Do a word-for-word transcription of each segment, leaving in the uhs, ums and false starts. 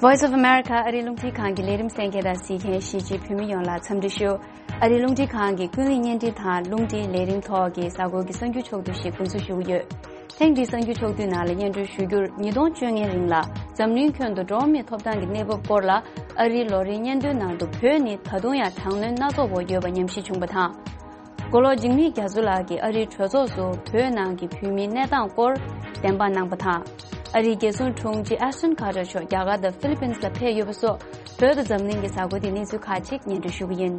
Voice of America ཨ་རིའི་རླུང་འཕྲིན་ཁང་གི་ལས་རིམ་གསན་མཁན་དང་གཟིགས་མཁན་གཞིས་བྱེས་བོད་མི་ཡོངས་ལ་འཚམས་འདྲི་ཞུ། ཨ་རིའི་རླུང་འཕྲིན་ཁང་གི་ཀུན་གླེང་བརྙན་འཕྲིན་དང་རླུང་འཕྲིན་ལས་རིམ་ཐོག་གི་གཟའ་འཁོར་གྱི་གསར་འགྱུར་ཕྱོགས་བསྡུས་ཤིག་འགོ་འཛུགས་ཞུ་གི་ཡོད། ཐེངས་འདིའི་གསར་འགྱུར་ཕྱོགས་བསྡུས་ནང་ལ་སྙན་སྒྲོན་ཞུ་རྒྱུར། ཉིས་སྟོང་བཅོ་ལྔའི་རིང་ལ་འཛམ་གླིང་ཁྱོན་དུ་འགྲོ་བ་མིའི་ཐོབ་ཐང་གི་གནས་བབ་སྐོར་ལ་ཨ་རིའི་ལོ་རེའི་སྙན་ཐོའི་ནང་དུ། བོད་ནི་ད་དུང་ཡང་དྲག་གནོན་སྣ་ཚོགས་འོག་ཡོད་པ་ཉམས་ཞིབ་བྱུང་བ་དང་། མགོ་ལོག་འཇིགས་མེད་རྒྱ་མཚོ་ལགས་ཀྱིས་ཨ་རིའི་གྲོས་ཚོགས་སུ་བོད་ནང་གི་བོད་མིའི་གནས་སྟངས་སྐོར་བདེན་དཔང་གནང་བ་དང་། ཨ་རིའི་རྒྱལ་སྲུང་དྲུང་ཆེ་ཨེ་ཤ་ཊོན་ཁ་ཏར་མཆོག་རྒྱ་གར་དང་ཧྥི་ལི་པིན་ལ་ཕེབས་ཡོད་པ་སོགས། བོད་དང་འཛམ་གླིང་གི་གཟའ་འཁོར་དེའི་གནས་ཚུལ་ཁག་ཅིག་སྙན་སྒྲོན་ཞུ་གི་ཡིན།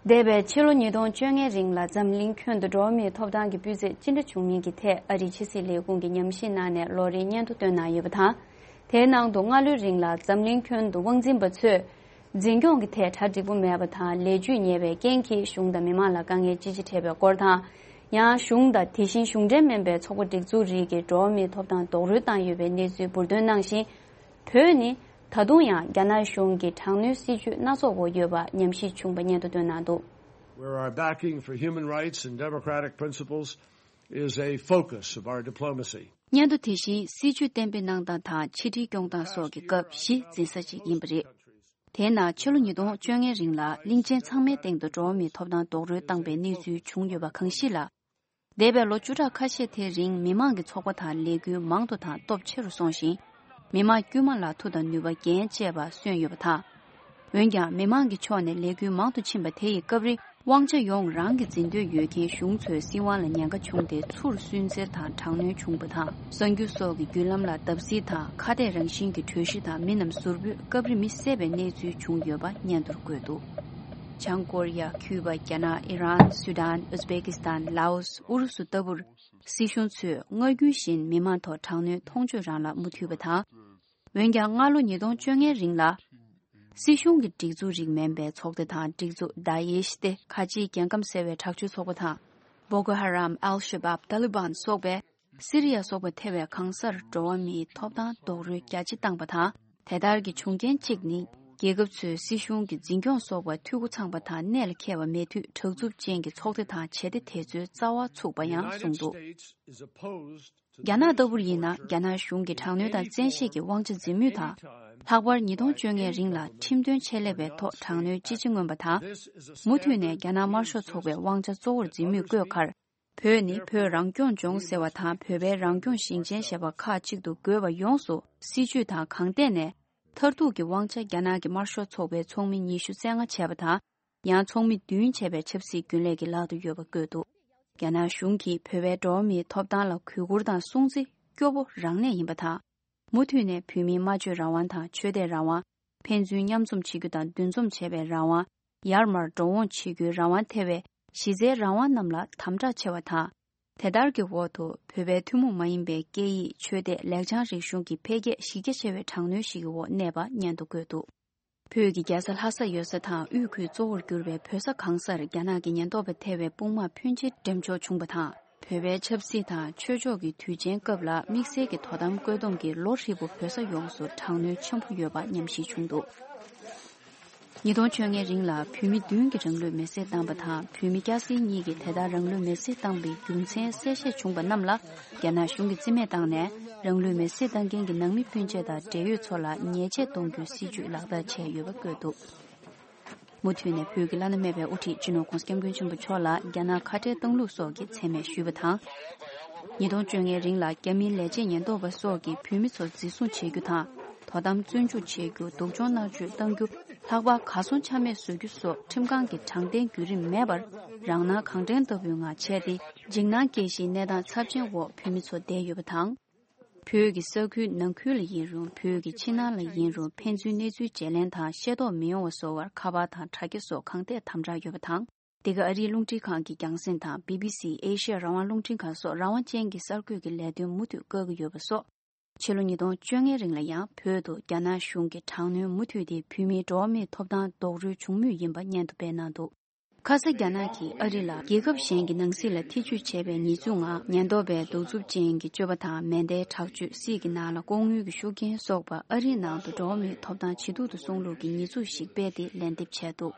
འདས་པའི་ཕྱི་ལོ་ཉིས་སྟོང་བཅོ་ལྔའི་རིང་ལ་འཛམ་གླིང་ཁྱོན་དུ་འགྲོ་བ་མིའི་ཐོབ་ཐང་གི་སྤུས་ཚད་ཅི་འདྲ་བྱུང་མིན་གྱི་ཐད་ཨ་རིའི་ཕྱི་སྲིད་ལས་ཁུངས་ཀྱིས་ཉམས་ཞིབ་གནང་ནས་ལོ་རེའི་སྙན་ཐོ་བཏོན་གནང་ཡོད་པ་དང་། དེའི་ནང་དུ་སྔ་ལོའི་རིང་ལ་འཛམ་གླིང་ཁྱོན་དུ་དབང་འཛིན་པ་ཚོས་འཛིན་སྐྱོང་གི་ཐད་གྲ་འགྲིག་པོ་མེད་པ་དང་། ལས་བྱུས་ཉེས་པའི་རྐྱེན་གྱིས་གཞུང་དང་མི་མང་ལ་དཀའ་ངལ་ཅི་ཆེ་འཕྲད་པའི་སྐོར་དང་། ཡང་གཞུང་དང་དེ་བཞིན་གཞུང་འབྲེལ་མིན་པའི་ཚོགས་པ་སྒྲིག་འཛུགས་རིགས་ཀྱིས་འགྲོ་བ་མིའི་ཐོབ་ཐང་རྡོག་རོལ་བཏང་ཡོད་པའི་གནས་ཚུལ་འབུར་འདོན་གནང་ཞིང་། བོད་ནི་ད་དུང་ཡང་རྒྱ་ནག་གཞུང་གི་དྲག་གནོན་སྲིད་བྱུས་སྣ་ཚོགས་འོག་ཡོད་པ་ཉམས་ཞིབ་བྱུང་བ་སྙན་ཐོ་བཏོན་གནང་འདུག། Where our backing for human rights and democratic principles is a focus of our diplomacy. སྙན་ཐོ་དེ་བཞིན་སྲིད་བྱུས་གཏན་འབེབས་གནང་སྟངས་དང་ཕྱི་འབྲེལ་སྐྱོང་སྟངས་སོགས་ཀྱི་སྐབས་གཞི་འཛིན་ས་ཅིག་ཡིན་པ་རེད། དེས་ན་ཕྱི་ལོ་ཉིས་སྟོང་བཅོ་ལྔའི་རིང་ལ་གླིང་ཆེན་ཚང་མའི་སྟེང་དུ་འགྲོ་བ་མིའི་ཐོབ་ཐང་རྡོག་རོལ་བཏང་པའི་གནས་ཚུལ་བྱུང་ཡོད་པ་གང་ཞིག་ལ། འདས་པའི་ལོ་བཅུ་ཕྲག་ཁ་ཤས་དེའི་རིང་མི་མང་གི་ཚོགས་པ་དང་ལས་འགུལ་མང་དུ་དང་སྟོབས་ཆེ་རུ་སོང་ཞིང་། མི་མང་དཀྱུས་མ་ལ་མཐུ་དང་ནུས་པ་རྒྱན་བཅས་པ་སོན་ཡོད་པ་དང་། འོན་ཀྱང་མི་མང་གི་ཕྱོགས་ནས་ལས་འགུལ་མང་དུ་ཕྱིན་པ་དེ་ཡི་སྐབས་རིང་དབང་ཆ་ཡོངས་རང་གི་འཛིན་འདོད་ཡོད་མཁན་གཞུང་ཚོའི་སྲིད་དབང་ལ་ཉེན་ཁ་བྱུང་སྟེ་ཚུར་སུན་གཙེར་དང་དྲག་གནོན་བྱུང་བ་དང་། གསར་འགྱུར་སོགས་ཀྱི་བརྒྱུད་ལམ་ལ་བརྡབ་གསིག་དང་ཁ་གཏད་རང་བཞིན་གྱི་གྲོས་གཞི་དང་མི་རྣམས་ཟུར་ཕུད་སྐབས་རེ་མི་བསད་པའི་གནས་ཚུལ་བྱུང་ཡོད་པ་སྙན་ཐོར་བཀོད་འདུག། བྱང་ཀོ་རི་ཡ། ཁྱུ་པ། རྒྱ་ནག། ཨི་རན། སུ་དཱན། ཨུ་ཛི་བེ་ཀི་སི་ཐན། ལའོ་སི། ཨུ་རུ་སུ་ལྟ་བུར། སྲིད་གཞུང་ཚོས་སྔར་རྒྱུན་བཞིན་མི་མང་ཐོག་དྲག་གནོན་མཐོང་ཆོས་རང་ལ་མུ་མཐུད་པ་དང་། འོན་ཀྱང་སྔ་ལོ་ཉིས་སྟོང་བཅོ་ལྔའི་རིང་ལ། སྲིད་གཞུང་གི་སྒྲིག་འཛུགས་རིགས་མིན་པའི་ཚོགས་སྡེ་དང་སྒྲིག་འཛུགས་དཱ་ཨེཤ་སྟེ་ཁ་ཆེའི་རྒྱལ་ཁམས་གསལ་བའི་དྲག་སྤྱོད་ཚོགས་པ་དང་། བོ་ཀོ་ཧ་རམ། ཨལ་ཤ་བབ། ཏཱ་ལི་བན་སོགས་པས། སི་རི་ཡ་སོགས་པ་ཐེ་བའི་གང་སར་འགྲོ་བ་མིའི་ཐོབ་ཐང་རྡོག་རོལ་རྒྱ་ཆེ་བཏང་པ་དང་། དེ་ལྟར་གྱི་བྱུང་རྐྱེན་གཅིག་ནི། རྒྱལ་ཁབ་ཚོས་སྲིད་གཞུང་གི་འཛིན་སྐྱོང་སོགས་པར་འཐུས་སྒོ་ཚང་པ་དང་གནད་ལ་འཁེལ་བ་མེད་དུས་དྲག་རྩུབ་ཅན་གྱི་ཚོགས་སྡེ་དང་བྱེད་གཏེ་དེ་ཚོའི་རྩ་བ་ཚུགས་པ་ཡང་གསུངས་འདུག། རྒྱ་ནག་ལྟ་བུར་ཡིན་ན། རྒྱ་ནག་གཞུང་གིས་དྲག་གནོན་དང་བཙན་ཤེད་ཀྱི་དབང་ཆ་འཛིན་མུས་དང་། ལྷག་པར་ཉིས་སྟོང་བཅོ་ལྔའི་རིང་ལ་ཁྲིམས་དོན་ཆེད་ལས་པའི་ཐོག་དྲག་གནོན་ཅི་བྱེད་མངོན་པ་དང་། མུ་མཐུད་ནས་རྒྱ་ནག་དམར་ཤོག་ཚོགས་པའི་དབང་ཆ་གཙོ་བོར་འཛིན་མུས་བཀོད་ཁར། བོད་ནི་བོད་རང་སྐྱོང་ལྗོངས་ཟེར་བ་དང་བོད་པའི་རང་སྐྱོང་ཞིང་ཆེན་ཞེས་པ་ཁག་གཅིག་ཏུ་བགོས་པ་ཡོངས་སུ་སྲིད་བྱུས་དང་གང་ཐད་ནས་མཐར་ཐུག་གི་དབང་ཆ་རྒྱ་ནག་གི་དམར་ཤོག་ཚོགས་པའི་ཚོགས་མི་ཉི་ཤུ་རྩ་ལྔ་བྱས་པ་དང་། ཡང་ཚོགས་མི་བདུན་བྱས་པའི་ཆབ་སྲིད་རྒྱུན་ལས་ཀྱི་ལག་ཏུ་ཡོད་པ་བཀོད་འདུག། རྒྱ་ནག་གཞུང་གིས་བོད་པའི་འགྲོ་བ་མིའི་ཐོབ་ཐང་ལ་གུས་བཀུར་དང་སྲུང་བརྩི་སྐྱོ་པོ་རང་གནས་ཡིན་པ་དང་། མུ་མཐུད་ནས་བོད་མིའི་སྨྲ་བརྗོད་རང་དབང་དང་ཆོས་དད་རང་དབང་། ཕན་ཚུན་མཉམ་འཛོམས་བྱེད་རྒྱུ་དང་འདུ་འཛོམས་བྱེད་པའི་རང་དབང་། ཡར་མར་འགྲོ་འོང་བྱེད་རྒྱུའི་རང་དབང་ཐེ་བའི་གཞི་རྩའི་རང་དབང་རྣམས་ལ་དམ་དྲག་ཆེ་བ་དང་། དེ་ལྟར་གྱི་འོག་ཏུ་བོད་པའི་ཐུན་མོང་མ་ཡིན་པའི་སྐད་ཡིག་ཆོས་དད་ལེགས་བྱང་རིག་གཞུང་གི་འཕེལ་རྒྱས་གཞི་རྒྱ་ཆེ་བའི་དྲག་གནོན་ཞིག་གི་འོག་གནས་པ་སྙན་ཐོ་བཀོད་འདུག། བོད་ཀྱི་རྒྱལ་ས་ལྷ་ས་ཡོད་ས་དང་དབུས་ཁུལ་གཙོ་བོར་གྱུར་པའི་བོད་ས་གང་སར་རྒྱ་ནག་གི་ཉེན་རྟོག་པ་ཐེ་བའི་དཔུང་དམག་ཕོན་ཆེ་འགྲེམས་འཇོག་བྱུང་བ་དང་། བོད་པའི་ཆབ་སྲིད་དང་ཆོས་ཕྱོགས་ཀྱི་དུས་ཆེན་སྐབས་ལ་དམིགས་བསལ་གྱི་དོ་དམ་བཀོད་འདོམས་ཀྱིས་ལོ་ཧྲིལ་པོ་བོད་ས་ཡོངས་སུ་དྲག་གནོན་ཆེན་པོ་ཡོད་པ་ཉམས་ཞིབ་བྱུང་འདུག། ཉིས་སྟོང་བཅོ་ལྔའི་རིང་ལ་བོད་མི་བདུན་གྱིས་རང་ལུས་མེར་སྲེག་བཏང་པ་དང་། བོད་མི་སྐྱ་སེར་གཉིས་ཀྱིས་དེ་ལྟར་རང་ལུས་མེར་སྲེག་བཏང་པའི་རྒྱུ་མཚན་གསལ་བཤད་བྱུང་པ་རྣམས་ལ་རྒྱ་ནག་གཞུང་གིས་རྩིས་མེད་བཏང་ནས། རང་ལུས་མེར་སྲེག་བཏང་མཁན་གྱི་ནང་མི་སྤུན་མཆེད་དང་འབྲེལ་ཡོད་ཚོ་ལ་ཉེས་ཆད་གཏོང་རྒྱུའི་སྲིད་བྱུས་ལག་བསྟར་བྱས་ཡོད་པ་བཀོད་འདུག། མུ་མཐུད་ནས་བོད་ཀྱི་བླ་ན་མེད་པའི་དབུ་ཁྲིད་སྤྱི་ནོར་༧གོང་ས་༧སྐྱབས་མགོན་ཆེན་པོ་མཆོག་ལ་རྒྱ་ནག་ཁ་བྲལ་བཏང་ལུགས་སོགས་ཀྱི་མཚན་སྨད་ཞུས་པ་དང་། ཉིས་སྟོང་བཅོ་ལྔའི་རིང་ལ་རྒྱ་མིའི་ལས་བྱེད་ཉེན་རྟོག་པ་སོགས་ཀྱིས་བོད་མི་ཚོ་འཛིན་བཟུང་བྱེད་རྒྱུ་དང་། དོ་དམ་བཙོན་འཇུག་བྱེད་རྒྱུ། སྡུག་སྦྱོང་མནར་གཅོད་གཏང་རྒྱུ། ལྷག་པར་གར་སོང་ཆ་མེད་བཟོ་རྒྱུ་སོགས་ཁྲིམས་ཁང་གི་དྲང་བདེན་བརྒྱུད་རིམ་མེད་པར་རང་སྣང་གང་དྲན་ལྟ་བུའི་ངང་བྱས་ཏེ། འཇིགས་སྣང་སྐྱེ་གཞིའི་གནས་སྟངས་ཚབས་ཆེན་འོག་བོད་མི་ཚོ་བསྡད་ཡོད་པ་དང་། བོད་ཀྱི་ས་ཁུལ་ནང་ཁུལ་ལ་ཡིན་རུང་། བོད་ཀྱི་ཕྱི་ནང་ལ་ཡིན་རུང་། ཕན་ཚུན་གནས་ཚུལ་བརྗེ་ལེན་དང་ཤེས་རྟོགས་མི་ཡོང་བ་བཟོ་བར་ཁ་པར་དང་དྲ་རྒྱ་སོགས་གང་ཐད་དམ་དྲག་ཡོད་པ་དང་། འདི་ག་ཨ་རིའི་རླུང་འཕྲིན་ཁང་གི་རྒྱང་སྲིང་དང་བི་བི་སི། ཨེ་ཤི་ཡ་རང་དབང་རླུང་འཕྲིན་ཁང་སོགས་རང་དབང་ཅན་གྱི་གསར་འགོད་ཀྱི་ལས་དོན་མུ་མཐུད་བཀག་གི་ཡོད་པ་སོགས། ཕྱི་ལོ་ཉིས་སྟོང་བཅོ་ལྔའི་རིང་ལ་ཡང་བོད་དུ་རྒྱ་ནག་གཞུང་གི་དྲག་གནོན་མུ་མཐུད་དེ་བོད་མིའི་འགྲོ་བ་མིའི་ཐོབ་ཐང་རྡོག་རོལ་བྱུང་མུས་ཡིན་པ་སྙན་ཐོ་སྤེལ་གནང་འདུག། ཁ་ས་རྒྱ་ནག་གིས་ཨ་རི་ལ་རྒྱལ་ཁབ་གཞན་གྱི་ནང་སྲིད་ལ་ཐེ་ཇུས་བྱས་པའི་ཉེས་འཛུགས་ངང་ཉེན་རྟོག་པའི་གདུག་རྩུབ་ཅན་གྱི་སྤྱོད་པ་དང་མེ་མདའི་དྲག་སྤྱོད། སྲིད་ཀྱི་ནང་ལ་ལྐོག་དངུལ་གྱི་ཤུགས་རྐྱེན་སོགས་པ་ཨ་རིའི་ནང་དུ་འགྲོ་བ་མིའི་ཐོབ་ཐང་ཇེ་སྡུག་ཏུ་སོང་ལུགས་ཀྱི་ཉེས་འཛུགས་ཤིག་སྤེལ་ཏེ་ལན་འདེབས་བྱས་འདུག།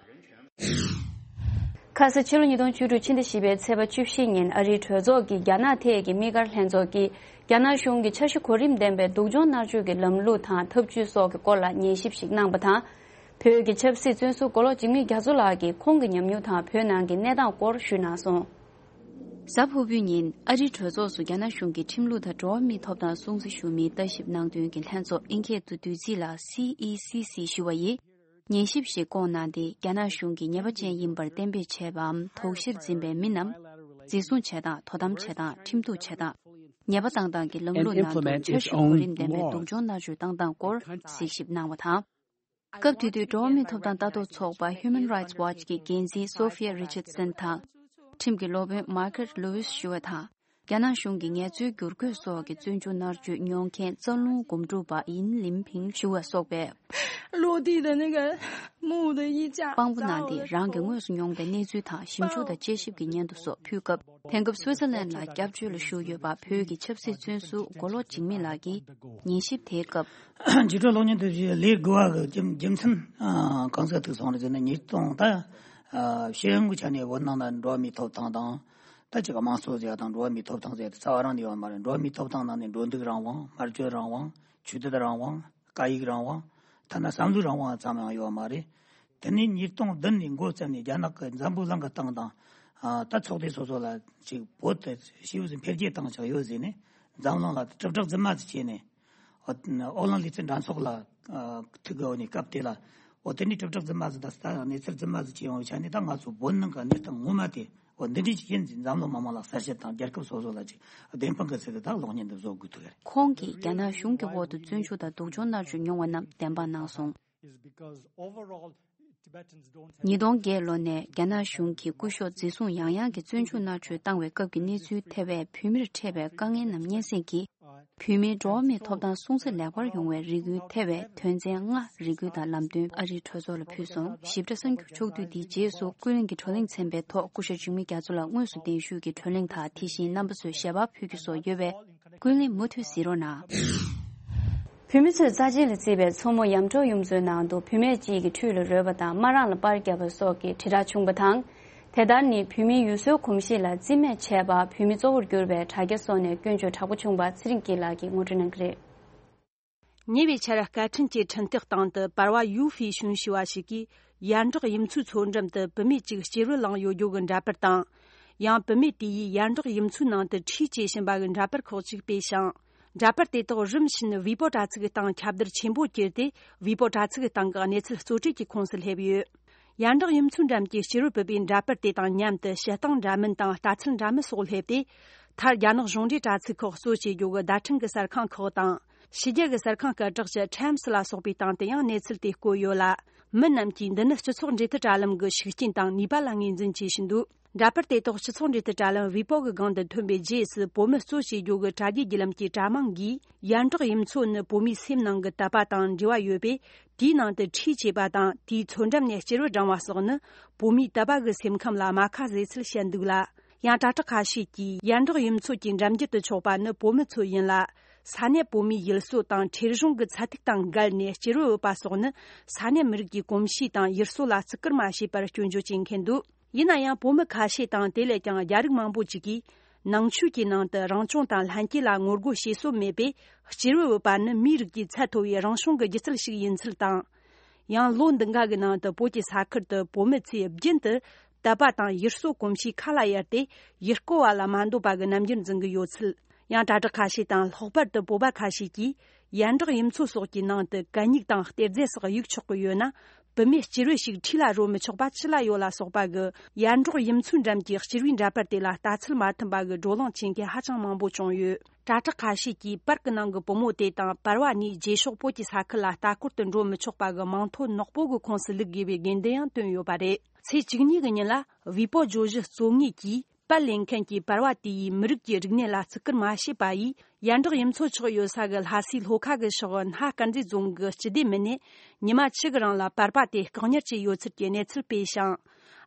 ཁ་ས་ཕྱི་ལོ་ཉིས་སྟོང་བཅུ་དྲུག་ཕྱི་ཟླ་བཞི་པའི་ཚེས་པ་བཅུ་བཞི་ཉིན་ཨ་རིའི་གྲོས་ཚོགས་ཀྱི་རྒྱ་ནག་ཐད་ཀྱི་དམིགས་བཀར་ལྷན་ཚོགས་ཀྱིས་རྒྱ་ནག་གཞུང་གི་འཆར་གཞི་གོ་རིམ་ལྡན་པའི་སྡུག་སྦྱོང་མནར་གཅོད་ཀྱི་ལམ་ལུགས་དང་ཐབས་ཇུས་སོགས་ཀྱི་སྐོར་ལ་ཉན་ཞིབ་ཞིག་གནང་བ་དང་། བོད་ཀྱི་ཆབ་སྲིད་བཙོན་ཟུར་མགོ་ལོག་འཇིགས་མེད་རྒྱ་མཚོ་ལགས་ཀྱིས་ཁོང་གི་ཉམས་མྱོང་དང་བོད་ནང་གི་གནས་སྟངས་སྐོར་ཞུས་གནང་སོང་། གཟའ་ཕུར་བུའི་ཉིན་ཨ་རིའི་གྲོས་ཚོགས་སུ་རྒྱ་ནག་གཞུང་གི་ཁྲིམས་ལུགས་དང་འགྲོ་བ་མིའི་ཐོབ་ཐང་སྲུང་བརྩི་ཞུ་མིའི་ལྟ་ཞིབ་གནང་དོན་གྱི་ལྷན་ཚོགས་ཨིན་སྐད་དུ་བསྡུས་ཚིག་ལ་སི་ཨི་སི་སི་ཞུ་བ་ཡིས། ཉན་ཞིབ་ཞིག་བསྐོངས་གནང་སྟེ་རྒྱ་ནག་གཞུང་གིས་ཉེས་པ་ཅན་ཡིན་པར་གཏན་འབེབས་བྱས་པའམ་དོགས་གཞིར་འཛིན་པའི་མི་རྣམས་འཛིན་བཟུང་བྱེད་སྟངས། དོ་དམ་བྱེད་སྟངས། ཁྲིམས་གཏུག་བྱེད་སྟངས། ཉེས་པ་བཏང་སྟངས་ཀྱི་ལམ་ལུགས་ནང་དུ་འཆར་གཞི་གོ་རིམ་ལྡན་པའི་སྡུག་སྦྱོང་མནར་གཅོད་བཏང་སྟངས་སྐོར་གཟིགས་ཞིབ་གནང་བ་དང་། སྐབས་དེ་དུས་འགྲོ་བ་མིའི་ཐོབ་ཐང་ལྟ་རྟོག་ཚོགས་པ་Human Rights Watch གི་འགན་འཛིན་Sophia Richardson དང་། ཁྲིམས་ཀྱི་སློབ་དཔོན་Margaret Lewis ཞུ་བ་དང་། རྒྱ་ནག་གཞུང་གིས་ངལ་རྩོལ་བསྒྱུར་བཀོད་སོགས་ཀྱི་བཙོན་འཇུག་མནར་གཅོད་མྱོང་མཁན་རྩ་རླུང་སྒོམ་སྒྲུབ་པ་ཡིན་ལིན་ཕིང་ཞུ་བ་སོགས་པས། 落地的那个墓的衣架。 དཔང་པོ་གནང་སྟེ་རང་གིས་དངོས་སུ་མྱོང་པའི་གནས་ཚུལ་དང་ཞིབ་འཇུག་དང་དཔྱད་ཞིབ་ཀྱི་སྙན་ཐོ་སོགས་ཕུལ་སྐབས། དེང་སྐབས་སུའི་ཙར་ལན་ལ་སྐྱབས་བཅོལ་ལ་བཞུགས་ཡོད་པ་བོད་ཀྱི་ཆབ་སྲིད་བཙོན་ཟུར་མགོ་ལོག་འཇིགས་མེད་ལགས་ཀྱིས་ཉན་ཞིབ་དེའི་སྐབས། འཇིགས་སྐྲག་གློག་བརྙན་དེ་བཞིན་ལས་དགོས་པ་གི་རྒྱུ་རྒྱུ་མཚན་གང་ཟག་ཐུག་སོང་རེད་ཟེར་ན། ཉིས་སྟོང་ད་ཤེས་ཡོན་གྱི་ཆ་ནས་བོད་ནང་ན་འགྲོ་བ་མིའི་ཐོབ་ཐང་དང་། ད་ཅིག་དམངས་གཙོ་ཟེར་ཡ་དང་འགྲོ་བ་མིའི་ཐོབ་ཐང་ཟེར་ཡ་དེ་རྩ་བ་རང་ནས་ཡོད་མ་རེད། འགྲོ་བ་མིའི་ཐོབ་ཐང་ནང་ནས་འགྲོ་འདུག་རང་དབང་། སྨྲ་བརྗོད་རང་དབང་། ཆོས་དད་རང་དབང་། སྐད་ཡིག་རང་དབང་། ཐ་ན་བསམ་བློའི་རང་དབང་ཙམ་ཡང་ཡོད་མ་རེད། དེ་ནས་ཉིས་སྟོང་བདུན་ནས་འགོ་བཙུགས་ནས་རྒྱ་ནག་གི་འཛམ་བུ་གླིང་གི་སྟེང་དང་། ཨ། ད་ཚོགས་སྡེ་སོ་སོ་ལ་ཅིག་བོད་དེ་ཞེ་པོ་ཅིག་འཕེལ་རྒྱས་བཏང་ཆོག་ཡོད་ཟེར་ནས་འཛམ་གླིང་ལ་དྲིལ་བསྒྲགས་རྫུན་མ་ཟིག་བྱས་ནས། ཨོ། ཨོ་གླིང་ལུས་རྩལ་འགྲན་ཚོགས་ལ། ཨ། ཐུག་གི་འོ་ནས་སྐབས་དེ་ལ། འོ་དེ་ནས་དྲིལ་བསྒྲགས་རྫུན་མ་ཟིག་དང་ད་གནས་ཚུལ་རྫུན་མ་ཟིག་བྱས་ཡོང་བའི་ཆ་ནས། ད་ང་ཚོ་བོད་ནང་གི་གནས་སྟངས་ངོ་མ་དེ་འོ་འདི་འདྲ་ཅིག་ཡིན་ཟེར་འཛམ་གླིང་མི་མང་ལ་གསལ་བཤད་དང་རྒྱལ་ཁབ་སོ་སོ་ལ་ཅིག་བདེན་དཔང་གི་ཚུལ་དུ་ད་གློག་བརྙན་འདི་བཟོ་དགོས་ཐུག་གི་རེད། ཁོང་གིས་རྒྱ་ནག་གཞུང་གི་འོག་ཏུ་བཙོན་འཇུག་དང་སྡུག་སྦྱོང་མནར་གཅོད་མྱོང་བ་རྣམས་བདེན་དཔང་གནང་སོང་། Is because overall Tibetans don't ཉིས་སྟོང་བརྒྱད་ལོ་ནས་རྒྱ་ནག་གཞུང་གིས་སྐུ་ཞབས་འཛིན་བཟུང་ཡང་ཡང་གིས་བཙོན་འཇུག་མནར་གཅོད་བཏང་བའི་སྐབས་ཀྱི་གནས་ཚུལ་ཐེ་བའི་བོད་མིར་འཕྲད་པའི་དཀའ་ངལ་རྣམས་སྙན་སེང་གིས། བོད་མིའི་འགྲོ་བ་མིའི་ཐོབ་ཐང་སྲུང་བརྩི་ལེགས་པར་ཡོང་བའི་རེ་སྐུལ་ཐེ་བའི་དོན་ཚན་ལྔ་རེ་སྐུལ་དང་ལམ་སྟོན་ཨ་རིའི་གྲོས་ཚོགས་ལ་ཕུལ་སོང་། ཞིབ་ཕྲ་གསར་འགྱུར་ཕྱོགས་བསྡུས་འདིའི་རྗེས་སུ་ཀུན་གླེང་གི་བགྲོ་གླེང་ཚན་པའི་ཐོག་སྐུ་ཞབས་འཇིགས་མེད་རྒྱ་མཚོ་ལགས་དངོས་སུ་གདན་ཞུས་ཀྱིས་བགྲོ་གླེང་དང་དེ་བཞིན་རྣམ་པ་ཚོས་ཞལ་པར་ཕུལ་རྒྱུ་སོགས་ཡོད་པས། ཀུན་གླེང་མུ་མཐུད་གཟིགས་རོགས་གནང་། བོད་མི་ཚོས་རྩ་ཆེན་ལ་བརྩིས་པའི་མཚོ་མོ་ཡམ་གྲོག་གཡུ་མཚོའི་ནང་དུ་བུད་མེད་ཅིག་གིས་ཁྲུས་ལ་རོལ་བ་དང་དམར་རིང་ལ་པར་བརྒྱབ་པ་སོགས་ཀྱི་དྲིལ་བསྒྲགས་བྱུང་བ་དང་། དེ་ལྟར་ནི་བོད་མིའི་ཡུལ་སྲོལ་གོམས་གཤིས་ལ་རྩིས་མེད་བྱས་པ། བོད་མི་གཙོ་བོར་གྱུར་པའི་དྲ་རྒྱ་སོགས་ནས་སྐྱོན་བརྗོད་དྲག་པོ་བྱུང་བ་ཚེ་རིང་སྐྱིད་ལགས་ཀྱིས་ངོ་སྤྲོད་གནང་གི་རེད། ཉེ་བའི་ཆར་སྐད་འཕྲིན་གྱི་འཕྲིན་སྟེགས་སྟེང་དུ་པར་བ་ཡུའུ་ཧྥེ་ཞུན་ཞུ་བ་ཞིག་གིས། ཡར་འབྲོག་གཡུ་མཚོའི་མཚོ་འགྲམ་དུ་བུད་མེད་ཅིག་སྐྱེས་རོལ་བླངས་ཡོད་རྒྱུ་གི་འདྲ་པར་དང་། ཡང་བུད་མེད་དེ་ཡིས་ཡར་འབྲོག་གཡུ་མཚོའི་ནང་དུ་ཁྲུས་བྱེད་བཞིན་པ་གི་འདྲ་པར་ཁག་ཅིག་སྤེལ་ཞིང་། འདྲ་པར་དེ་དག་རིམ་བཞིན་ཝེ་པོ་དྲ་ཚིགས་སྟེང་ཁྱབ་བརྡལ་ཆེན་པོ་གྱུར་ཏེ། ཝེ་པོ་དྲ་ཚིགས་སྟེང་གི་གནས་ཚུལ་རྩོལ་སྤྲུགས་ཀྱི་ཁོངས་སུ་སླེབས་ཡོད། ཡར་འབྲོག་གཡུ་མཚོའི་འགྲམ་གྱི་སྐྱེས་རོལ་བུད་པའི་འདྲ་པར་དེ་དང་མཉམ་དུ་བཤད་སྟངས་འདྲ་མིན་དང་ལྟ་ཚུལ་འདྲ་མིན་སོགས་སླེབས་ཏེ། མཐར་རྒྱ་ནག་གཞུང་འབྲེལ་དྲ་ཚིགས་ཁག་གཙོ་བྱེད་རྒྱུ་གི་བརྡ་འཕྲིན་གྱི་གསར་ཁང་ཁག་དང་། ཕྱི་རྒྱལ་གྱི་གསར་ཁང་སྐད་གྲགས་ཅན་Times ལ་སོགས་པའི་སྟེང་དུ་ཡང་གནས་ཚུལ་དེ་བཀོད་ཡོད་ལ། མི་རྣམས་ཀྱིས་འདི་ནི་སྤྱི་ཚོགས་འབྲེལ་མཐུད་དྲ་ལམ་གྱི་ཤུགས་རྐྱེན་དང་ནུས་པ་ལ་ངོས་འཛིན་བྱེད་བཞིན་འདུག་འདྲ་པར་དེ་དག་སྤྱི་ཚོགས་འབྲེལ་མཐུད་དྲ་ལམ་ཝེ་པོ་གི་སྒང་དུ་ཐོན་པའི་རྗེས་སུ། བོད་མི་གཙོ་བྱེད་རྒྱུ་གི་དྲ་རྒྱའི་བརྒྱུད་ལམ་གྱི་དྲ་དམངས་ཀྱིས། ཡར་འབྲོག་གཡུ་མཚོ་ནི་བོད་མིའི་སེམས་ནང་གི་དད་པ་དང་འབྲེལ་བ་ཡོད་པས། དེའི་ནང་དུ་ཁྲུས་བྱེད་པ་དང་། དེའི་མཚོ་འགྲམ་ནས་སྐྱེས་རོལ་བསྒྲེངས་པ་སོགས་ནི། བོད་མིའི་དད་པ་གི་སེམས་ཁམས་ལ་རྨ་ཁ་བཟོས་ཚུལ་བཤད་འདུག་ལ། ཡང་དྲ་གྲགས་ཁ་ཤས་ཀྱིས། ཡར་འབྲོག་གཡུ་མཚོ་གི་འགྲམ་རྒྱུད་དུ་ཆགས་པ་ནི་བོད་མི་ཚོ་ཡིན་ལ། ས་གནས་བོད་མིའི་ཡུལ་སྲོལ་དང་ཁྲེལ་གཞུང་གི་ཚད་ཐིག་དང་འགལ་ནས་སྐྱེས་རོལ་འབུད་པ་སོགས་ནི། ས་གནས་མི་རིགས་ཀྱི་གོམས་གཤིས་དང་ཡུལ་སྲོལ་ལ་བརྩི་བཀུར་མ་བྱས་པར་སྐྱོན་བརྗོད་བྱེད་མཁན་འདུག་ཡིན་ན་ཡང་། བོད་མི་ཁ་ཤས་དང་། དེ་ལས་ཀྱང་རྒྱ་རིགས་མང་པོ་ཅིག་གིས། ནང་ཆོས་ཀྱི་ནང་དུ་རང་སྐྱོང་དང་ལྷན་སྐྱེས་ལ་ངོ་རྒོལ་བྱེད་སྲོལ་མེད་པས། སྐྱེས་རོལ་འབུད་པ་ནི་མིའི་རིགས་ཀྱི་ཚད་མཐོ་བའི་རང་བྱུང་གི་སྒྱུ་རྩལ་ཞིག་ཡིན་ཚུལ་དང་། ཡང་། ལོ་འདི་འགའ་གི་ནང་དུ་བོད་ཀྱི་ས་ཁུལ་དུ་བོད་མི་ཚོས་རྒྱུན་དུ་དད་པ་དང་ཡུལ་སྲོལ་གོམས་གཤིས་ཁ་ལ་གཡར་ཏེ། ཡུལ་སྐོར་བ་ལ་མ་འདོད་པ་གི་རྣམ་འགྱུར་འཛིན་གྱི་ཡོད་ཚུལ། ཡང་། དྲ་གྲགས་ཁ་ཤས་དང་། ལྷག་པར་དུ་བོད་པ་ཁ་ཤས་ཀྱིས། ཡར་འབྲོག་གཡུ་མཚོ་སོགས་ཀྱི་ནང་དུ་གད་སྙིགས་དང་གཏེར་རྫས་སོགས་གཡུག་ཆོག་གི་ཡོད་ན། བུད་མེད་སྐྱེས་རོལ་ཞིག་ཁྲུས་ལ་རོལ་མི་ཆོག་པ་ཅི་ལ་ཡོད་ལ་སོགས་པ་གི། ཡར་འབྲོག་གཡུ་མཚོའི་འགྲམ་གྱི་སྐྱེས་རོལ་འདྲ་པར་དེ་ལ་ལྟ་ཚུལ་མ་མཐུན་པ་གི་བགྲོ་གླེང་བྱེད་མཁན་ཧ་ཅང་མང་པོ་བྱུང་ཡོད། དྲ་གྲགས་ཁ་ཤས་ཀྱིས་པར་གྱི་ནང་གི་བུ་མོ་དེ་དང་། པར་བ་ནས་རྗེས་ཕྱོགས་བོད་ཀྱི་ས་ཁུལ་ལ་ལྟ་སྐོར་དུ་འགྲོ་མི་ཆོག་པ་གི་མིང་ཐོ་ནག་པོ་གི་ཁོངས་སུ་བླུག་དགོས་པའི་དགོས་འདུན་ཡང་བཏོན་ཡོད་པ་རེད། ཚེས་བཅུ་གཉིས་ཀྱི་ཉིན་ལ། ཝེ་པོ་བརྗོད་གཞི་གཙོ་ངོས་ཀྱིས། པར་ལེན་མཁན་གྱིས་པར་བ་དེ་ཡིས་མི་རིགས་ཀྱི་རིག་གནས་ལ་བརྩི་བཀུར་མ་བྱས་པ་ཡིས། ཡར་འབྲོག་གཡུ་མཚོ་ཆགས་ཡོད་ས་གི་ལྷ་སའི་ལྷོ་ཁ་གི་ཕྱོགས་སྣ་དཀར་མཛེས་རྫོང་གི་སྤྱི་བདེ་མི་སྣས་ཉི་མ་གཅིག་གི་རིང་ལ་པར་པ་དེ་བཀག་ཉར་བྱས་ཡོད་ཚུལ་གྱི་གནས་ཚུལ་སྤེལ་ཞིང་།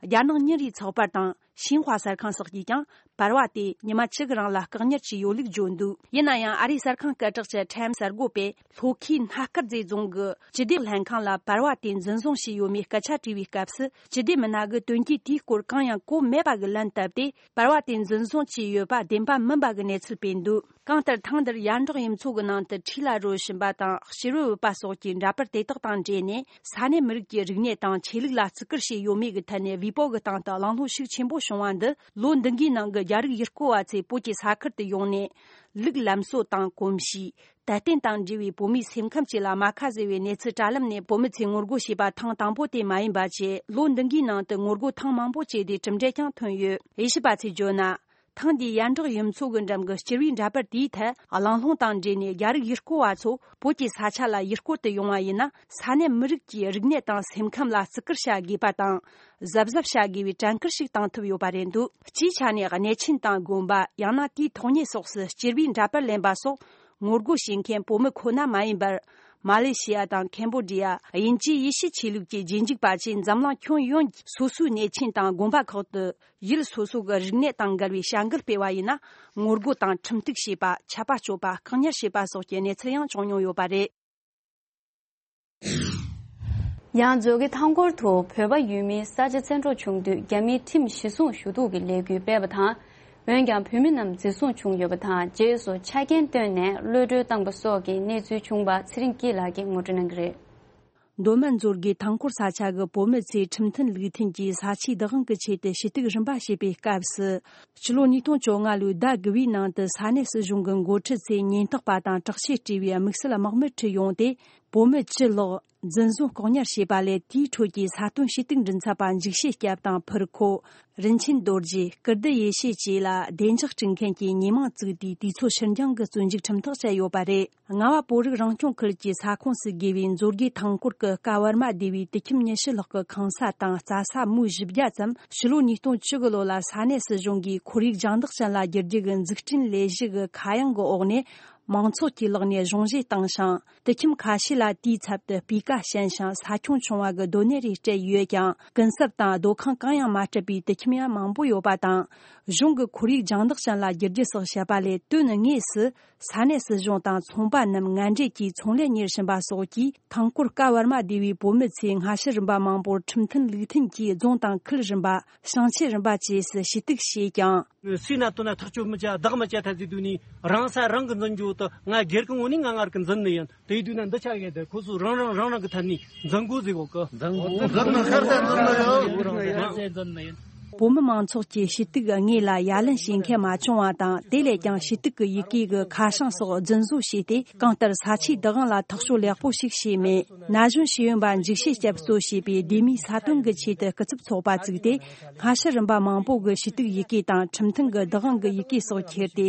རྒྱ་ནག་ཉིན་རེའི་ཚགས་པར་དང་ཤིན་ཧྭ་གསར་ཁང་སོགས་ཀྱིས་ཀྱང་པར་བ་དེ་ཉི་མ་བཅུ་གི་རིང་ལ་བཀག་ཉར་བྱས་ཡོད་ལུགས་བརྗོད་འདུག་ཡིན་ན་ཡང་ཨ་རིའི་གསར་ཁང་སྐད་གྲགས་ཀྱི་ཊའིམ་གསར་འགོད་པས་ལྷོ་ཁའི་སྣ་དཀར་མཛེས་རྫོང་གི་སྤྱི་བདེ་ལྷན་ཁང་ལ་པར་བ་དེ་འཛིན་བཟུང་བྱས་ཡོད་མེད་སྐད་ཆ་དྲིས་པའི་སྐབས་སུ། སྤྱི་བདེ་མི་སྣ་གིས་དོན་རྐྱེན་དེའི་སྐོར་གང་ཡང་གོ་མེད་པ་གི་ལན་བཏབ་སྟེ། པར་བ་དེ་འཛིན་བཟུང་བྱས་ཡོད་པ་བདེན་པ་མིན་པ་གི་གནས་ཚུལ་སྤེལ་འདུག་གང་ལྟར་ཐེངས་འདིར་ཡར་འབྲོག་གཡུ་མཚོ་གི་ནང་དུ་ཁྲིད་ལ་རོལ་བཞིན་པ་དང་། ཕྱི་རོལ་བུད་པ་སོགས་ཀྱི་འདྲ་པར་དེ་དག་དང་འབྲེལ་ནས། ས་གནས་མི་རིགས་ཀྱི་རིག་གནས་དང་ཆོས་ལུགས་ལ་བརྩི་བཀུར་བྱས་ཡོད་མེད་ཀྱི་ཐད་ནས་བོད་པ་གི་སྟེང་དུ་གླེང་སློང་ཤུགས་ཆེན་པོ་བྱུང་བ་འདི། ལོ་འདི་འགའི་ནང་གི་རྒྱ་རིགས་ཡུལ་སྐོར་བ་ཚོས་བོད་ཀྱི་ས་ཁུལ་དུ་ཡོང་ནས། ལུགས་ལམ་སྲོལ་དང་གོམས་གཤིས། དད་རྟེན་དང་འབྲེལ་བའི་བོད་མིའི་སེམས་ཁམས་བཅས་ལ་རྨ་ཁ་བཟོས་པའི་གནས་ཚུལ་དྲ་ལམ་ནས་བོད་མི་ཚོས་ངོ་རྒོལ་བྱས་པ་ཐེངས་དང་པོ་དེ་མ་ཡིན་པ་བཅས། ལོ་འདི་འགའི་ནང་དུ་ངོ་རྒོལ་ཐེངས་མང་པོ་བྱས་ཏེ་གྲུབ་འབྲས་ཀྱང་ཐོན་ཡོད། དབྱེ་ཞིབ་པ་ཚོས་བརྗོད་ན། ཐེངས་འདིའི་ཡར་འབྲོག་གཡུ་མཚོ་གི་འགྲམ་གྱི་སྤྱི་པའི་འདྲ་པར་དེའི་ཐད། གླེང་སློང་དང་འབྲེལ་ནས་རྒྱ་རིགས་ཡུལ་སྐོར་བ་ཚོ་བོད་ཀྱི་ས་ཆ་ལ་ཡུལ་སྐོར་དུ་ཡོང་བ་ཡིན་ན། ས་གནས་མི་རིགས་ཀྱི་རིག་གནས་དང་སེམས་ཁམས་ལ་བརྩི་བཀུར་བྱ་དགོས་པ་དང་། གཟབ་གཟབ་བྱ་དགོས་པའི་དྲན་སྐུལ་ཞིག་བཏང་ཐུབ་ཡོད་པ་རེད་འདུག་སྤྱིའི་ཆ་ནས་གནས་ཆེན་དང་དགོན་པ། ཡང་ན་དེའི་ཐོག་ཉིད་སོགས་སུ་སྤྱི་པའི་འདྲ་པར་ལེན་པ་སོགས། ངོ་རྒོལ་བྱེད་མཁན་བོད་མི་ཁོ་ན་མ་ཡིན་པར། མ་ལེ་ཤི་ཡ་དང་ཁེམ་བོ་ཌི་ཡ། དབྱིན་ཇིའི་ཡེ་ཤུ་ཆོས་ལུགས་ཀྱི་རྗེས་འཇུག་པ་བཅས་འཛམ་གླིང་ཁྱོན་ཡོངས་སོ་སོའི་གནས་ཆེན་དང་དགོན་པ་ཁག་ཏུ། ཡུལ་སོ་སོ་གི་རིག་གནས་དང་འགལ་བའི་བྱ་འགུལ་སྤེལ་བ་ཡིན་ན། ངོ་རྒོལ་དང་ཁྲིམས་གཏུག་བྱས་པ། ཆད་པ་གཅོད་པ། བཀག་ཉར་བྱས་པ་སོགས་ཀྱི་གནས་ཚུལ་ཡང་བྱུང་མྱོང་ཡོད་པ་རེད། ཡང་མཛོད་དགེ་ཐང་སྐོར་དུ་བོད་པ་ཡུལ་མིའི་ས་ཆ་བཙན་འཕྲོག་བྱུང་དུས་རྒྱ་མིའི་ཁྲིམས་གཞི་བཟུང་ཞུ་གཏུག་གི་ལས་འགུལ་སྤེལ་བ་དང་། འོན་ཀྱང་བོད་མི་རྣམས་འཛིན་བཟུང་བྱུང་ཡོད་པ་དང་། རྗེས་སུ་ཆ་རྐྱེན་བཏོན་ནས་གློད་གྲོལ་བཏང་པ་སོགས་ཀྱི་གནས་ཚུལ་བྱུང་བ་ཚེ་རིང་སྐྱིད་ལགས་ཀྱིས་ངོ་སྤྲོད་གནང་གི་རེད། མདོ་སྨད་མཛོད་དགེ་ཐང་སྐོར་ས་ཆ་གི་བོད་མི་ཚོས་ཁྲིམས་མཐུན་ལུགས་མཐུན་གྱིས་ས་ཆའི་བདག་དབང་གི་ཆེད་དུ་ཞུ་གཏུག་རིམ་པ་བྱེད་པའི་སྐབས་སུ། ཕྱི་ལོ་ཉིས་སྟོང་བཅོ་ལྔ་ལོའི་ཟླ་དགུ་བའི་ནང་དུ་ས་གནས་སྲིད་གཞུང་གི་འགོ་ཁྲིད་ཚོས་ཉེན་རྟོག་པ་དང་དྲག་ཆས་སྤྲས་པའི་དམིགས་བསལ་དམག་མི་ཁྲིད་ཡོང་སྟེ། བོད་མི་བཅུ་ལྷག་འཛིན་བཟུང་བཀག་ཉར་བྱས་པ་ལས། དེའི་ཁྲོད་ཀྱི་ས་དོན་ཞུ་གཏུག་མགྲིན་ཚབ་པ་འཇིགས་བྱེད་སྐྱབས་དང་ཕུར་ཁོ། རིན་ཆེན་རྡོ་རྗེ། ཀིརྟི་ཡེ་ཤེས་བཅས་ལ་བདེ་འཇགས་སྤྲད་མཁན་གྱི་ཉེས་མིང་བཙུགས་ཏེ། དུས་ཚོད་ཕྱིར་འགྱངས་ཀྱི་བཙོན་འཇུག་ཁྲིམས་ཐག་བཅད་ཡོད་པ་རེད། རྔ་བ་བོད་རིགས་རང་སྐྱོང་ཁུལ་གྱི་ས་ཁོངས་སུ་དགོས་པའི་མཛོད་དགེ་ཐང་སྐོར་གྱི་ཀ་ཝར་མ་སྡེ་བའི་དུད་ཁྱིམ་ཉི་ཤུ་ལྷག་གི་ཁང་ས་དང་རྩྭ་ས་མུའུ་བཞི་བརྒྱ་ཙམ། ཕྱི་ལོ་ཉིས་སྟོང་བཅུ་དགུ་ལོ་ལ་ས་གནས་སྲིད་གཞུང་གིས་ཁོར་ཡུག་སྦྱང་བརྡར་ཅན་ལ་བསྒྱུར་རྒྱུ་གི་འཛུགས་སྐྲུན་ལས་གཞི་གི་ཁ་གཡང་གི་འོག་ནས། མང་ཚོགས་ཀྱི་ལག་ནས་གཞུང་བཞེས་བཏང་ཞིང་། དུད་ཁྱིམ་ཁ་ཤས་ལ་དེའི་ཚབ་ཏུ་སྤུས་ཀ་ཞན་ཞིང་ས་ཁྱོན་ཆུང་བ་གི་སྡོད་གནས་རེ་སྤྲད་ཡོད་ཀྱང་། གུན་གསབ་དང་སྡོད་ཁང་གང་ཡང་མ་སྤྲད་པའི་དུད་ཁྱིམ་ཡང་མང་པོ་ཡོད་པ་དང་། གཞུང་གི་ཁོར་ཡུག་སྦྱང་བརྡར་ཅན་ལ་བསྒྱུར་རྒྱུ་སོགས་བཤད་པ་ལས། དོན་དངོས་སུ་ས་གནས་སྲིད་གཞུང་དང་ཚོང་པ་རྣམས་ངན་འབྲེལ་གྱིས་ཚོང་ལས་གཉེར་བཞིན་པ་སོགས་ཀྱིས། ཐང་སྐོར་ཀ་ཝར་མ་སྡེ་བའི་བོད་མི་ཚོས་སྔ་ཕྱི་རིམ་པ་མང་པོར་ཁྲིམས་མཐུན་ལུགས་མཐུན་གྱིས་རྫོང་དང་ཁུལ་རིམ་པ། ཞིང་ཆེན་རིམ་པ་བཅས་སུ་ཞུ་གཏུག་བྱས་ཀྱང་། སུས་ན་དོན་ན་ཐག་གཅོད་མི་བྱ། བདག་མི་བྱ་ཐ་ཚིག་དུས་ནི་རང་ས་རང་གི་འཛིན་རྒྱུ་དུ། ང་སྒེར་གི་ངོས་ནས་ང་ངར་གི་འཛིན་ནི་ཡིན། དེ་དུས་ན་འདི་ཆ་ཡོད་དེ། ཁོ་ཚོ་རང་རང་རང་རང་གི་ཐད་ནས་འཛིན་དགོས་ཟེར་གོ་གི། འཛིན་དགོས། འཛིན་ནི་ཁར་ས་འཛིན་ནི་ཡོད། ཁར་ས་འཛིན་ནི་ཡིན། བོད་མི་མང་ཚོགས་ཀྱིས་ཞུ་གཏུག་དངོས་ལ་ཡ་ལན་བྱེད་མཁན་མ་བྱུང་བ་དང་། དེ་ལས་ཀྱང་ཞུ་གཏུག་གི་ཡི་གེ་གི་ཁ་བྱང་སོགས་རྫུན་བཟོ་བྱས་ཏེ། གང་ལྟར་ས་ཆའི་བདག་དབང་ལ་ཐག་གཅོད་ལེགས་པོ་ཞིག་བྱས་མེད། ན་གཞོན་ཤེས་ཡོན་པ་འཇིགས་བྱེད་སྐྱབས་གཙོ་བྱས་པའི་སྡེ་མིའི་ས་དོན་གྱི་ཆེད་དུ་སྐུ་ཚབ་ཚོགས་པ་བཙུགས་ཏེ། སྔ་ཕྱི་རིམ་པ་མང་པོ་གི་ཞུ་གཏུག་ཡི་གེ་དང་ཁྲིམས་མཐུན་གྱི་བདག་དབང་གི་ཡི་གེ་སོགས་ཁྱེར་ཏེ།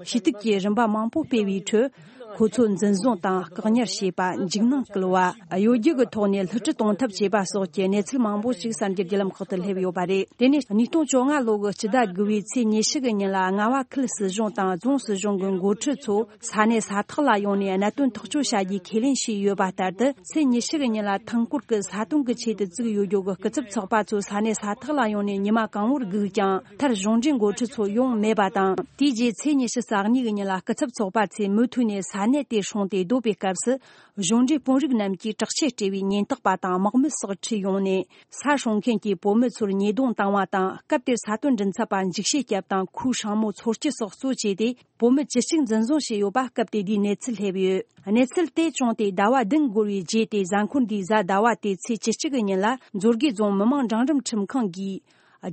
ཞུ་གཏུག་གི་རིམ་པ་མང་པོ་སྤེལ་བའི་ཁྲོད། ཁོ་ཚོ་འཛིན་བཟུང་དང་བཀག་ཉར་བྱས་པ། འཇིགས་སྣང་བསྐུལ་བ། གཡོ་སྒྱུ་གི་ཐོག་ནས་བསླུ་བྲིད་གཏོང་ཐབས་བྱས་པ་སོགས་ཀྱི་གནས་ཚུལ་མང་པོ་ཞིག་གསར་འགྱུར་བརྒྱུད་ལམ་ཁག་ཏུ་སླེབས་ཡོད་པ་རེད། དེ་ནས་ཉིས་སྟོང་བཅོ་ལྔ་ལོ་གི་སྤྱི་ཟླ་དགུ་བའི་ཚེས་ཉི་ཤུ་གི་ཉིན་ལ། རྔ་བ་ཁུལ་སྲིད་གཞུང་དང་རྫོང་སྲིད་གཞུང་གི་འགོ་ཁྲིད་ཚོ་ས་གནས་ས་ཐག་ལ་ཡོང་ནས་གནད་དོན་ཐག་གཅོད་བྱ་རྒྱུའི་ཁས་ལེན་བྱས་ཡོད་པ་ལྟར་དུ། ཚེས་ཉི་ཤུ་གི་ཉིན་ལ་ཐང་སྐོར་གྱི་ས་དོན་གྱི་ཆེད་དུ་བཙུགས་ཡོད་རྒྱུ་གི་སྐུ་ཚབ་ཚོགས་པ་ཚོ་ས་གནས་ས་ཐག་ལ་ཡོང་ནས་ཉི་མ་གང་བོར་སྒུག་ཀྱང་། མཐར་གཞུང་འབྲེལ་འགོ་ཁྲིད་ཚོ་ཡོང་མེད་པ་དང་། དེའི་རྗེས་ཚེས་ཉི་ཤུ་རྩ་གཉིས་གི་ཉིན་ལ་སྐུ་ཚབ་ཚོགས་པ་ཚོས་མུ་མཐུད་ནས་ས་གནས་དེ་སྲུང་སྟེ་སྡོད་པའི་སྐབས་སུ། གཞུང་འབྲེལ་དཔོན་རིགས་རྣམས་ཀྱིས་དྲག་ཆས་སྤྲས་པའི་ཉེན་རྟོག་པ་དང་དམག་མི་སོགས་ཁྲིད་ཡོང་ནས། ས་སྲུང་མཁན་གྱིས་བོད་མི་ཚོར་ཉེས་རྡུང་བཏང་བ་དང་། སྐབས་དེར་ས་དོན་མགྲིན་ཚབ་པ་འཇིགས་བྱེད་སྐྱབས་དང་ཁོའི་སྲིང་མོ་འཚོ་སྐྱེལ་སོགས་གཙོ་བྱས་ཏེ། བོད་མི་བཅུ་གཅིག་འཛིན་བཟུང་བྱས་ཡོད་པ་སྐབས་དེ་དུས་གནས་ཚུལ་སླེབས་ཡོད། གནས་ཚུལ་དེ་བྱུང་སྟེ་ཟླ་བ་བདུན་འགོར་བའི་རྗེས་ཏེ། གཟའ་འཁོར་འདིའི་གཟའ་ཟླ་བ་སྟེ་ཚེས་བཅུ་གཅིག་གི་ཉིན་ལ། མཛོད་དགེ་རྫོང་མི་དམངས་འབྲིང་རིམ་ཁྲིམས་ཁང་གིས།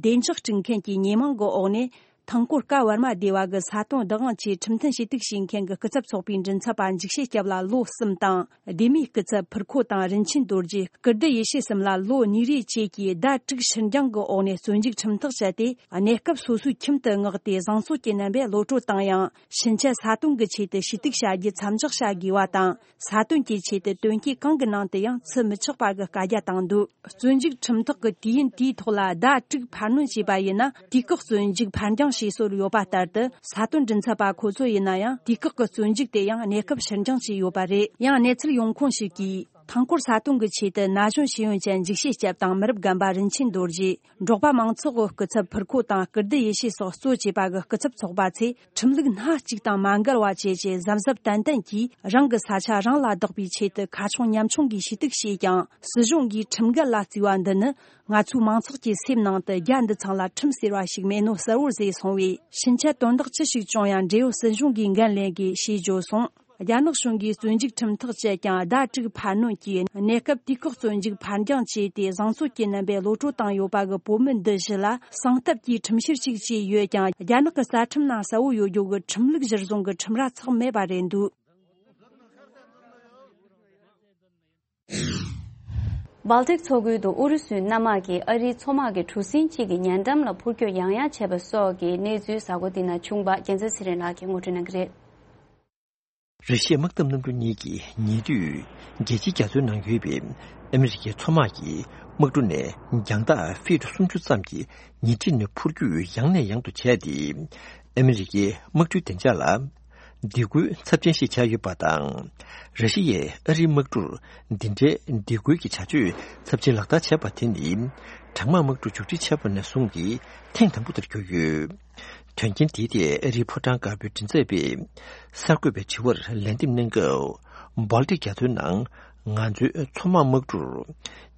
བདེ་འཇགས་སྤྲད་མཁན་གྱི་ཉེས་མིང་གི་འོག་ནས། ཐང་སྐོར་ཀ་ཝར་མ་སྡེ་བ་གི་ས་དོན་བདག་དབང་ཆེད་ཁྲིམས་མཐུན་ཞུ་གཏུག་བྱེད་མཁན་གྱི་སྐུ་ཚབ་ཚོགས་པའི་མགྲིན་ཚབ་པ་འཇིགས་བྱེད་སྐྱབས་ལ་ལོ་གསུམ་དང་། སྡེ་མིའི་སྐུ་ཚབ་ཕུར་ཁོ་དང་རིན་ཆེན་རྡོ་རྗེ། ཀིརྟི་ཡེ་ཤེས་གསུམ་ལ་ལོ་གཉིས་རེ་བཅས་ཀྱི་ཟླ་དྲུག་ཕྱིར་འགྱངས་ཀྱི་འོག་ནས་བཙོན་འཇུག་ཁྲིམས་ཐག་བཅད་དེ། གནས་སྐབས་སོ་སོའི་ཁྱིམ་དུ་མངགས་ཏེ། བཟང་ཕྱོགས་ཀྱི་རྣམ་པས་གློད་གྲོལ་བཏང་ཡང་། ཕྱིན་ཆད་ས་དོན་གྱི་ཆེད་དུ་ཞུ་གཏུག་བྱ་རྒྱུ་མཚམས་འཇོག་བྱ་དགོས་པ་དང་། ས་དོན་གྱི་ཆེད་དུ་དོན་རྐྱེན་གང་གི་ནང་དུ་ཡང་ཚུད་མི་ཆོག་པ་གི་བཀའ་རྒྱ་བཏང་འདུག་བཙོན་འཇུག་ཁྲིམས་ཐག་གི་དུས་ཡུན་དེའི་ཐོག་ལ་ཟླ་དྲུག་འཕར་སྣོན་བྱས་པ་ཡིན་ན། དུས་བཀག་བཙོན་འཇུག་ཕར་འགྱངས་བྱེད་སྲོལ་ཡོད་པ་ལྟར་དུ། ས་དོན་མགྲིན་ཚབ་པ་ཁོ་ཚོ་ཡིན་ན་ཡང་། དུས་བཀག་གི་བཙོན་འཇུག་དེ་ཡང་གནས་སྐབས་ཕྱིར་འགྱངས་བྱས་ཡོད་པ་རེད། ཡང་གནས་ཚུལ་ཡོང་ཁུངས་ཤིག་གིས། མཐའ་འཁོར་ས་དོན་གྱི་ཆེད་དུ་ན་གཞོན་ཤེས་ཡོན་ཅན་འཇིགས་བྱེད་སྐྱབས་དང་མི་རབས་རྒན་པ་རིན་ཆེན་རྡོ་རྗེ། འབྲོག་པ་མང་ཚོགས་ཀྱི་སྐུ་ཚབ་ཕུར་ཁོ་དང་སྐུ་ལྡི་ཡེ་ཤེས་སོགས་གཙོ་བྱས་པ་གི་སྐུ་ཚབ་ཚོགས་པ་ཚོས་ཁྲིམས་ལུགས་སྣ་གཅིག་དང་མ་འགལ་བ་བཅས་ཀྱི་གཟབ་གཟབ་ཏན་ཏན་གྱིས་རང་གི་ས་ཆ་རང་ལ་བདག་པའི་ཆེད་དུ་ཁ་ཕྱོགས་ཉམ་ཆུང་གིས་ཞུ་གཏུག་བྱས་ཀྱང་། སྲིད་གཞུང་གིས་ཁྲིམས་འགལ་ལ་བརྩིས་པ་འདི་ནི་ང་ཚོའི་མང་ཚོགས་ཀྱི་སེམས་ནང་དུ་རྒྱ་འདི་ཚང་ལ་ཁྲིམས་ཟེར་བ་ཞིག་མེད་ནོ་གསལ་བོར་བཟོས་སོང་བས། ཕྱིན་ཆད་དོན་དག་ཅི་ཞིག་བྱུང་ཡང་འབྲེལ་ཡོད་སྲིད་གཞུང་གིས་འགན་ལེན་དགོས་ཞེས་བརྗོད་སོང་། རྒྱ་ནག་གཞུང་གིས་བཙོན་འཇུག་ཁྲིམས་ཐག་བཅད་ཀྱང་ཟླ་དྲུག་འཕར་སྣོན་གྱིས་གནས་སྐབས་དུས་བཀག་བཙོན་འཇུག་ཕར་འགྱངས་བྱས་ཏེ་བཟང་ཚོད་ཀྱི་རྣམ་པའི་གློད་བཀྲོལ་བཏང་ཡོད་པ་གི་བོད་མི་འདི་བཞི་ལ་གསང་ཐབས་ཀྱིས་ཁྲིམས་བཤེར་ཞིག་བྱས་ཡོད་ཀྱང་། རྒྱ་ནག་གི་རྩ་ཁྲིམས་ནང་གསལ་བོ་ཡོད་རྒྱུ་གི་ཁྲིམས་ལུགས་གཞིར་བཟུང་གི་ཁྲིམས་ར་ཚགས་མེད་པ་རེད་འདུག། སྦལ་ཏིག་མཚོ་ཁུལ་དུ་ཨུ་རུ་སུའི་གནམ་དམག་གིས་ཨ་རིའི་མཚོ་དམག་གི་གྲུ་གཟིངས་གཅིག་གི་ཉེ་འགྲམ་ལ་འཕུར་སྐྱོད་ཡང་ཡང་བྱས་པ་སོགས་ཀྱི་གནས་ཚུལ་གཟའ་འཁོར་འདི་ན་བྱུང་བ་རྒྱལ་མཚན་ཚེ་རིང་ལགས་ཀྱིས་ངོ་སྤྲོད་གནང་གི་རེད། ར་ཤི་ཡའི་དམག་འཐབ་གནམ་གྲུ་གཉིས་ཀྱིས་ཉེ་དུས་རྒྱལ་སྤྱིའི་རྒྱ་མཚོའི་ནང་ཡོད་པའི་ཨ་མི་རི་ཀའི་མཚོ་དམག་གི་དམག་གྲུ་ནས་རྒྱང་ཐག་ཕིཊ་སུམ་ཅུ་ཙམ་གྱི་ཉེ་འཁྲིས་ནས་འཕུར་སྐྱོད་ཡང་ནས་ཡང་དུ་བྱས་ཏེ། ཨ་མི་རི་ཀའི་དམག་གྲུའི་བདེ་འཇགས་ལ་སྡིགས་སྐུལ་ཚབས་ཆེན་ཞིག་བྱས་ཡོད་པ་དང་། ར་ཤི་ཡས་ཨ་རིའི་དམག་གྲུར་འདི་འདྲའི་སྡིགས་སྐུལ་གྱི་བྱ་སྤྱོད་ཚབས་ཆེན་ལག་བསྟར་བྱས་པ་དེ་ནི། གྲང་དམག་དམག་གྲུ་བཅུ་གཅིག་ཆགས་པ་ནས་བཟུང་གི་ཐེངས་དང་པོ་དེར་གྱུར་ཡོད། དོན་རྐྱེན་དེའི་ཐད་ཨ་རིའི་ཕོ་བྲང་དཀར་པོའི་མགྲིན་ཚབ་པས་གསར་འགོད་པའི་དྲི་བར་ལན་འདེབས་གནང་སྐབས། སྦལ་ཏིག་རྒྱ་མཚོའི་ནང་ང་ཚོའི་མཚོ་དམག་དམག་གྲུར་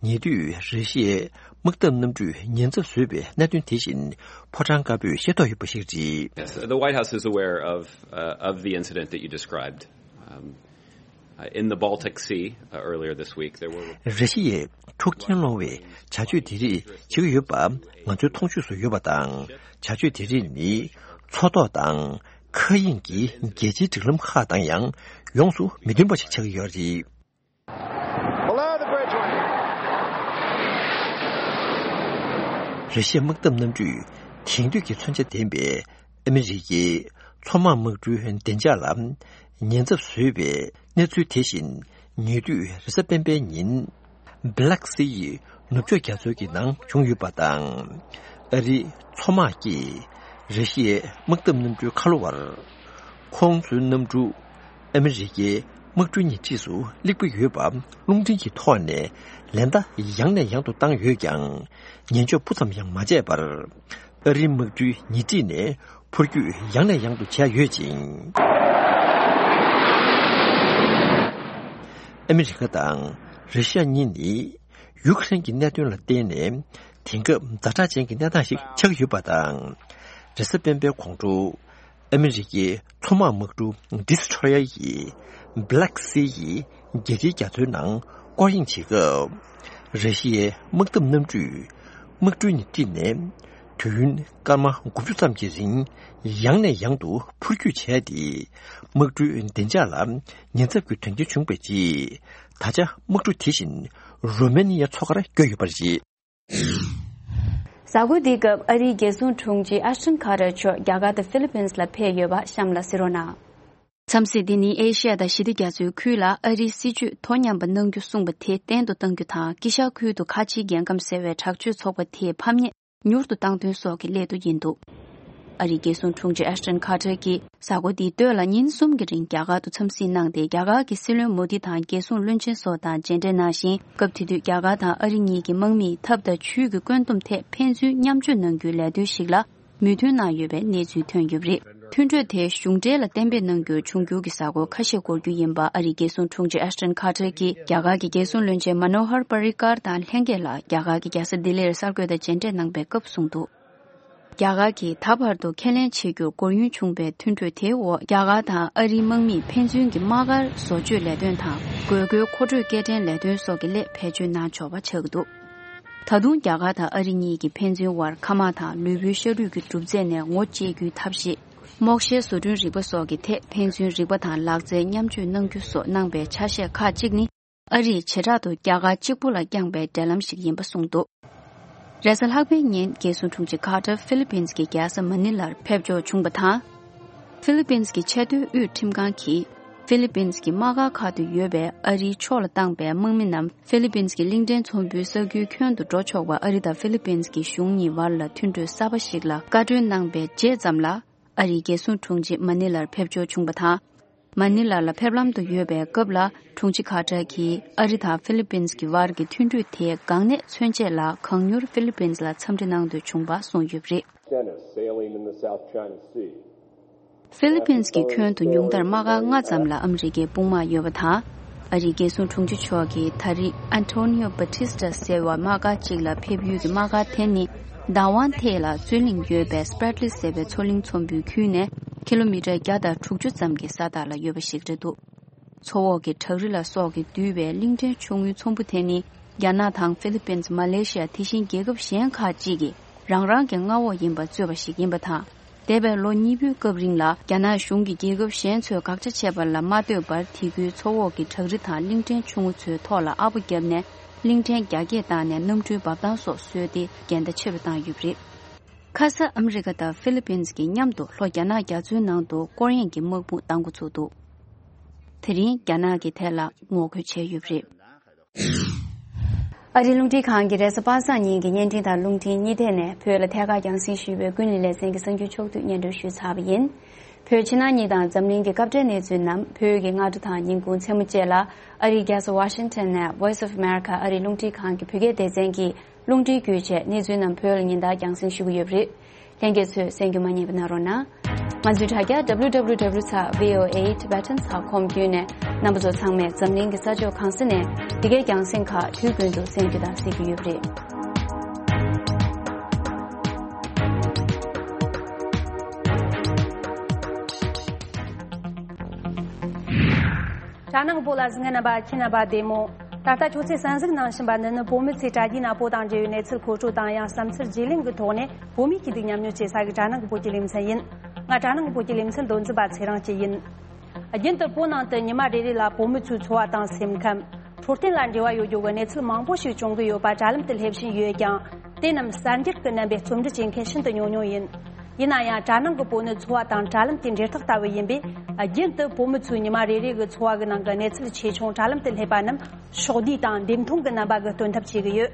ཉེ་དུས་ར་ཤི་ཡའི་དམག་འཐབ་གནམ་གྲུས་ཉེན་ཚབས་བཟོས་པའི་གནད་དོན་དེ་བཞིན་ཕོ་བྲང་དཀར་པོས་ཤེས་རྟོགས་ཡོད་པ་ཞིག་རེད། Yes, the White House is aware of, uh, of the incident that you described. Um, uh, in the Baltic Sea, uh, earlier this week, there were ར་ཤི་ཡས་འཁྲུག་རྐྱེན་སློང་བའི་བྱ་སྤྱོད་དེ་རིགས་བྱེད་ཀྱི་ཡོད་པ་ང་ཚོའི་མཐོང་ཆོས་སུ་ཡོད་པ་དང་། བྱ་སྤྱོད་དེ་རིགས་ནི་མཚོ་ཐོག་དང་མཁའ་དབྱིངས་ཀྱི་རྒྱལ་སྤྱིའི་སྒྲིག་ལམ་ཁག་དང་ཡང་ཡོངས་སུ་མི་མཐུན་པ་ཞིག་ཆགས་ཀྱི་ཡོད་རེད། Below the bridge wing. ར་ཤི་ཡའི་དམག་འཐབ་གནམ་གྲུས་དེང་དུས་ཀྱི་མཚོན་ཆ་ལྡན་པའི་ཨ་མི་རི་ཀའི་མཚོ་དམག་དམག་གྲུའི་བདེ་འཇགས་ལ་ཉེན་ཚབས་བཟོས་པའི་གནས་ཚུལ་དེ་བཞིན་ཉེ་དུས་རེས་གཟའ་སྤེན་པའི་ཉིན་Black Sea ཡི་ནུབ་ཕྱོགས་རྒྱ་མཚོའི་ནང་བྱུང་ཡོད་པ་དང་། ཨ་རིའི་མཚོ་དམག་གིས་ར་ཤི་ཡའི་དམག་འཐབ་གནམ་གྲུའི་ཁ་ལོ་བར་ཁོང་ཚོའི་གནམ་གྲུ་ཨ་མི་རི་ཀའི་དམག་གྲུའི་ཉེ་འཁྲིས་སུ་སླེབས་ཀྱི་ཡོད་པ་རླུང་འཕྲིན་གྱི་ཐོག་ནས་ལན་བརྡ་ཡང་ནས་ཡང་དུ་བཏང་ཡོད་ཀྱང་། ཉན་འཇོག་སྤུ་ཙམ་ཡང་མ་བྱས་པར། ཨ་རིའི་དམག་གྲུའི་ཉེ་འཁྲིས་ནས་འཕུར་སྐྱོད་ཡང་ནས་ཡང་དུ་བྱས་ཡོད་ཅིང་། ཨ་མི་རི་ཀ་དང་ར་ཤི་ཡ་གཉིས་ནི་ཡུཀ་རེན་གྱི་གནད་དོན་ལ་བརྟེན་ནས་དེང་སྐབས་ཛ་དྲག་ཅན་གྱི་གནས་སྟངས་ཤིག་ཆགས་ཡོད་པ་དང་། རེས་གཟའ་སྤེན་པའི་དགོང་དྲོ། ཨ་མི་རི་ཀའི་མཚོ་དམག་དམག་གྲུ་Destroyer ཡིས་Black Sea ཡི་རྒྱལ་སྤྱིའི་རྒྱ་མཚོའི་ནང་སྐོར་གཡེང་བྱེད་སྐབས། ར་ཤི་ཡའི་དམག་འཐབ་གནམ་གྲུས་དམག་གྲུའི་ཉེ་འཁྲིས་ནས་དུས་ཡུན་སྐར་མ་དགུ་བཅུ་ཙམ་གྱི་རིང་ཡང་ནས་ཡང་དུ་འཕུར་སྐྱོད་བྱས་ཏེ། དམག་གྲུའི་བདེ་འཇགས་ལ་ཉེན་ཚབས་ཀྱི་དོན་རྐྱེན་བྱུང་བའི་རྗེས། ད་ཆ་དམག་གྲུ་དེ་བཞིན་རོ་མེ་ནི་ཡ་མཚོ་ཁར་བསྐྱོད་ཡོད་པ་རེད། གཟའ་འཁོར་འདིའི་སྐབས་ཨ་རིའི་རྒྱལ་སྲུང་དྲུང་ཆེ་ཨ་ཤ་ཊོན་ཁ་ཏར་མཆོག་རྒྱ་གར་དང་ཧྥི་ལི་པིན་ལ་ཕེབས་ཡོད་པ་གཤམ་ལ་གཟིགས་རོགས་གནང་། འཚམས་གཟིགས་འདི་ནི་ཨེ་ཤི་ཡ་དང་ཞི་བདེ་རྒྱ་མཚོའི་ཁུལ་ལ་ཨ་རིའི་སྲིད་ཇུས་དོ་མཉམ་པ་གནང་རྒྱུ་གསུངས་པ་དེ་བརྟན་དུ་གཏང་རྒྱུ་དང་། དཀྱིལ་ཤར་ཁུལ་དུ་ཁ་ཆེའི་རྒྱལ་ཁམས་ཟེར་བའི་དྲག་སྤྱོད་ཚོགས་པ་དེའི་ཕམ་ཉེས་མྱུར་དུ་བཏང་དོན་སོགས་ཀྱི་སླད་དུ་ཡིན་འདུག། ཨ་རིའི་རྒྱལ་སྲུང་དྲུང་ཆེ་ཨ་ཤ་ཊོན་ཁ་ཏར་གྱིས་གཟའ་འཁོར་འདིའི་སྟོད་ལ་ཉིན་གསུམ་གྱི་རིང་རྒྱ་གར་དུ་འཚམས་གཟིགས་གནང་སྟེ། རྒྱ་གར་གྱི་སྲིད་བློན་མོ་དི་དང་རྒྱལ་སྲུང་བློན་ཆེན་སོགས་དང་མཇལ་འཕྲད་གནང་ཞིང་། སྐབས་དེ་དུས་རྒྱ་གར་དང་ཨ་རི་གཉིས་ཀྱིས་དམག་མིས་ཐབས་དང་ཇུས་ཀྱི་བཀོད་འདོམས་ཐད་ཕན་ཚུན་མཉམ་སྤྱོད་གནང་རྒྱུའི་ལས་དོན་ཞིག་ལ་མོས་མཐུན་གནང་ཡོད་པའི་གནས་ཚུལ་ཐོན་ཡོད་པ་རེད། མཐུན་གྲོས་དེ་གཞུང་འབྲེལ་ལ་གཏན་འབེབས་གནང་རྒྱུར་འབྱུང་འགྱུར་གྱི་གཟའ་འཁོར་ཁ་ཤས་འགོར་རྒྱུ་ཡིན་པ་ཨ་རིའི་རྒྱལ་སྲུང་དྲུང་ཆེ་ཨ་ཤ་ཊོན་ཁ་ཏར་གྱིས་རྒྱ་གར་གྱི་རྒྱལ་སྲུང་བློན་ཆེན་མ་ནོ་ཧར་པ་རི་ཀར་དང་ལྷན་རྒྱས་ལ་རྒྱ་གར་གྱི་རྒྱལ་ས་ལྡི་ལིར་གསར་འགོད་པ་མཇལ་འཕྲད་གནང་པའི་སྐབས་གསུངས་འདུག། རྒྱ་གར་གྱིས་ད་བར་དུ་ཁས་ལེན་བྱེད་རྒྱུར་སྒོར་ཡུན་བྱུང་བའི་མཐུན་གྲོས་དེའི་འོག་རྒྱ་གར་དང་ཨ་རིའི་དམག་མིས་ཕན་ཚུན་གྱི་དམག་སྒར་བཟོ་བཅོས་ལས་དོན་དང་། དགོས་མཁོའི་མཁོ་སྤྲོད་སྐྱེལ་འདྲེན་ལས་དོན་སོགས་ཀྱི་སླད་བེད་སྤྱོད་གནང་ཆོག་པ་ཆགས་ཀྱི་འདུག། ད་དུང་རྒྱ་གར་དང་ཨ་རི་གཉིས་ཀྱིས་ཕན་ཚུན་དབར་མཁའ་དམག་དང་ལུས་པོའི་ཤ་རུས་ཀྱི་གྲུབ་རྫས་ནས་ངོ་བཅད་རྒྱུའི་ཐབས་ཤེས། མོག་ཤའི་བཟོ་སྐྲུན་རིག་པ་སོགས་ཀྱི་ཐད་ཕན་ཚུན་རིག་པ་དང་ལག་རྩལ་མཉམ་སྤྱོད་གནང་རྒྱུ་སོགས་གནང་པའི་ཆ་ཤས་ཁག་ཅིག་ནི། ཨ་རིས་བྱེ་བྲག་ཏུ་རྒྱ་གར་གཅིག་པུ་ལ་བསྐྱངས་པའི་འབྲེལ་ལམ་ཞིག་ཡིན་པ་གསུངས་འདུག། རེས་གཟའ་ལྷག་པའི་ཉིན་རྒྱལ་སྲུང་དྲུང་ཆེ་ཁ་ཏར་ཧྥི་ལི་པིན་གྱི་རྒྱལ་ས་མ་ནི་ལར་ཕེབས་འབྱོར་བྱུང་བ་དང་། ཧྥི་ལི་པིན་གྱི་ཆེས་མཐོའི་དབུས་ཁྲིམས་ཁང་གིས་ཧྥི་ལི་པིན་གྱི་དམག་སྒར་ཁག་ཏུ་ཡོད་པའི་ཨ་རིའི་ཕྱོགས་ལ་བཏང་པའི་དམག་མི་རྣམས་ཧྥི་ལི་པིན་གྱི་གླིང་ཕྲན་ཚོང་དཔོན་ས་ཁུལ་ཁྱོན་དུ་འགྲོ་ཆོག་པར་ཨ་རི་དང་ཧྥི་ལི་པིན་གྱི་གཞུང་གཉིས་བར་ལ་མཐུན་གྲོས་གསར་པ་ཞིག་ལ་བཀའ་འཁྲོལ་གནང་པའི་རྗེས་ཙམ་ལ། ཨ་རིའི་རྒྱལ་སྲུང་དྲུང་ཆེ་མ་ནི་ལར་ཕེབས་འབྱོར་བྱུང་བ་དང་། མ་ནི་ལ་ལ་ཕེབས་ལམ་དུ་ཡོད་པའི་སྐབས་ལ། དྲུང་ཆེ་ཁ་ཏར་གྱིས་ཨ་རི་དང་ཧྥི་ལི་པིན་གྱི་བར་གྱི་མཐུན་གྲོས་དེ་འགག་གནད་མཚོན་ཆེད་ལ། གང་མྱུར་ཧྥི་ལི་པིན་ལ་འཚམས་འདྲི་གནང་འདོད་བྱུང་བ་གསུངས་ཡོད་པ་རེད། Tennis sailing in the South China Sea. ཧྥི་ལི་པིན་གྱི་ཁྱོན་དུ་ཉུང་མཐར་དམག་སྒར་ལྔ་ཙམ་ལ་ཨ་མི་རི་ཀའི་དཔུང་དམག་ཡོད་པ་དང་། ཨ་རིའི་རྒྱལ་སྲུང་དྲུང་ཆེ་མཆོག་གིས་ད་རེས་ཨན་ཐོ་ནི་ཡོ་བྷ་ཏི་སི་ཏ་ཟེར་བ་དམག་སྒར་གཅིག་ལ་ཕེབས་ཡུལ་གྱི་དམག་སྒར་དེ་ནི། བདག་དབང་ཐད་ལ་རྩོད་གླེང་ཡོད་པའི་སྤྲེ་ལི་ཟེར་བའི་མཚོ་གླིང་ཚོམ་བུའི་ཁུལ་ནས་ཀི་ལོ་མི་ཊར་བརྒྱ་དང་དྲུག་ཅུ་ཙམ་གྱི་ས་ཐག་ལ་ཡོད་པ་ཞིག་རེད་འདུག་མཚོ་འོག་གི་བྲག་རི་ལ་སོགས་ཀྱིས་བསྡུས་པའི་གླིང་ཕྲན་ཆུང་ངུའི་ཚོམ་བུ་དེ་ནི། རྒྱ་ནག་དང་ཧྥི་ལི་པིན། མ་ལེ་ཤི་ཡ། དེ་བཞིན་རྒྱལ་ཁབ་གཞན་ཁག་ཅིག་གིས་རང་རང་གི་མངའ་འོག་ཡིན་པ་རྩོད་པ་ཞིག་ཡིན་པ་དང་། འདས་པའི་ལོ་གཉིས་པོའི་སྐབས་རིང་ལ། རྒྱ་ནག་གཞུང་གིས་རྒྱལ་ཁབ་གཞན་ཚོས་དགག་བྱ་བྱས་པ་ལ་མ་ལྟོས་པར། དེ་ཁུལ་མཚོ་འོག་གི་བྲག་རི་དང་གླིང་ཕྲན་ཆུང་ངུ་ཚོའི་ཐོག་ལ་ཨ་ཕོ་བརྒྱབ་ནས། གླིང་ཕྲན་རྒྱ་སྐྱེད་བཏང་ནས། གནམ་གྲུའི་འབབ་ཐང་སོགས་བཟོས་ཏེ། འགལ་ཟླ་ཆེ་རུ་བཏང་ཡོད་པ་རེད། ཁ་ས་ཨ་མི་རི་ཀ་དང་ཧྥི་ལི་པིན་གྱིས་མཉམ་དུ་ལྷོ་རྒྱ་ནག་རྒྱ་མཚོའི་ནང་དུ་སྐོར་གཡེང་གི་དམག་དཔུང་གཏང་འགོ་ཚུགས་འདུག་དེ་རིང་རྒྱ་ནག་གིས་དེ་ལ་ངོ་རྒོལ་བྱས་ཡོད་པ་རེད། ཨ་རིའི་རླུང་འཕྲིན་ཁང་གིས་རེས་གཟའ་པ་སངས་ཉིན་གྱི་བརྙན་འཕྲིན་དང་རླུང་འཕྲིན་གཉིས་ཐད་ནས་བོད་ལ་ཐད་ཀར་རྒྱང་སྲིང་ཞུས་པའི་ཀུན་གླེང་ལེ་ཚན་གྱི་གསར་འགྱུར་ཕྱོགས་བསྡུས་སྙན་སྒྲོན་ཞུས་ཚར་བ་ཡིན། བོད་ཕྱི་ནང་གཉིས་དང་འཛམ་གླིང་གི་སྐབས་འབྲེལ་གནས་ཚུལ་རྣམས་བོད་ཀྱི་སྔ་དྲོ་དང་ཉིན་གུང་མཚན་མོ་བཅས་ལ་ཨ་རིའི་རྒྱལ་ས་ཝ་ཤིང་ཊོན་ནས་Voice of America ཨ་རིའི་རླུང་འཕྲིན་ཁང་གི་བོད་སྐད་སྡེ་ཚན་གྱིས། རླུང་འཕྲིན་བརྒྱུད་བཅས་གནས་ཚུལ་རྣམས་བོད་ལ་ཉིན་ལྟར་རྒྱང་སྲིང་ཞུ་གི་ཡོད་པ་རེད། ལྷན་རྒྱས་ཚོས་གསན་རྒྱུ་མ་བསྙེལ་བ་གནང་རོགས་གནང་། ང་ཚོའི་དྲ་རྒྱ་W W W dot V O A Tibetan dot com བརྒྱུད་ནས། རྣམ་པ་ཚོ་ཚང་མས་འཛམ་གླིང་གི་ས་ཕྱོགས་གང་ས་ནས་འདི་གའི་རྒྱང་སྲིང་ཁག་དུས་རྒྱུན་དུ་གསན་རྒྱུ་དང་གཟིགས་རྒྱུ་ཡོད་པ་རེད། དྲ་ནང་གི་བོད་ལ་གཟིགས་མཁན་རྣམ་པ་ཁྱེད་རྣམ་པ་བདེ་མོ། ད་ལྟ་ཁྱོད་ཚོས་གསན་གཟིགས་གནང་བཞིན་པ་འདི་ནི་བོད་མི་ཚོས་དྲ་རྒྱའི་ནང་བོད་དང་འབྲེལ་བའི་གནས་ཚུལ་མཁོ་སྤྲོད་དང་། ཡང་བསམ་ཚུལ་བརྗེ་ལེན་གྱི་ཐོག་ནས་བོད་མིའི་སྐྱིད་སྡུག་མཉམ་མྱོང་བྱེད་ས་གི་དྲ་ནང་གི་བོད་ཀྱི་ལེ་ཚན་ཡིན། ང་དྲ་ནང་གི་བོད་ཀྱི་ལེ་ཚན་མདོ་འཛིན་པ་ཚེ་རིང་སྐྱིད་ཡིན། རྒྱུན་དུ་བོད་ནང་དུ་ཉི་མ་རེ་རེ་ལ་བོད་མི་ཚོའི་འཚོ་བ་དང་སེམས་ཁམས། འཕྲོད་བསྟེན་ལ་འབྲེལ་བ་ཡོད་རྒྱུ་གི་གནས་ཚུལ་མང་པོ་ཞིག་བྱུང་གི་ཡོད་པ་དྲ་ལམ་དུ་སླེབས་བཞིན་ཡོད་ཀྱང་། དེ་རྣམས་གསར་འགྱུར་གྱི་རྣམ་པའི་རྩོམ་འབྲི་བྱེད་མཁན་ཤིན་ཏུ་ཉུང་ཉུང་ཡིན། ཡིན་ན་ཡང་། དྲ་ནང་གི་བོད་ནི་འཚོ་བ་དང་དྲ་ལམ་གྱི་འབྲེལ་ཐག་ལྟ་བུ་ཡིན་པས། རྒྱུན་དུ་བོད་མི་ཚོའི་ཉི་མ་རེ་རེ་གི་འཚོ་བ་གི་ནང་གི་གནས་ཚུལ་ཆེ་ཆུང་དྲ་ལམ་དུ་སླེབས་པ་རྣམས་ཕྱོགས་བསྡུས་དང་འདེམས་ཐོན་གྱི་རྣམ་པ་གི་སྟོན་ཐབས་བྱེད་ཀྱི་ཡོད།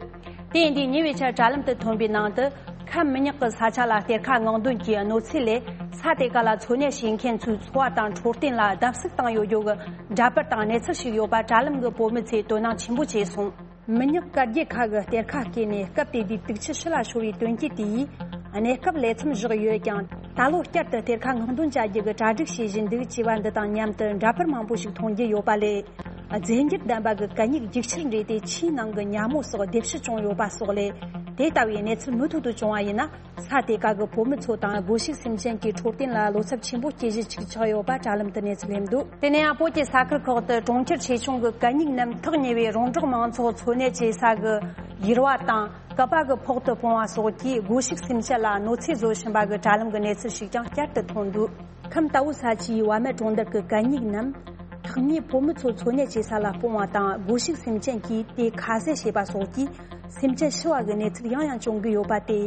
དེ་ཡིན་དུས་ཉེ་བའི་ཆར་དྲ་ལམ་དུ་ཐོན་པའི་ནང་དུ། ཁམས་མི་ཉག་གི་ས་ཆ་ལ་གཏེར་ཁ་སྔོག་འདོན་གྱི་གནོད་འཚེ་ལས་ས་དེ་ག་ལ་འཚོ་གནས་བྱེད་མཁན་ཚོའི་འཚོ་བ་དང་འཕྲོད་བསྟེན་ལ་བརྡབ་གསིག་བཏང་ཡོད་རྒྱུ་གི་འདྲ་པར་དང་གནས་ཚུལ་ཞིག་ཡོད་པ་དྲ་ལམ་གྱི་བོད་མི་ཚོས་དོ་སྣང་ཆེན་པོ་བྱས་སོང་། མི་ཉག་སྐར་རྒྱལ་ཁ་གི་གཏེར་ཁ་བརྐོས་ནས་སྐབས་དེ་དུས་དུག་ཆུ་ཕྱི་ལ་ཤོར་བའི་དོན་རྐྱེན་དེ་ཡིས་གནས་སྐབས་ལས་མཚམས་བཞག་ཡོད་ཀྱང་། ད་ལོ་བསྐྱར་དུ་གཏེར་ཁ་སྔོག་འདོན་བྱ་རྒྱུ་གི་གྲ་སྒྲིག་བྱེད་བཞིན་འདུག་ཅེས་པ་འདི་དང་མཉམ་དུ་འདྲ་པར་མང་པོ་ཞིག་མཐོང་རྒྱུ་ཡོད་པ་ལས། རྫས་འགྱུར་ལྡན་པ་གི་གད་སྙིགས་རྒྱུག་ཆར་འདྲེས་ཏེ་ཆུའི་ནང་གི་ཉ་མོ་སོགས་ལྡེབ་བཤུད་བྱུང་ཡོད་པ་སོགས་ལས། དེ་ལྟ་བུའི་གནས་ཚུལ་མུ་མཐུད་དུ་བྱུང་བ་ཡིན་ན། ས་དེ་ག་གི་བོད་མི་ཚོ་དང་སྒོ་ཕྱུགས་སེམས་ཅན་གྱི་འཕྲོད་བསྟེན་ལ་བློ་འཚབ་ཆེན་པོ་སྐྱེ་གཞི་ཅིག་ཆགས་ཡོད་པ་དྲ་ལམ་དུ་གནས་ཚུལ་སླེབས་འདུག་དེ་ནས་ཡང་བོད་ཀྱི་ས་ཁུལ་ཁག་ཏུ་གྲོང་ཁྱེར་ཆེ་ཆུང་གི་གད་སྙིགས་རྣམས་ཐག་ཉེ་བའི་རོང་འབྲོག་མང་ཚོགས་འཚོ་གནས་བྱེད་ས་གི་ཡུར་བ་དང་། གད་པ་གི་ཕོག་ཏུ་སྤུངས་པ་སོགས་ཀྱིས་སྒོ་ཕྱུགས་སེམས་ཅན་ལ་གནོད་འཚེ་བཟོ་བཞིན་པ་གི་དྲ་ལམ་གྱི་གནས་ཚུལ་ཞིག་ཀྱང་བསྐྱར་དུ་ཐོན་འདུག་ཁམས་རྟའུ་ས་ཆའི་བ་མེད་གྲོང་རྡལ་གྱི་གད་སྙིགས་རྣམས་ཐག་ཉེ་བོད་མི་ཚོ་འཚོ་གནས་བྱེད་ས་ལ་སྤུངས་པ་དང་། སྒོ་ཕྱུགས་སེམས་ཅན་གྱིས་དེ་ཁ་ཟས་བྱེད་པ་སོགས་ཀྱིས་སེམས་ཅན་ཤི་བ་གི་གནས་ཚུལ་ཡང་ཡང་བྱུང་གི་ཡོད་པ་སྟེ།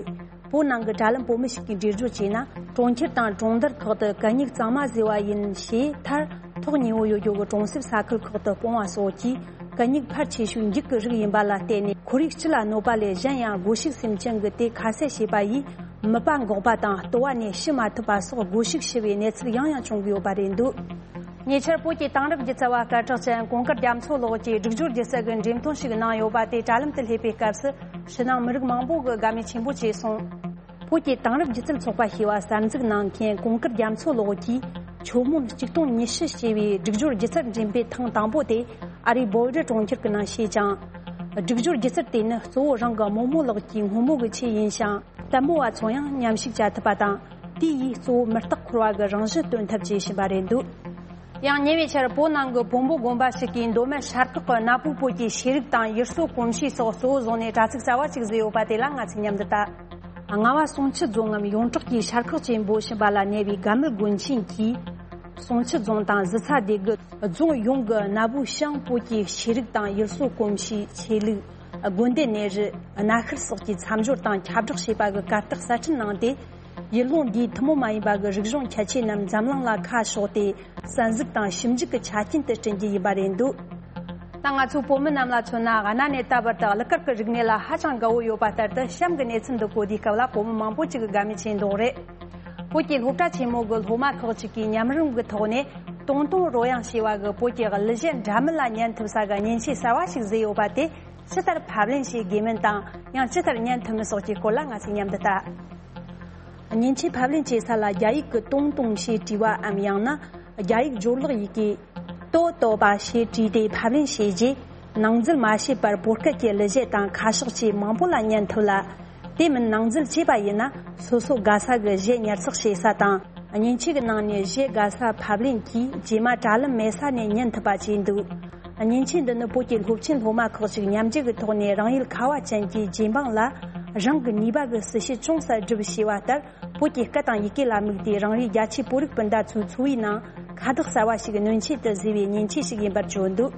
བོད་ནང་གི་དྲ་ལམ་བོད་མི་ཞིག་གིས་འགྲེལ་བརྗོད་བྱས་ན། གྲོང་ཁྱེར་དང་གྲོང་རྡལ་ཁག་ཏུ་གད་སྙིགས་གཙང་མ་བཟོས་པ་ཡིན་ཞེས་མཐར་ཐོག་ཉེ་བོ་ཡོད་རྒྱུ་གི་གྲོང་གསེབ་ས་ཁུལ་ཁག་ཏུ་སྤུངས་པ་སོགས་ཀྱིས། གད་སྙིགས་ཕལ་ཆེ་ཤོས་འགྱིག་གི་རིགས་ཡིན་པ་ལ་བརྟེན་ནས། ཁོར་ཡུག་སྤྱི་ལ་གནོད་པ་ལས་གཞན་ཡང་། སྒོ་ཕྱུགས་སེམས་ཅན་གྱི་དེ་ཁ་ཟས་བྱས་པ་ཡིས་མིད་པ་འགོག་པ་དང་། ལྟོ་བ་ནས་ཤི་མ་ཐུབ་པ་སོགས་སྒོ་ཕྱུགས་ཤི་བའི་གནས་ཚུལ་ཡང་ཡང་བྱུང་གི་ཡོད་པ་རེད་འདུག་ཉེ་ཆར་བོད་ཀྱི་དེང་རབས་སྒྱུ་རྩལ་བ་སྐད་གྲགས་ཅན་གོང་དཀར་རྒྱ་མཚོ་ལགས་ཀྱིས་སྒྲིག་སྦྱོར་སྒྱུ་རྩལ་གྱི་འགྲེམས་སྟོན་ཞིག་གནང་ཡོད་པ་དེ་དྲ་ལམ་དུ་སླེབས་པའི་སྐབས་སུ། ཕྱི་ནང་མི་རིགས་མང་པོ་གིས་དགའ་མོས་ཆེན་པོ་བྱས་སོང་། བོད་ཀྱི་དེང་རབས་སྒྱུ་རྩལ་ཚོགས་པ་ཞེས་པ་གསར་འཛུགས་གནང་མཁན་གོང་དཀར་རྒྱ་མཚོ་ལགས་ཀྱིས། ཆུ་མོན་གཅིག་སྟོང་ཉི་ཤུ་ཞེས་པའི་སྒྲིག་སྦྱོར་སྒྱུ་རྩལ་འགྲེམས་སྤེལ་ཐེངས་དང་པོ་དེ་ཨ་རིའི་བོལ་ཌི་གྲོང་ཁྱེར་གྱི་ནང་བྱས་ཀྱང་། སྒྲིག་སྦྱོར་སྒྱུ་རྩལ་དེ་ནི་གཙོ་བོ་རང་གི་རྨོ་མོ་ལགས་ཀྱི་སྔོན་མོ་གི་ཆེད་ཡིན་ཞིང་། ལྟད་མོ་བ་ཚོ་ཡང་མཉམ་ཞུགས་བྱ་ཐུབ་པ་དང་། དེ་ཡིས་གཙོ་བོ་མི་རྟག་འཁོར་བ་གི་རང་བཞིན་སྟོན་ཐབས་བྱེད་བཞིན་པ་རེད་འདུག་ཡང་ཉེ་བའི་ཆར་བོད་ནང་གི་བོན་པོ་དགོན་པ་ཞིག་གིས་མདོ་སྨད་ཤར་ཁག་གི་གནའ་བོའི་བོད་ཀྱི་ཤེས་རིག་དང་ཡུལ་སྲོལ་གོམས་གཤིས་སོགས་གཙོ་བོ་བཟུང་ནས་དྲ་ཚིགས་གསར་བ་ཞིག་བཟོས་ཡོད་པ་དེ་ལ་ང་ཚོས་མཉམ་དུ་ལྟ། རྔ་བ་གསུང་ཆུ་རྫོང་ངམ་ཡོངས་གྲགས་ཀྱི་ཤར་ཁག་ཅེས་འབོད་བཞིན་པ་ལ་གནས་པའི་དགའ་མེད་དགོན་ཆེན་གྱིས། གསུང་ཆུ་རྫོང་དང་གཟི་ཚ་སྡེ་དགུ་རྫོང་ཡོངས་ཀྱི་གནའ་བོའི་ཤང་བོད་ཀྱི་ཤེས་རིག་དང་ཡུལ་སྲོལ་གོམས་གཤིས། ཆོས་ལུགས། དགོན་སྡེ་གནས་རི། གནའ་ཤུལ་སོགས་ཀྱི་མཚམས་སྦྱོར་དང་ཁྱབ་བསྒྲགས་བྱས་པ་གི་གར་སྟེགས་གསར་སྐྲུན་གནང་སྟེ། ཡུལ་ལུང་འདིའི་ཐུན་མོང་མ་ཡིན་པ་གི་རིག་གཞུང་ཁྱད་ཆོས་རྣམས་འཛམ་གླིང་ལ་ཁ་ཕྱོགས་ཏེ། གསར་འཛུགས་དང་ཞིབ་འཇུག་གི་ཆ་རྐྱེན་དུ་བསྐྲུན་རྒྱུ་ཡིན་པ་རེད་འདུག་ད་ང་ཚོའི་བོད་མི་རྣམས་ལ་མཚོན་ན། གནའ་ནས་ད་བར་དུ་གླུ་གར་གྱི་རིག་གནས་ལ་ཧ་ཅང་དགའ་བོ་ཡོད་པ་ལྟར་དུ། གཤམ་གྱི་གནས་ཚུལ་འདི་གོ་དུས་སྐབས་ལ་བོད་མི་མང་པོ་ཅིག་གིས་དགའ་མོས་བྱས་འདུག་རེད། བོད་ཀྱི་སློབ་གྲྭ་ཆེན་མོ་གི་སློབ་མ་ཁག་ཅིག་གིས་མཉམ་རུབ་ཀྱི་ཐོག་ནས། ཏུང་ཏུང་རོ་དབྱང་ཞེས་པ་གིས་བོད་ཀྱི་གླུ་གཞས་འདྲ་མིན་ལ་ཉན་ཐུབ་ས་གི་མཉེན་ཆས་གསར་བ་ཞིག་བཟོས་ཡོད་པ་དེ་ཇི་ལྟར་ཕབ་ལེན་བྱེད་དགོས་མིན་དང་། ཡང་ཇི་ལྟར་ཉན་ཐུབ་མིན་སོགས་ཀྱི་སྐོར་ལ་ང་ཚོས་མཉམ་དུ་ལྟ། མཉེན་ཆས་ཕབ་ལེན་བྱེད་ས་ལ་རྒྱ་ཡིག་གི་ཏུང་ཏུང་ཞེས་བྲིས་པའམ། ཡང་ན་རྒྱ་ཡིག་སྦྱོར་ཀློག་ཡི་གེ་ཏོ་ཏོ་པ་ཞེས་བྲིས་ཏེ་ཕབ་ལེན་བྱས་རྗེས། ནང་འཛུལ་མ་བྱས་པར་བོད་སྐད་ཀྱི་གླུ་གཞས་དང་ཁ་ཕྱོགས་ཆེས་མང་པོ་ལ་ཉན་ཐུབ་ལ། དེ་མིན་ནང་འཛུལ་བྱས་པ་ཡིན་ན། སོ་སོ་དགའ་ས་གི་གཞས་ཉར་ཚགས་བྱེད་ས་དང་། མཉེན་ཆས་ཀྱི་ནང་ནས་གཞས་དགའ་ས་ཕབ་ལེན་གྱིས་རྗེས་མ་དྲ་ལམ་མེད་ས་ནས་ཉན་ཐུབ་པ་བྱས་འདུག་མཉེན་ཆས་འདི་ནི་བོད་ཀྱི་སློབ་ཆེན་སློབ་མ་ཁག་ཅིག་མཉམ་འབྲེལ་གྱི་ཐོག་ནས་རང་ཡུལ་ཁ་བ་ཅན་གྱི་རྗེ་འབངས་ལ་རང་གི་ནུས་པ་གི་སྲི་ཞུ་ཅུང་ཟད་བསྒྲུབས་ཞེས་པ་ལྟར། བོད་ཀྱི་སྐད་དང་ཡི་གེ་ལ་དམིགས་ཏེ་རང་རེའི་རྒྱ་ཆེའི་བོད་རིགས་སྤུན་ཟླ་ཚོའི་འཚོ་བའི་ནང་ཁ་བཏགས་གསར་བ་ཞིག་སྣོན་ཆེད་དུ་བཟོས་པའི་མཉེན་ཆས་ཤིག་ཡིན་པར་བརྗོད་འདུག་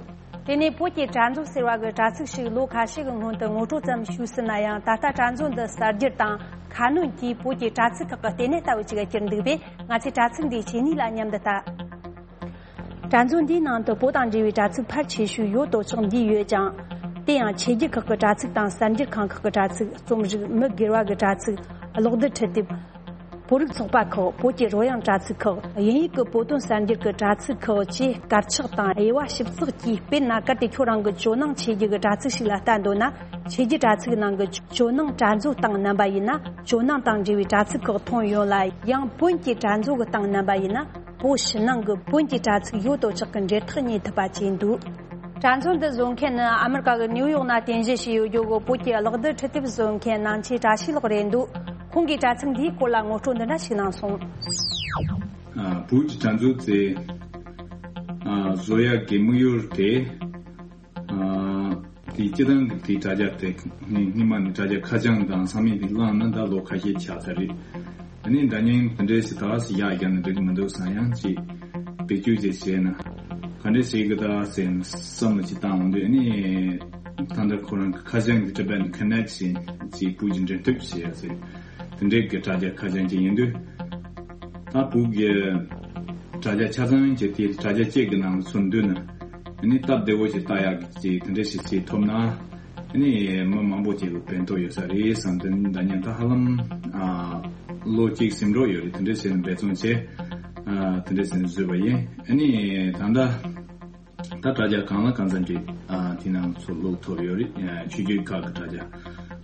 དེ་ནས་བོད་ཀྱི་དྲ་མཛོད་ཟེར་བ་གི་དྲ་ཚིགས་ཤིག་ལོ་ཁ་ཤས་ཀྱི་སྔོན་དུ་ངོ་སྤྲོད་ཙམ་ཞུས་ཟིན་ན་ཡང་། ད་ལྟ་དྲ་མཛོད་འདི་གསར་བསྒྱུར་དང་ཁ་སྣོན་གྱིས་བོད་ཀྱི་དྲ་ཚིགས་ཁག་གི་ལྟེ་གནས་ལྟ་བུ་ཅིག་གྱུར་འདུག་པས། ང་ཚོས་དྲ་ཚིགས་འདིའི་ཆེ་ནུས་ལ་མཉམ་དུ་ལྟ། དྲ་མཛོད་འདིའི་ནང་དུ་བོད་དང་འབྲེལ་བའི་དྲ་ཚིགས་ཕལ་ཆེ་ཤོས་ཡོད་དོ་ཅོག་འདུས་ཡོད་ཀྱང་། དེ་ཡང་ཆོས་བརྒྱུད་ཁག་གི་དྲ་ཚིགས་དང་གསར་འགྱུར་ཁང་ཁག་གི་དྲ་ཚིགས། རྩོམ་རིག་མི་སྒེར་བ་གི་དྲ་ཚིགས། གློག་རྡུལ་འཕྲུལ་དེབ། བོད་རིགས་ཚོགས་པ་ཁག་བོད་ཀྱི་རོལ་དབྱངས་དྲ་ཚིགས་ཁག་དབྱིན་ཡིག་གི་བོད་དོན་གསར་འགྱུར་གྱི་དྲ་ཚིགས་ཁག་བཅས་དཀར་ཆག་དང་དབྱེ་བ་ཞིབ་ཚགས་ཀྱིས། དཔེར་ན་གལ་ཏེ་ཁྱོད་རང་གི་ཇོ་ནང་ཆོས་བརྒྱུད་ཀྱི་དྲ་ཚིགས་ཤིག་ལ་ལྟ་འདོད་ན། ཆོས་བརྒྱུད་དྲ་ཚིགས་ནང་གི་ཇོ་ནང་དྲ་མཛོད་སྟེང་མནན་པ་ཡིན་ན། ཇོ་ནང་དང་འབྲེལ་བའི་དྲ་ཚིགས་ཁག་ཐོན་ཡོང་ལ། ཡང་བོན་གྱི་དྲ་མཛོད་ཀྱི་སྟེང་མནན་པ་ཡིན་ན། བོད་ཕྱི་ནང་གི་བོན་གྱི་དྲ་ཚིགས་ཡོད་དོ་ཅོག་གི་འབྲེལ་ཐག་རྙེད་ཐུབ་པ་བྱས་འདུག་དྲ་མཛོད་འདི་བཟོ་མཁན་ནི་ཨ་མི་རི་ཀ་གི་ནིའུ་ཡོག་ན་རྟེན་གཞི་བྱས་ཡོད་རྒྱུ་གི་བོད་ཀྱི་གློག་རྡུལ་འཕྲུལ་དེབ་བཟོ་མཁན་ནང་ཆེན་བཀྲ་ཤིས་ལགས་རེད་འདུག་ཁོང་གིས་དྲ་ཚིགས་འདིའི་སྐོར་ལ་ངོ་སྤྲོད་འདི་འདྲ་ཞིག་གནང་སོང་། ཨ། བོད་ཀྱི་དྲ་མཛོད་དེ། ཨ། བཟོ་ཡག་གི་དམིགས་ཡུལ་དེ། ཨ། དེ་སྤྱི་བཏང་གི་དེའི་དྲ་རྒྱ་དེ་ནི་སྔོན་མ་ནས་དྲ་རྒྱ་ཁ་བྱང་དང་ཚང་མས་དེ་བླངས་ན་ད་ལོ་ཁ་ཤས་ཆགས་ཚར་རེད། ཨ་ནི་འདྲ་མཉམ་དེ་འདྲས་ཞིག་ད་ཞིག་ཡག་བརྒྱབ་ན་འགྲིག་མི་འདུག་བསམ་ཡང་ཅིག་བེད་སྤྱོད་ཅིག་བྱས་ན་ག་འདྲས་བྱེད་གི་ད་ཟེར་ནས་བསམ་བློ་ཅིག་བཏང་འོང་དུས། ཨ་ནི་ད་ལྟ་ཁོ་རང་གི་ཁ་བྱང་གི་Tibetan Connect་ཞེས་ཅིག་བོད་ཀྱི་འབྲེལ་མཐུད་བྱས་ཡ་ཟེར། དེ་འདྲའི་གི་དྲ་རྒྱ་ཁ་བྱང་ཅིག་ཡིན་དུས། ད་བོད་ཀྱི་དྲ་རྒྱ་ཆ་ཚང་གི་དེ་དྲ་རྒྱ་གཅིག་གི་ནང་ཚུར་འདུས་ན། ཨ་ནི་སྟབས་བདེ་བོ་ཞིག་ལྟ་ཡག་གི་དེ་འདྲ་ཞིག་བྱེད་ཐུབ་ན། ཨ་ནི་མི་མང་པོ་ཅིག་ལ་ཕན་ཐོགས་ཡོད་ས་རེད་བསམ་དུས། འདྲ་མཉམ་ད་ཧ་ལམ། ཨ། ལོ་གཅིག་ཟིན་འགྲོ་ཡོད་རེད། དེ་འདྲ་བྱས་ནས་འབད་བརྩོན་བྱས། ཨ། དེ་འདྲ་བྱས་ནས་བཟོས་པ་ཡིན། ཨ་ནི་ད་ལྟ། ད་དྲ་རྒྱ་གང་ལ་གང་འཚམ་གྱི། ཨ། དེ་ནང་ཚུར་བླུགས་ཐུབ་ཡོད་རེད། ཨ། ཆོས་བརྒྱུད་ཁག་གི་དྲ་རྒྱ་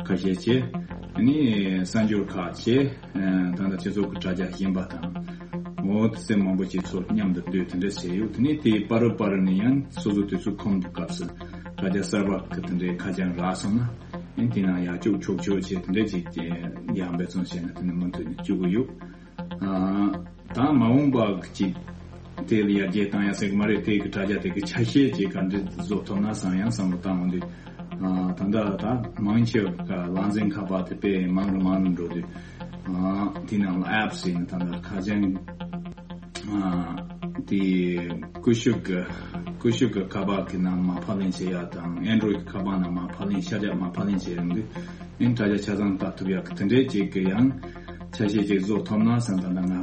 ཁ་ཤས་བྱས། ཨ་ནི་གསར་འགྱུར་ཁག་བྱས། ཨ། ད་ལྟ་སྤྱི་ཚོགས་ཀྱི་དྲ་རྒྱ་གཞན་པ་དང་། འོ་དེ་ཚོ་མང་པོ་ཅིག་ཚུར་མཉམ་དུ་བསྡུས་དེ་འདྲ་བྱས་ཡོད། དེ་ནས་དེའི་བར་རུ་བར་རུ་ནས་ཡང་སོ་སོ་དུས་ཚོད་ཁོམ་དུས་སྐབས་སུ་དྲ་རྒྱ་གསར་པ་གི་དེ་འདྲའི་ཁ་བྱང་རག་སོང་ན། ཨ་ནི་དེ་ནང་ཡར་བཅུག་ཆོག་ཆོག་བྱས་དེ་འདྲ་ཅིག་ཡར་འབད་བརྩོན་བྱས་ན་དེ་ནས་མུ་མཐུད་ནས་བཅུག་གི་ཡོད། ཨ། ད་མ་འོངས་པ་ཅིག་དེ་ལ་ཡར་རྒྱས་བཏང་ཡ་ཟེར་གི་མ་རེད། དེ་གི་དྲ་རྒྱ་དེ་གི་ཆ་ཤས་ཅིག་ག་འདྲ་བཟོ་ཐུབ་ན་བསམ་ཡང་བསམ་བློ་བཏང་འོང་དུས། ཨ། ད་ལྟ་ད་མང་ཆེ་བ་ལག་འཛིན་ཁ་པར་དེ་དཔེ་མང་རུ་མང་རུ་འགྲོ་དུས། ཨ། དེ་ནང་ལ་apps་ཡིན་ན་ད་ལྟ་ཁ་བྱང་། ཨ། དེ་ཀུ་ཤུ་གི་ཀུ་ཤུ་གི་ཁ་པར་གི་ནང་མར་ཕབ་ལེན་བྱེད་ཡ་དང་Android་གི་ཁ་པར་ནང་མར་ཕབ་ལེན་ཤར་རྒྱག་མར་ཕབ་ལེན་བྱེད་ཡོང་དུས། ཨིན་དྲ་རྒྱ་ཆ་ཚང་ལྟ་ཐུབ་ཡག་གི་དེ་འདྲའི་ཅིག་གི་ཡང་ཆ་ཤས་ཅིག་བཟོ་ཐུབ་ན་བསམ། ད་ལྟ་ང་།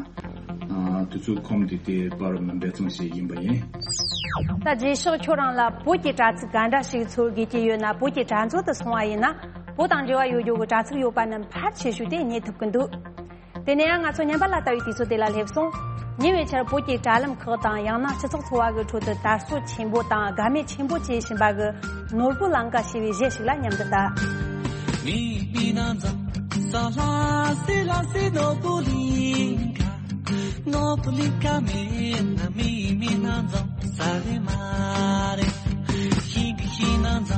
ཨ། དུས་ཚོད་ཁོམ་དུས་དེ་བར་ལ་འབད་བརྩོན་བྱེད་ཀྱི་ཡིན་པ་ཡིན། ད་རྗེས་ཕྱོགས་ཁྱོད་རང་ལ་བོད་ཀྱི་དྲ་ཚིགས་ག་འདྲ་ཞིག་འཚོལ་དགོས་ཀྱི་ཡོད་ན། བོད་ཀྱི་དྲ་མཛོད་དུ་སོང་བ་ཡིན་ན། བོད་དང་འབྲེལ་བ་ཡོད་རྒྱུ་གི་དྲ་ཚིགས་ཡོད་པ་རྣམས་ཕལ་ཆེ་ཤོས་དེ་རྙེད་ཐུབ་ཀྱི་འདུག་དེ་ནས་ཡང་ང་ཚོ་ཉམས་པ་ལ་ལྟ་བའི་དུས་ཚོད་དེ་ལ་སླེབས་སོང་། ཉེ་བའི་ཆར་བོད་ཀྱི་དྲ་ལམ་ཁག་དང་། ཡང་ན་སྤྱི་ཚོགས་འཚོ་བ་གི་ཁྲོད་དུ་དར་སྲོལ་ཆེན་པོ་དང་དགའ་མོས་ཆེན་པོ་བྱེད་བཞིན་པ་གི་ནོར་བུ་ལང་ཀ་ཞེས་པའི་གཞས་ཤིག་ལ་མཉམ་དུ་ལྟ། མི་མི་ན་ཛ་ས་ལ་སི་ལ་སི་ནོར་བུ་ལིང་ཁ། ནོར་བུ་ལིང་ཁ་མེད་ན་མི་མི་ན་ཛ་ས་རེ་མ་རེ། ཤིང་གི་ཤིང་ན་ཛ་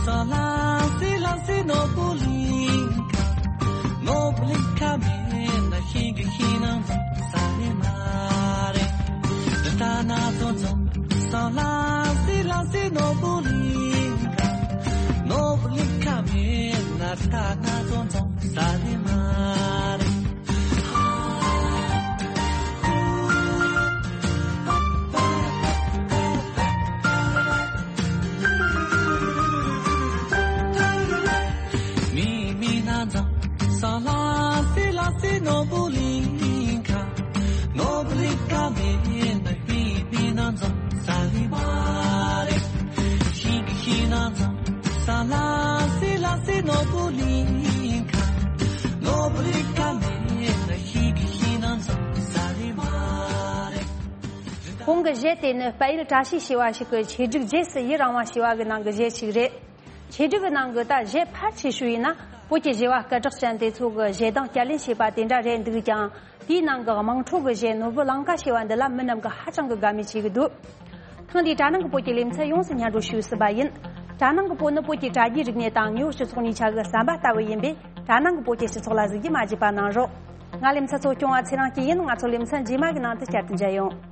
ས་ལ་སི་ལ་སི་ནོར་བུ་ལིང་ཁ། ནོར་བུ་ལིང་ཁ་མེད་ན་ཤིང་གི་ཤིང་ན་ཛ་ས་རེ་མ་རེ། རི་ད་ན་ཙོ་ཙོ་ས་ལ་སི་ལ་སི་ནོར་བུ་ལིང་ཁ། ནོར་བུ་ལིང་ཁ་མེད་ན་རི་ད་ན་ཙོ་ཙོ་ས་རེ་མ་རེ། གོང་གི་གཞས་དེ་ནི་དཔལ་ཡུལ་བཀྲ་ཤིས་ཞེས་པ་ཞིག་གི་ཆེད་སྒྲིག་རྗེས་སུ་ཡི་རང་བ་ཞེས་པ་གི་ནང་གི་གཞས་ཤིག་རེད། ཆེད་སྒྲིག་གི་ནང་གི་ད་གཞས་ཕལ་ཆེ་ཤོས་ཡིན་ན་བོད་ཀྱི་གཞས་པ་སྐད་གྲགས་ཅན་དེ་ཚོ་གི་གཞས་གདངས་བསྐྱར་ལེན་བྱས་པ་དེ་འདྲ་རེད་འདུག་ཀྱང་། དེའི་ནང་གི་དམངས་ཁྲོད་ཀྱི་གཞས་ནོར་བུ་ལང་ཀ་ཞེས་པ་འདི་ལ་མི་རྣམས་ཀྱིས་ཧ་ཅང་གི་དགའ་མོས་བྱེད་ཀྱི་འདུག་ཐེངས་འདིའི་དྲ་ནང་གི་བོད་ཀྱི་ལེ་ཚན་ཡོངས་སུ་སྙན་སྒྲོན་ཞུས་ཟིན་པ་ཡིན། དྲ་ནང་གི་བོད་ནི་བོད་ཀྱི་དྲ་རྒྱའི་རིག་གནས་དང་དངོས་ཡོད་སྤྱི་ཚོགས་གཉིས་ཆ་གི་ཟམ་པ་ལྟ་བུ་ཡིན་པས། དྲ་ནང་གི་བོད་ཀྱི་སྤྱི་ཚོགས་ལ་གཟིགས་རྒྱུ་མ་བརྗེད་པ་གནང་རོགས། ང་ལེ་ཚན་གཙོ་སྐྱོང་བ་ཚེ་རིང་སྐྱིད་ཡིན། ང་ཚོ་ལེ་ཚན་རྗེས་མ་གི་ནང་དུ་བསྐྱར་དུ་མཇལ་ཡོང་།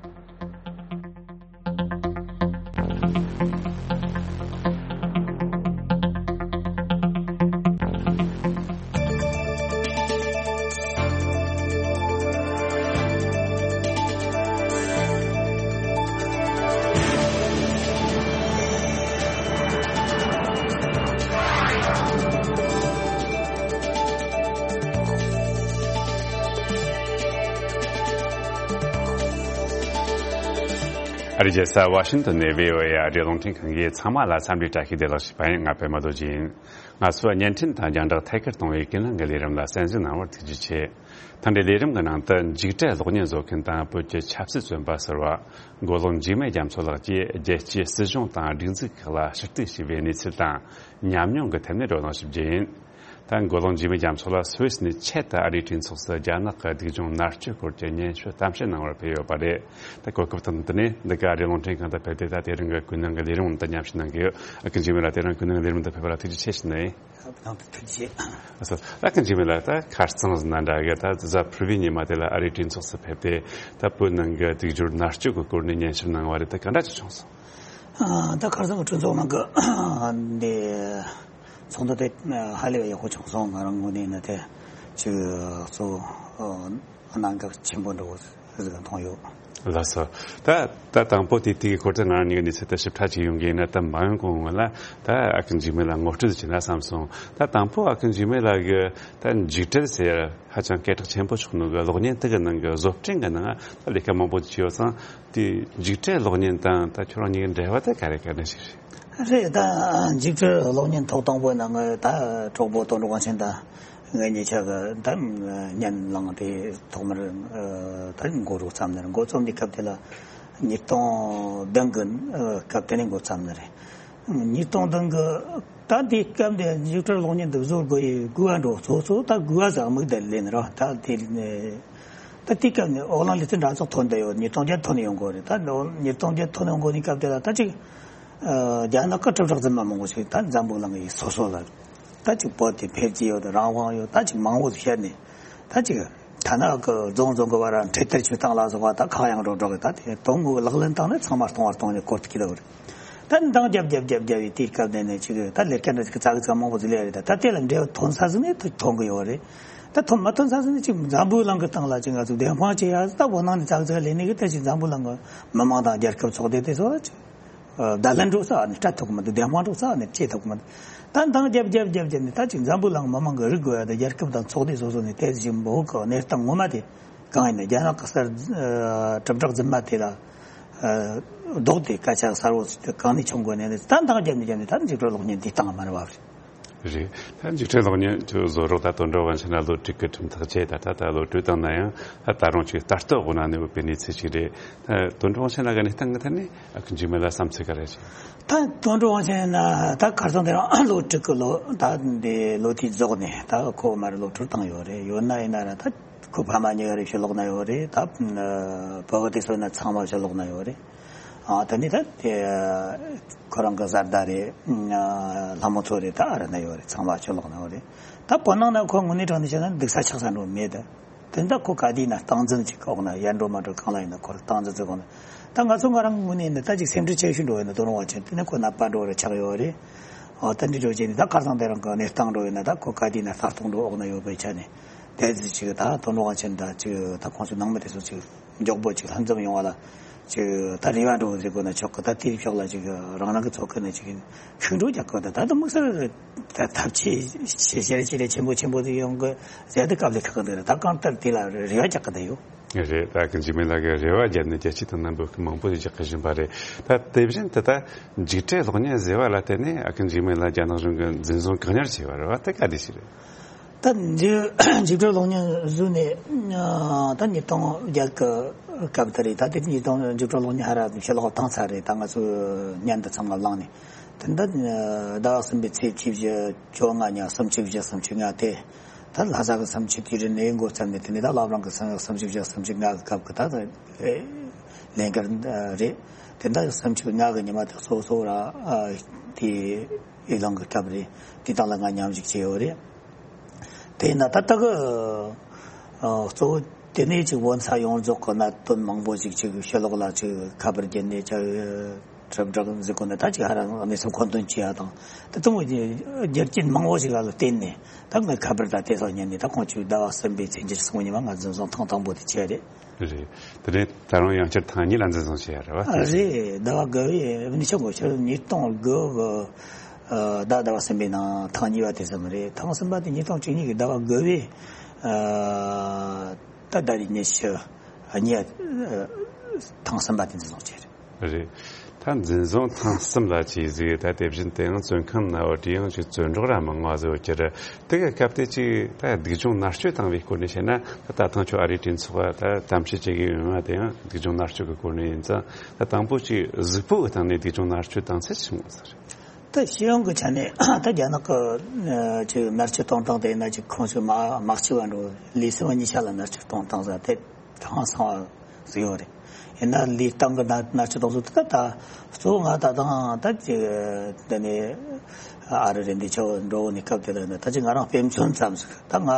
ཨ་རིའི་རྒྱལ་ས་ཝ་ཤིང་ཏོན་ནས་བྷི་ཨོ་ཨེ་ཨ་རིའི་རླུང་འཕྲིན་ཁང་གིས་ཚང་མ་ལ་འཚམས་འདྲི་བཀྲ་ཤིས་བདེ་ལེགས་ཞུས་པ་ཡིན། ང་པད་མ་རྡོ་རྗེ་ཡིན། ང་ཚོས་བརྙན་འཕྲིན་དང་རྒྱང་བསྒྲགས་ཐད་ཀར་གཏོང་བའི་ཀུན་གླེང་གི་ལས་རིམ་ལ་གསན་གཟིགས་གནང་བར་ཐུགས་རྗེ་ཆེ། ཐེངས་འདིའི་ལས་རིམ་གྱི་ནང་དུ་འཇིགས་བྲལ་གློག་བརྙན་བཟོ་མཁན་དང་བོད་ཀྱི་ཆབ་སྲིད་བཙོན་པ་ཟུར་པ་མགོ་ལོག་འཇིགས་མེད་རྒྱ་མཚོ་ལགས་ཀྱིས་རྒྱལ་སྤྱིའི་སྲིད་གཞུང་དང་སྒྲིག་འཛུགས་ཁག་ལ་ཞུ་གཏུག་བྱས་པའི་གནས་ཚུལ་དང་ཉམས་མྱོང་གི་ཐད་ནས་བགྲོ་གླེང་ཞུ་རྒྱུ་ཡིན། ད་མགོ་ལོག་འཇིགས་མེད་རྒྱ་མཚོ་ལགས་སུད་སི་ནས་ཆེད་དུ་ཨ་རིའི་གྲོས་ཚོགས་སུ་རྒྱ་ནག་གི་སྡུག་སྦྱོང་མནར་གཅོད་སྐོར་གྱི་སྙན་ཞུ་གཏམ་བཤད་གནང་བར་ཕེབས་ཡོད་པ་རེད། ད་གོ་སྐབས་དང་བསྟུན་ནས་འདི་ག་ཨ་རིའི་རླུང་འཕྲིན་ཁང་དུ་ཕེབས་ཏེ་ད་དེ་རིང་གི་ཀུན་གླེང་གི་ལས་རིམ་དུ་མཉམ་ཞུགས་གནང་གི་ཡོད། ཨ་ཁུ་འཇིགས་མེད་ལགས། དེ་རིང་ཀུན་གླེང་གི་ལས་རིམ་དུ་ཕེབས་པ་ལ་ཐུགས་རྗེ་ཆེ་ཞུ་ནི་ཡིན། ཨ་ཁུ་འཇིགས་མེད་ལགས། ད་ཁ་རྩང་ཟིན་ན་འདྲ་གི་ད་གཟའ་ཕུར་བུའི་ཉི་མ་དེ་ལ་ཨ་རིའི་གྲོས་ཚོགས་སུ་ཕེབས་ཏེ་ད་བོད་ནང་གི་སྡུག་སྦྱོར་མནར་གཅོད་ཀྱི་སྐོར་ནས་སྙན་ཞུ་གནང་བ་རེད། ད་ག་འདྲ་ཅིག་བྱུང་སོང་། ཨ། ད་ཁ་རྩང་གི་གྲོས་ཚོགས་ནང་གི་འདི་ཚོགས་འདུ་དེ་ཧ་ལས་པའི་ཡག་པོ་བྱུང་སོང་། ང་རང་ངོས་ནས་ནི་དེ་ཅིག་གཙོ་བོ་གནད་འགག་ཆེན་པོ་འདྲ་བོ་ཟིག་མཐོང་ཡོད། ལགས་སོ། ད་ད་དང་པོ་དེ་དེའི་སྐོར་དུ་ང་རང་གཉིས་ཀྱི་གནས་ཚུལ་དེ་ཞིབ་ཕྲ་ཅིག་ཡོང་གི་ཡིན་ན། ད་མ་ཡོང་གོང་སྔོན་ལ་ད་ཨ་ཁུ་འཇིགས་མེད་ལ་ངོ་སྤྲོད་བྱས་ན་བསམ་སོང་། ད་དང་པོ་ཨ་ཁུ་འཇིགས་མེད་ལགས་ཀྱི་ད་འཇིགས་བྲལ་ཟེར་ཧ་ཅང་སྐད་གྲགས་ཆེན་པོ་ཆགས་ནོ་གི་གློག་བརྙན་དེ་གི་ནང་གི་བཟོ་སྐྲུན་གི་ནང་ད་ལས་ཀ་མང་པོ་བྱས་ཡོད་ཙང་། དེ་འཇིགས་བྲལ་གློག་བརྙན་དང་ད་ཁྱོད་རང་གཉིས་ཀྱི་འབྲེལ་བ་དེ་ག་རེ་ག་འདྲ་ཞིག་རེད། རེད། ད་འཇིགས་བྲལ་གློག་བརྙན་ཐོག་དང་པོའི་ནང་ང་ད་གྲོགས་པོ་དོན་གྲུབ་དབང་ཆེན་དང་ངེད་གཉིས་ཆ་གི་ད་བརྙན་བླངས་ཏེ་ཐོག་མར་ད་འགོ་རུ་བརྩམས་ནས། འགོ་རྩོམ་དུས་སྐབས་དེ་ལ་ཉིས་སྟོང་བདུན་གི་སྐབས་དེ་ནས་འགོ་བརྩམས་ནི་རེད། ཉིས་སྟོང་བདུན་གི་ད་དེའི་སྐབས་དེ་འཇིགས་བྲལ་གློག་བརྙན་དེ་བཟོ་དགོས་ཡི་དགོས་པ་འགྲོ་ཚོ་ཚོ་ད་དགོས་པ་ཟིག་དམིགས་ཏེ་ལས་ནི་ར། ད་དེ་ནས་ད་དེའི་སྐབས་ནས་ཨོ་གླིང་ལི་ཙི་འདྲ་ཚོགས་ཐོན་བསྡད་ཡོད། ཉིས་སྟོང་བརྒྱད་ཐོན་ནས་ཡོང་གོ་རེད། ད་ཉིས་སྟོང་བརྒྱད་ཐོན་ནས་ཡོང་གོ་ནི་སྐབས་དེ་ལ་ད་ཅིག་རྒྱ་ནག་གི་གྲུབ་གྲགས་རྫུན་མ་མང་པོ་ཞིག་ད་འཛམ་བུ་གླིང་གི་སོ་སོ་ལ་ད་ཅིག་བོད་དེ་འཕེལ་རྒྱས་ཡོད་དང་རང་དབང་ཡོད་ད་ཅིག་མང་པོ་ཞིག་བཤད་ནས། ད་ཅིག་ཐ་ན་གི་རྫོང་རྫོང་གི་བར་འཕྲེད་དར་ཆུ་བཏང་ལ་སོགས་པ་ད་ཁག་ཡང་འགྲོ་འགྲོ་གི། ད་དེ་དོན་དངོས་ལག་ལེན་བཏང་ནས་ཚང་མ་སྟོང་བར་གཏོང་ནས་སྐོར་དུ་སྐྱེལ་ལ་རེད། ད་འདང་རྒྱབ་རྒྱབ་རྒྱབ་རྒྱབ་ཡི་དེའི་སྐབས་ནས་ནས་ཅིག་ད་ལས་ཀ་འདྲ་ཅིག་ཙག་ཙག་མང་པོ་ཟིག་ལས་རེད། ད་ད་དེ་ལ་འབྲས་བུ་ཐོན་ས་ཟིག་ནས་ཐོན་གི་ཡོད་རེད། ད་ཐོན་མ་ཐོན་ས་ཟིག་ནས་ཅིག་འཛམ་བུ་གླིང་གི་སྟེང་ལ་ཅིག་ང་ཚོ་བདེན་དཔང་བྱེད་ཡ་ཟིག་ད་བོད་ནང་ནས་ཙག་ཙག་ལས་ནས་གི་ད་ཅིག་འཛམ་བུ་གླིང་གི་མི་མང་དང་རྒྱལ་ཁབ་ཚོགས་སྡེ་དེ་ཚོ་ལ་ཅིག་བརྡ་ལན་འགྲོ་ས་ནས་སྤྲད་ཐུབ་གི་མི་འདུག་བདེན་དཔང་འགྲོ་ས་ནས་བྱེད་ཐུབ་གི་མི་འདུག་ད་འདང་རྒྱབ་རྒྱབ་རྒྱབ་རྒྱབ་ནས་ད་ཅིག་འཛམ་བུ་གླིང་མི་མང་གི་རིག་དགོས་ཡ་དང་རྒྱལ་ཁབ་དང་ཚོགས་སྡེ་སོ་སོ་ནས་དེ་བཞིན་བོད་ཀྱི་གནས་སྟངས་ངོ་མ་དེ་གང་ཡིན་ན། རྒྱ་ནག་གི་གསར་གྲུབ་གྲགས་རྫུན་མ་དེ་ལ་ལྡོག་སྟེ་སྐད་ཆ་གསར་བོ་གང་ནས་བྱུང་དགོས་ནས་ད་འདང་རྒྱབ་ནས་རྒྱབ་ནས་ད་འཇིགས་བྲལ་གློག་བརྙན་འདི་བཏང་མ་རེད་བ། རེད། ད་འཇིགས་བྲལ་གློག་བརྙན་ཁྱོད་བཟོ་རོགས་ད་དོན་གྲུབ་དབང་ཆེན་ལ་ལོ་དྲུག་གི་ཁྲིམས་ཐག་བཅད། ད་ད་ད་ལོ་དྲུག་བཏང་ན་ཡང་ད་ད་རུང་ཅིག་ལྟ་རྟོག་འོག་ན་གནས་ཡོད་པའི་གནས་ཚུལ་ཅིག་རེད། ད་དོན་གྲུབ་དབང་ཆེན་ལགས་ཀྱི་གནས་སྟངས་ཀྱི་ཐད་ནས་ཨ་ཁུ་འཇིགས་མེད་ལ་བསམ་ཚུལ་ག་རེ་ཞིག་ད་དོན་གྲུབ་དབང་ཆེན་ན་ད་ཁ་སང་དེ་རིང་ལོ་དྲུག་གི་ལོ་ད་འདི་ལོ་དེའི་རྫོགས་ནས་ད་ཁོ་མར་ལོ་དྲུག་བཏང་ཡོད་རེད། ཡོད་ན་ཡིན་ན་ར་ད་ཁོ་ཕ་མ་གཉིས་ཀ་རེ་ཕྱིར་ལོག་ན་ཡོད་རེད། ད་བོད་པ་དེ་ཚོ་ན་ཚང་མ་ཕྱིར་ལོག་ན་ཡོད་རེད། ཨ་ད་ནི་ད་དེ་ཁོ་རང་གི་བཟའ་ཟླ་རེད། ལྷ་མོ་ཚོ་རེད། ད་ཨ་རི་ན་ཡོད་རེད། ཚང་མ་ཕྱིར་ལོག་ན་ཡོད་རེད། ད་བོད་ནང་ན་ཁོ་དངོས་གནས་དྲང་གནས་བཤད་ན་འདུག་ས་ཆགས་ས་འགྲོ་མེད་ད། དེ་འདྲ་ཁོ་ག་དུས་ན་སྟངས་འཛིན་ཅིག་འོག་ན་ཡར་འགྲོ་མར་འགྲོ་གང་ལ་ཡིན་ན་ཁོ་རང་སྟངས་འཛིན་ཅིག་འོག་ན། ད་ང་ཚོ་ང་རང་ངོས་ནས་ནི་ད་ཅིག་སེམས་ཁྲལ་ཆེ་ཤོས་འགྲོ་ཡོད་ན་དོ་རུང་བ་ཆེན་དེ་ནས་ཁོ་ནད་པ་འགྲོ་རེ་ཆགས་ཡོད་རེད། ཨོ་ད་འདི་འགྲོ་བྱས་ནས་ད་ཁ་སང་དེ་རང་གི་གནས་སྟངས་འགྲོ་ཡོད་ན་ད་ཁོ་ག་དུས་ན་ལྟ་རྟོག་འགྲོ་འོག་ན་ཡོད་པའི་ཆ་ནས་དེ་ཅིག་ད་དོ་རུང་བ་ཆེན་ད་ཅིག་ད་ཁོང་ཚོ་ནང་མི་དེ་ཚོ་ཅིག་མགྱོགས་པོ་ཅིག་ལྷན་འཛོམས་ཡོང་བ་ལ་ཅིག་ད་རེ་བ་འགྲོ་ཟེར་དགོས་ན་ཆོག་གི། ད་དེའི་ཕྱོགས་ལ་ཅིག་རང་རང་གི་ཚོགས་ཁག་ནས་ཅིག་ཤུགས་འགྲོ་རྒྱག་གི། ད་ད་དམིགས་བསལ་ད་ཐབས་ཆེ་ཞེ་ཞེ་ཞེ་ཆེན་པོ་ཆེན་པོ་དེ་ཡོང་གི་ཟེར་དུས་སྐབས་ལས་ཁག་གི་འདུག་ད་གང་ལྟར་དེ་ལ་རེ་བ་རྒྱག་གི་ད་ཡོད། རེད། ད་ཨ་ཁུ་འཇིགས་མེད་ལགས་ཀྱིས་རེ་བ་བརྒྱབ་ནས་རྒྱལ་སྤྱི་དང་ནང་བོད་ཀྱི་མང་པོ་ཞིག་རྒྱག་གི་བཞིན་པ་རེད། ད་དེ་བཞིན་དུ་ད་འཇིགས་བྲལ་གློག་བརྙན་ཟེར་བ་ལ་བརྟེན་ནས་ཨ་ཁུ་འཇིགས་མེད་ལགས་རྒྱ་ནག་གཞུང་གིས་འཛིན་བཟུང་བཀག་ཉར་བྱས་པ་རེད་བ། དེ་ག་དུས་ཤིག་རེད། ད་འཇིགས་འཇིགས་བྲལ་གློག་བརྙན་བཟོས་ནས་ད་ཉིས་སྟོང་བརྒྱད་ཀྱི་ སྐབས་དེ་རེད། ད་དེ་ཉིས་སྟོང་བཅུ་དྲུག་ལོ་ནས་ཧ་ར་ཕྱི་ལོགས་བཏང་ཚར་རེད། ད་ང་ཚོ་ཉན་དུ་ཚང་མ་བླངས་ནས། དེ་འདྲ་ཟླ་བ་གསུམ་པའི་ཚེས་བཅུ་བཞི་བཅོ་ལྔ་ཉིན་སུམ་ཅུ་བཞི་སུམ་ཅུ་ལྔ་དེ། ད་ལྷ་ས་གི་སུམ་ཅུ་དུས་རིམ་ནས་འགོ་བརྩམས་ནས། དེ་ནས་ད་བླ་བྲང་གི་སུམ་ཅུ་བཞི་སུམ་ཅུ་ལྔ་གི་སྐབས་ཀྱི་ད་ལས་འགུལ་རེད། དེ་འདྲ་སུམ་ཅུ་ལྔ་གི་ཉི་མ་དེ་གཙོ་བོ་ར་དེ་ཨེ་ལང་གི་སྐབས་རེད། དེ་དང་ལ་ང་མཉམ་ཞུགས་བྱས་ཡོད་རེད། དེས་ན་ད་ལྟ་གི་ཨ་གཙོ་བོ་དེ་ནས་ཅིག་བོད་ས་ཡོངས་རྫོགས་ཀྱི་གནད་དོན་མང་པོ་ཞིག་ཅིག་ཕྱི་ལོགས་ལ་ཅིག་ཁ་པར་བརྒྱུད་ནས་ཅིག་གྲུབ་འབྲས་འཛིན་དགོས་ན། ད་ཅིག་ཧ་ར་གནས་ཚུལ་མཁོ་འདོན་བྱེད་ཡ་དང་། ད་དུང་རྒྱུ་རྐྱེན་མང་པོ་ཞིག་ལ་བརྟེན་ནས་ད་ངས་ཁ་པར་ད་དེ་སོགས་ཉན་ནས། ད་ཁོང་ཚོས་ཟླ་བ་གསུམ་པའི་ཚེས་ཉེར་གསུམ་ཉིན་མ་ང་འཛིན་བཟུང་ཐེངས་དང་པོ་དེ་བྱས་རེད། རེད། དེ་ནས་ད་རུང་ཡང་བསྐྱར་ཐེངས་གཉིས་ལ་འཛིན་བཟུང་བྱས་ཡ་རེད་བ། ཨ་རེད། ཟླ་བ་དགུ་པའི་ནི་ཆོག་གོ་ཆོག་ཉིས་སྟོང་དགུ་གི་ཨ་ཟླ་ཟླ་བ་གསུམ་པའི་ནང་ཐེངས་གཉིས་པ་དེ་ཙམ་རེད། ཐེངས་གསུམ་པ་དེ་ཉིས་སྟོང་བཅུ་གཉིས་ཀྱི་ཟླ་བ་དགུ་པའི་ཨ་ད་ཟླ་རེ་ཉི་ཤུ་གཉིས་ཨ་ཐེངས་གསུམ་པ་དེ་འཛིན་བཟུང་བྱས་རེད། རེད། ད་འཛིན་བཟུང་ཐེངས་གསུམ་ལ་བྱས་ཟིག་ད་དེ་བཞིན་དེ་ཡང་བཙོན་ཁང་ན་བ་དེ་ཡང་ཅིག་བཙོན་གྲོགས་ར་མང་བ་ཟིག་ཡོད་ཀྱི་རེད། དེ་ག་སྐབས་དེ་ཅིག་ད་སྡུག་སྦྱོང་མནར་གཅོད་བཏང་བའི་སྐོར་ནས་བཤད་ན། ད་ད་ཐེངས་ཁྱོད་ཨ་རིའི་གྲོས་ཚོགས་ད་གཏམ་བཤད་བྱེད་ཀྱི་ཡོད་མ། དེ་ཡང་སྡུག་སྦྱོང་མནར་གཅོད་ཀྱི་སྐོར་ནས་ཡིན་ཙང་། ད་དང་པོ་ཅིག་གཟུགས་པོ་གི་སྟེང་ནས་སྡུག་སྦྱོང་མནར་གཅོད་བཏང་ཚད་ཆི་མོ་ཟིག་རེད། ད་སྤྱི་ཡོངས་ཀྱི་ཆ་ནས་ད་རྒྱ་ནག་གི་ཅིག་མནར་གཅོད་གཏོང་སྟངས་དེ་ཡིན་ན། ཅིག་ཁོང་ཚོས་མ་མ་གཅིག་པ་འགྲོ་ལས་སེམས་པ་གཉིས་ཆ་ལ་མནར་གཅོད་གཏོང་སྟངས་ཟེར་དེ་ཧང་སང་བ་ཟིག་ཡོད་རེད། ཡིན་ན་ལས་སྟངས་ཀྱི་མནར་མནར་གཅོད་གཏོང་ཚུལ་དེ་ད་གཙོ་བོ་ང་ད་དང་ད་ཅིག་དེ་ནས་ཨ་རི་རེད་འདི་ཆོ་འགྲོ་ནས་སྐབས་དེ་ལ་ནི་ད་ཅིག་ང་རང་དཔེ་མཚོན་ཙམ་ཟིག་ད་ང་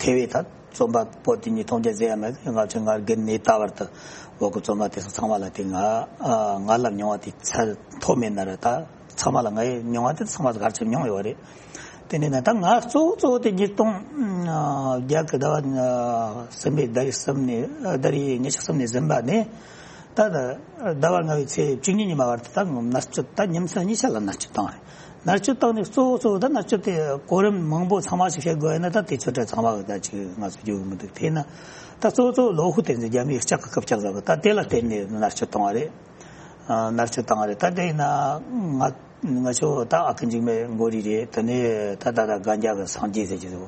ཐེ་བའི་ད་རྩོམ་པ་པོ་དེ་ཉིད་མཐོང་རྒྱ་ཟེར་ཡ་མེད། ང་ཚོས་ང་རྒན་ནས་ད་བར་དུ་བོད་ཀྱི་རྩོམ་པ་དེ་ཚོ་ཚང་མ་ལ་དེ་ང་ང་ལ་མྱོང་བ་དེ་ཚད་མཐོ་མེད་ན་ར། ད་ཚང་མ་ལ་ངའི་མྱོང་བ་དེ་ཚང་མ་ག་ཚོད་མྱོང་ཡོད་རེད། དེ་ནས་ན་ད་ང་གཙོ་བོ་གཙོ་བོ་དེ་ཉིས་སྟོང་བརྒྱད་གི་ཟླ་བ་གསུམ་པའི་ཟླ་རེ་གསུམ་ནས་ཟླ་རེ་ཉི་ཤུ་གསུམ་ནས་ཟིན་པ་ནས། ད་ཟླ་བ་ལྔ་པའི་ཚེས་བཅུ་གཉིས་ཉིན་མ་བར་དུ་ད་མནར་གཅོད་ད་ཉིན་མཚན་གཉིས་ཆ་ལ་མནར་གཅོད་བཏང་རེད། མནར་གཅོད་བཏང་ནས་གཙོ་བོ་གཙོ་བོ་ད་མནར་གཅོད་དེ་གོ་རིམ་མང་པོ་ཚང་མ་ཞིག་བཤད་དགོས་ཡ་ན། ད་དེ་ཚོ་གྲས་ཚང་མ་གི་ད་ཅིག་ང་ཚོ་རྒྱུས་མི་འདུག་དེས་ན་ད་གཙོ་བོ་གཙོ་བོ་ལོ་ཧུ་དེ་ཚོ་རྒྱ་མིའི་ལྕགས་ཀྱི་རྐུབ་བཀྱག་ཟེར་གི་ད་དེ་ལ་བརྟེན་ནས་མནར་གཅོད་བཏང་བ་རེད། ཨ་མནར་གཅོད་བཏང་བ་རེད། ད་དེས་ན་ང་ང་ཚོ་ད་ཨ་ཁུ་འཇིགས་མེད་མགོ་རིལ་རེད། དེ་ནས་ད་ད་ད་གན་རྒྱ་གི་སངས་རྒྱས་ཟེར་གྱི་འདུག་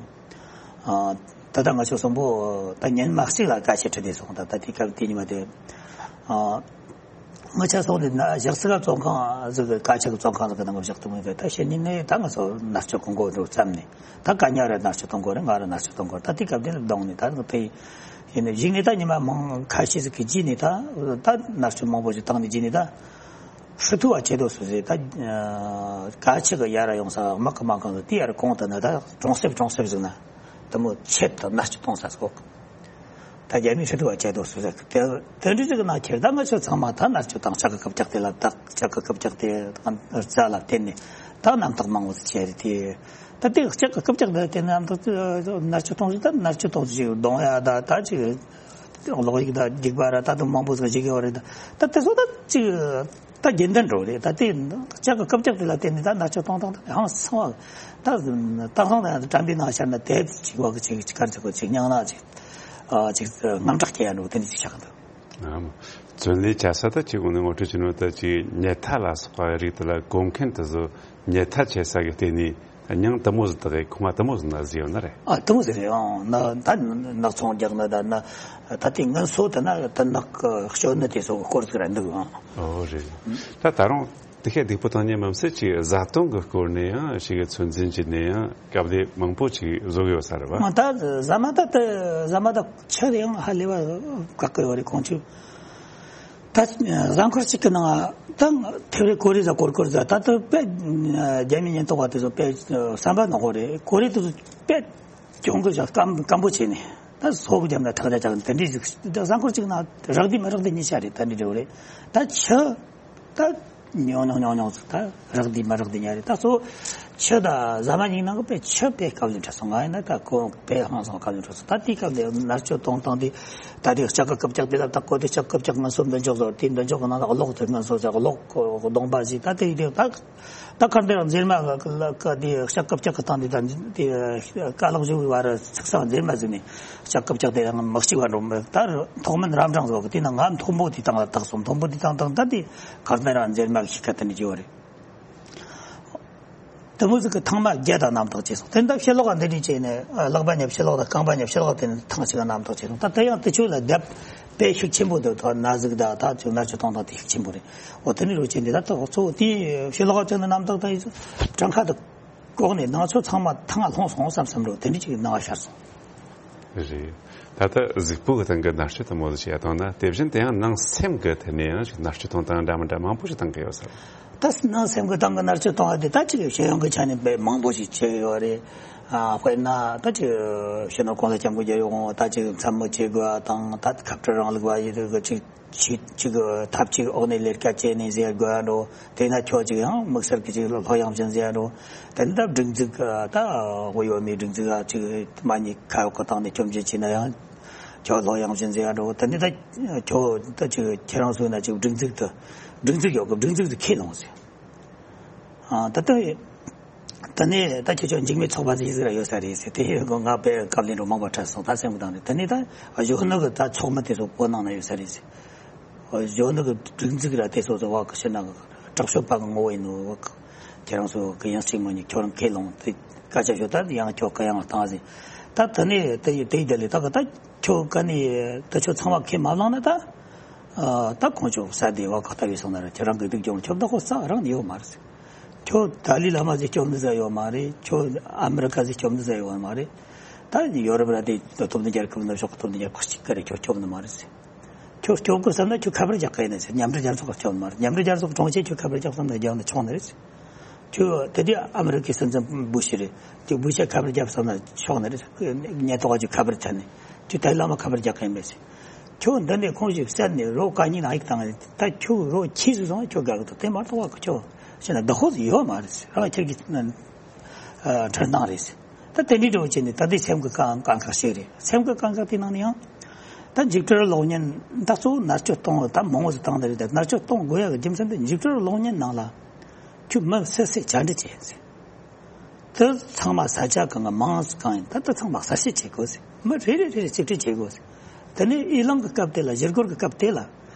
ཨ་ད་ལྟ་ང་ཚོ་གསུམ་པོ་ད་ཉིན་མ་གཅིག་ལ་སྐད་ཆ་དྲིས་ཏེ་སོང་། ད་ད་དེ་སྐབས་དེ་ཉིན་མ་དེ་ཨ་ང་ཆ་སོང་ནས་ན་ཞག་སི་ཀ་བཙོན་ཁང་ཟིག་གི་སྐད་ཆ་གི་བཙོན་ཁང་ཟིག་གི་ནང་བཞག་ཏུ་མི་འདུག་ད་ཕྱི་ཉིན་ནས་ད་ང་ཚོ་མནར་གཅོད་གི་མགོ་འགྲོ་བརྩམས་ནས། ད་གན་རྒྱ་ར་མནར་གཅོད་གཏོང་དགོས་རེད། ང་ར་མནར་གཅོད་གཏོང་དགོས་རེད། ད་དེ་སྐབས་དེ་ལ་གདོང་ནས་ད་དེ་ཡིན་ནས་གཞིགས་ནས་ད་ཉི་མ་མང་ཁ་ཤས་ཟིག་གི་རྗེས་ནས་ད་ད་མནར་གཅོད་མང་པོ་ཞིག་བཏང་ནས་རྗེས་ནས་ད། ཧྲི་ཐུ་བ་ཆེ་དོ་སུ་ཟེར། ད་ཨ་ག་ཆི་གི་ཡར་ཡོང་ས་དམག་གི་མ་གང་ཟིག་དེ་ཡར་གོང་དུ་ན་ད་གྲོང་གསེབ་གྲོང་གསེབ་ཟིག་ན་དེ་མོ་ཆེད་དུ་མནར་གཅོད་གཏོང་ས་ཟིག་ད་རྒྱ་མིའི་ཧྲི་ཐུ་བ་ཆེ་དོ་སུ་ཟེར། དེ་དེ་འདྲ་ཟིག་ན་ཁྱེར་ད་ང་ཚོ་ཚང་མ་ད་མནར་གཅོད་དང་ལྕགས་ཀྱི་རྐུབ་བཀྱག་དེ་ལ་ད་ལྕགས་ཀྱི་རྐུབ་བཀྱག་དེ་རྩ་ལ་བརྟེན་ནས་ད་རྣམ་དག་མང་བོ་ཟིག་བྱས་རེད་དེ། ད་དེ་ལྕགས་ཀྱི་རྐུབ་བཀྱག་དེ་དེ་རྣམ་དག་མནར་གཅོད་གཏོང་ཟིག་ད་མནར་གཅོད་གཏོང་ཟིག་གདོང་ཡ་ད་ད་ཅིག་གློག་ཡིག་དང་རྒྱུག་པ་ར་ད་དུང་མང་པོ་ཟིག་བྱེད་ཀྱི་ཡོད་རེད། ད་ད་དེ་ཚོ་ད་ཅིག་ད་རྒྱུན་ལྡན་འགྲོ་རེད། ད་དེ་ལྕགས་ཀྱི་རྐུབ་བཀྱག་དེ་ལ་བརྟེན་ནས་ད་མནར་གཅོད་གཏོང་སྟངས་ད་ཧང་སང་བ། ད་ད་སང་ད་དྲན་པའི་ནང་ཤར་ན་དེབ་ཅིག་བ་གི་ཅིག་ཅིག་གར་ཅིག་གོ་ཅིག་ཉང་ན་ཅིག་ཨ་ཅིག་དངངས་སྐྲག་སྐྱེ་ཡ་འགྲོ་དེ་འདྲ་ཅིག་ཆགས་འདུག་ཨ་མ་བཙོན་ལས་བྱ་ས་ད་ཅིག་འོ་ནི་ངོ་སྤྲོད་བྱས་ནོ་ད་ཅིག་ཉལ་ཐ་ལ་སོགས་པ་རིགས་དེ་ལ་གོམས་མཁན་དེ་ཚོ་ཉལ་ཐ་བྱེད་ས་གི་སྟེང་ནས། ད་མྱང་དེ་མོ་ཟིག་དག་གི་ཁོང་མ་དེ་མོ་ཟིག་ན་ཟིག་ཡོད་ན་རེད། ཨ་དེ་མོ་ཟིག་རེད། ཨང་ན་ད་ནག་ཚོང་རྒྱག་ན་ད་ན་ད་དེ་ངན་སོ་ད་ན་ད་ནག་གི་སྤྱོད་ནི་དེ་ཚོ་གི་སྐོར་ཟིག་ར་འདུག་ཨང་། ཨོ་རེད། ད་ད་རུང་དེ་ཤེད་སྡུག་པོ་བཏང་ཉེ་མམ་སེ་ཅིག་བཟའ་བཏུང་གི་སྐོར་ནས་ཡང་ཞིག་གི་ཚོད་འཛིན་བྱས་ནས་ཡང་སྐབས་དེ་མང་པོ་ཅིག་བཟོ་གི་ཡོད་ས་རེད་བ། ཨ་ད་ཟ་མ་ད་ད་ཟ་མ་ད་ཆུ་དེ་ཡང་ཧ་ལས་པ་དཀའ་གི་ཡོད་རེད་ཁོང་ཚོས། ད་གཟའ་འཁོར་གཅིག་གི་ནང་ད་ཐེབས་རེ་ཀོ་རེ་ཟ་ཀོར་ཀོར་ཟ་ད་ད་དཔེ་རྒྱ་མི་ཉེན་རྟོག་པ་དེ་ཚོ་དཔེ་བསམ་པ་ནག་པོ་རེད། ཀོ་རེ་དེ་ཚོ་དཔེ་གྱོང་གི་ཟ་སྐམ་སྐམ་པོ་བྱས་ནས་ད་སོ་གི་རྒྱབ་ན་ཐག་རྒྱ་ཆག་དེ་འདྲའི་ཟིག་གཟའ་འཁོར་གཅིག་ནང་རག་དུས་མ་རག་དུས་གཉིས་ཆ་རེད། ད་འདྲ་འདྲ་བོ་རེད། ད་ཆུ་ད་ཉུང་ཉུང་ཉུང་ཉུང་ཟིག་ད་རག་དུས་མ་རག་དུས་ཉ་རེད། ད་གཙོ་བོ་ཆུ་ད་ཟ་མ་ཉིན་ནང་གི་དཔེ་ཆུ་དཔེ་དཀའ་ལས་འཕྲད་སོང་། ང་ཡིན་ན་ད་ཁོ་དཔེ་ཧང་སང་དཀའ་ལས་འཕྲད་སོང་། ད་དེའི་སྐབས་དེ་མནར་གཅོད་གཏོང་སྟངས་དེ་ད་དེ་ལྕགས་ཀྱི་རྐུབ་བཀྱག་དེ་ལ་ད་གོ་དེ་ལྕགས་རྐུབ་བཀྱག་ངན་སོ་འདོན་ཆོག་ཟེར། དེ་འདོན་ཆོག་གི་ནང་ལ་གློག་དེ་ངན་སོ་ཟེར་གློག་གདོང་པ་ཞིག་ད་དེ་དེ་ད་ད་གར་འདིར་མཛེར་མ་གི་དེ་ལྕགས་རྐུབ་བཀྱག་གི་སྟེང་དེ་ད་དེ་ཀ་ལོག་བཞུགས་བར་ཚིག་སང་མཛེར་མ་ཟིན་ནས་ལྕགས་རྐུབ་བཀྱག་དེ་ཡང་མི་གཅིག་བ་འགྲོ་མི་ད་ཐོག་མིན་རབ་འབྲིང་བཟོ་གི་དེ་ན་ང་མཐོན་པོ་དེ་སྟེང་ལ་བཏགས་སོང་། མཐོན་པོ་དེ་སྟེང་བཏགས་ད་དེ་གར་འདིར་མཛེར་མ་གི་ཤི་ཁ་དེ་ནས་བརྗེ་བ་རེད། དེ་མོ་ཟིག་གི་ཐེངས་མ་བརྒྱད་དང་རྣམ་དག་བྱས་སོང་། དེ་འདྲ་ཕྱི་ལོགས་ལ་འདི་འདྲ་བྱས་ནས་ལག་པ་ཉབ་ཕྱི་ལོགས་དང་རྐང་པ་ཉབ་ཕྱི་ལོགས་དེ་ནས་ཐེངས་གཅིག་རྣམ་དག་བྱས་སོང་། ད་དེ་ཡང་དེ་ཆོས་ལ་རྒྱབ་ དཔེ་ཤུགས་ཆེན་པོ་འདུག་ཐོག་ན་ཟུག་དང་ད་ཅིག་མནར་གཅོད་གཏོང་སྟངས་དེ་ཤུགས་ཆེན་པོ་རེད། འོ་དེ་ནི་རུ་ཆེན་འདི་ད་ཐོག་གཙོ་བོ་དེ་ཕྱི་ལོགས་ཅན་ནི་རྣམ་དག་དང་ཡིན་ཚུལ་གྲངས་ཁ་དང་། ལྐོག་ནས་ནང་ཆོས་ཚང་མ་ཐང་ང་ལྷུང་སོང་བསམ་བསམ་འགྲོ་དེ་འདྲ་ཅིག་སྣང་བ་ཤར་སོང་། རེད། ད་ལྟ་གཟུགས་པོ་གི་སྟེང་གི་མནར་གཅོད་དང་མོ་ཟིག་བྱས་བཏང་ན། དེ་བཞིན་དེ་ཡང་ནང་སེམས་ཀྱི་ཐད་ནས་ཡང་ཅིག་མནར་གཅོད་གཏོང་སྟངས་འདྲ་མི་འདྲ་མང་པོ་ཞིག་བཏང་གི་ཡོད་ས་རེད། ད་ནང་སེམས་ཀྱི་སྟེང་གི་མནར་གཅོད་གཏོང་བ་དེ་ད་ཅིག་ཤེས་ཡོན་གྱི་ཆ་ནས་དཔེ་མང་པོ་ཞིག་བྱས་ཡོད་རེད། ཨ་དཔེར་ན་ད་ཅིག་སྤྱི་ནོར་༸གོང་ས་༸སྐྱབས་མགོན་རྒྱལ་ཡོངས་ད་ཅིག་མཚན་སྨོད་བྱེད་དགོས་པ་དང་། ད་ཁ་བྲལ་རིང་ལུགས་པ་ཡི་གི་ཅིག་ཆེད་ཅིག་ཐབས་ཅིག་འོག་ནས་ལས་ཀ་བྱས་ནས་ཟེར་དགོས་འགྲོ། དེ་ན་ཁྱོད་ཅིག་ཡང་དམིགས་བསལ་གྱི་ཅིག་སློབ་ཡོན་བྱིན་ཟེར་འགྲོ། དེ་ནི་ད་སྒྲིག་འཛུགས་ད་དབུ་ཡོད་མེད་སྒྲིག་འཛུགས་ཅིག་མ་ཉེས་ཁ་གཡོག་གི་སྟེང་ནས་སྐྱོན་བརྗོད་བྱས་ན་ཡང་ཁྱོད་སློབ་ཡོན་བྱིན་ཟེར་འགྲོ། དེ་ནི་ད་ཁྱོད་ད་ཅིག་ཁྱེད་རང་ཚོ་ན་ཅིག་སྒྲིག་འཛུགས་དུ་སྒྲིག་འཛུགས་ཡོད་གི་སྒྲིག་འཛུགས་དུ་ཁས་ལོངས་ཟེར། ཨ་ད་ལྟ་ད་ནས་ད་ཁྱེད་ཚོ་འཇིགས་མེད་ཚོགས་པ་ཟིག་ཟིག་ར་ཡོད་ས་རེད་ཟེར། དེ་ཡོད་གི་ང་དཔེ་བཀའ་བློན་རུ་མང་པོ་འཕྲད་སོང་། ད་སེམས་གི་དང་ནས་ད་ནས་ད་གཞོན་ནུ་གི་ད་ཚོགས་མི་དེ་ཚོ་བོད་ནང་ན་ཡོད་ས་རེད་ཟེར། གཞོན་ནུ་གི་སྒྲིག་འཛུགས་ར་དེ་ཚོ་ཚོ་བ་གི་ཕྱི་ནང་གི་དྲག་ཤོས་པ་གི་ངོ་བོ་ཡིན་ནོ། ཁྱེད་རང་ཚོ་གི་ཡང་གཅིག་མ་ཉིད་ཁྱོད་རང་ཁས་ལོངས་དེ་སྐད་ཆ་ཤོད། ད་ཡང་ཁྱོད་གི་ཡང་བཏང་ཟེར། ད་ད་ནས་དེ་ཡི་དེ་ཡི་དེ་ལས་ད་གི་ད་ཁྱོད་ག་ནས་ད་ཁྱོད་ཚང་མ་ཁས་མ་བླངས་ན་ད། ཨ་ད་ཁོང་ཚོ་ས་དེ་བ་ག་ལྟ་བུའི་སོང་ན་ར་ཁྱེད་རང་གི་སྡུག་སྦྱོང་ཁྱོད་བདག་པོ་ས་རང་ནས་ཡོད་མ་རེད་ཟེར། ཁྱོད་ཏཱ་ལའི་བླ་མ་ཟིག་སྐྱོབ་ནི་ཟ་ཡོད་མ་རེད། ཁྱོད་ཨ་མི་རི་ཀ་ཟིག་སྐྱོབ་ནི་ཟ་ཡོད་མ་རེད། ད་ཡོ་རོབ་ར་དེ་སྟོབས་ལྡན་རྒྱལ་ཁབ་ནུབ་ཕྱོགས་ཀྱི་སྟོབས་ལྡན་རྒྱལ་ཁབ་གཅིག་ག་རེ་ཁྱོད་སྐྱོབ་ནི་མ་རེད་ཟེར། ཁྱོད་སྐྱོབ་དགོས་བསམ་ན་ཁྱོད་ཁ་པར་རྒྱག་གི་ཡིན་ཟེར། མཉམ་འབྲེལ་རྒྱལ་ཚོགས་ཀྱིས་སྐྱོབ་ནི་མ་རེད། མཉམ་འབྲེལ་རྒྱལ་ཚོགས་གྲོང་ཁྱེར་ཁྱོད་ཁ་པར་རྒྱག་བསམ་ན་རྒྱག་ནི་ཆོག་ནི་རེད་ཟེར། ཁྱོད་དེ་དུས་ཨ་མི་རི་ཀའི་སྲིད་འཛིན་སྦུ་ཤི་རེད། ཁྱོད་སྦུ་ཤི་ཁ་པར་རྒྱབ་བསམ་ན་ཆོག་ནི་རེད། ཉེན་རྟོག་པ་ཚོས་ཁ་པར་བྱས་ནས་ཁྱོད་ཏཱ་ལའི་བླ་མ་ཁ་པར་རྒྱག་གི་ཡིན་པས་ཟེར། ཁྱོད་འདི་ནས་ཁོང་ཞིག་བསད་ནས་རོ་ག་ཉིན་ཨ་ཡིག་བཏང་ནས་ད་ཁྱོད་རོ་ཁྱི་ཟིག་སོང་ཁྱོད་དགའ་གི་འདུག་དེ་མ་གཏོགས་པ་ཁྱོད་ཤི་ན་བདག་པོ་ཟིག་ཡོད་མ་རེད་ཟེར། རང་ཁྱེད་ཀྱི་ཁྲིམས་སྟངས་རེད་ཟེར། ད་དེ་འདྲའི་འདྲ་བོ་བྱས་ནས་ད་ལྟའི་སེམས་ཀྱི་དཀའ་དཀའ་ཁག་ཞིག་རེད། སེམས་ཀྱི་དཀའ་ཁག་དེ་ནང་ནས་ཡང་ད་འཇིགས་སྐྲག་གློག་བརྙན་ད་གཙོ་བོ་མནར་གཅོད་གཏོང་ད་མང་བོ་ཟིག་བཏང་ནི་རེད། ད་མནར་གཅོད་གཏོང་དགོས་ཡག་གི་རྒྱུ་མཚན་དེ་འཇིགས་སྐྲག་གློག་བརྙན་ནང་ལ། ཁྱོད་མི་སུ་སུས་བཅར་འདྲི་བྱས་ཟེར། དེ་ཚང་མ་ས་ཆ་གང་གི་མང་གང་ཡིན་ད་དེ་ཚང་མ་གསལ་བཤད་བྱེད་དགོས་ཟེར། མི་རེ་རེ་རེ་རེ་རྩིས་སྤྲོད་བྱེད་དགོས་ཟེར། དེ་ནས་ཨི་ལང་གི་སྐབས་དེ་ལ་བཞུར་སྒོར་གི་སྐབས་དེ་ལ།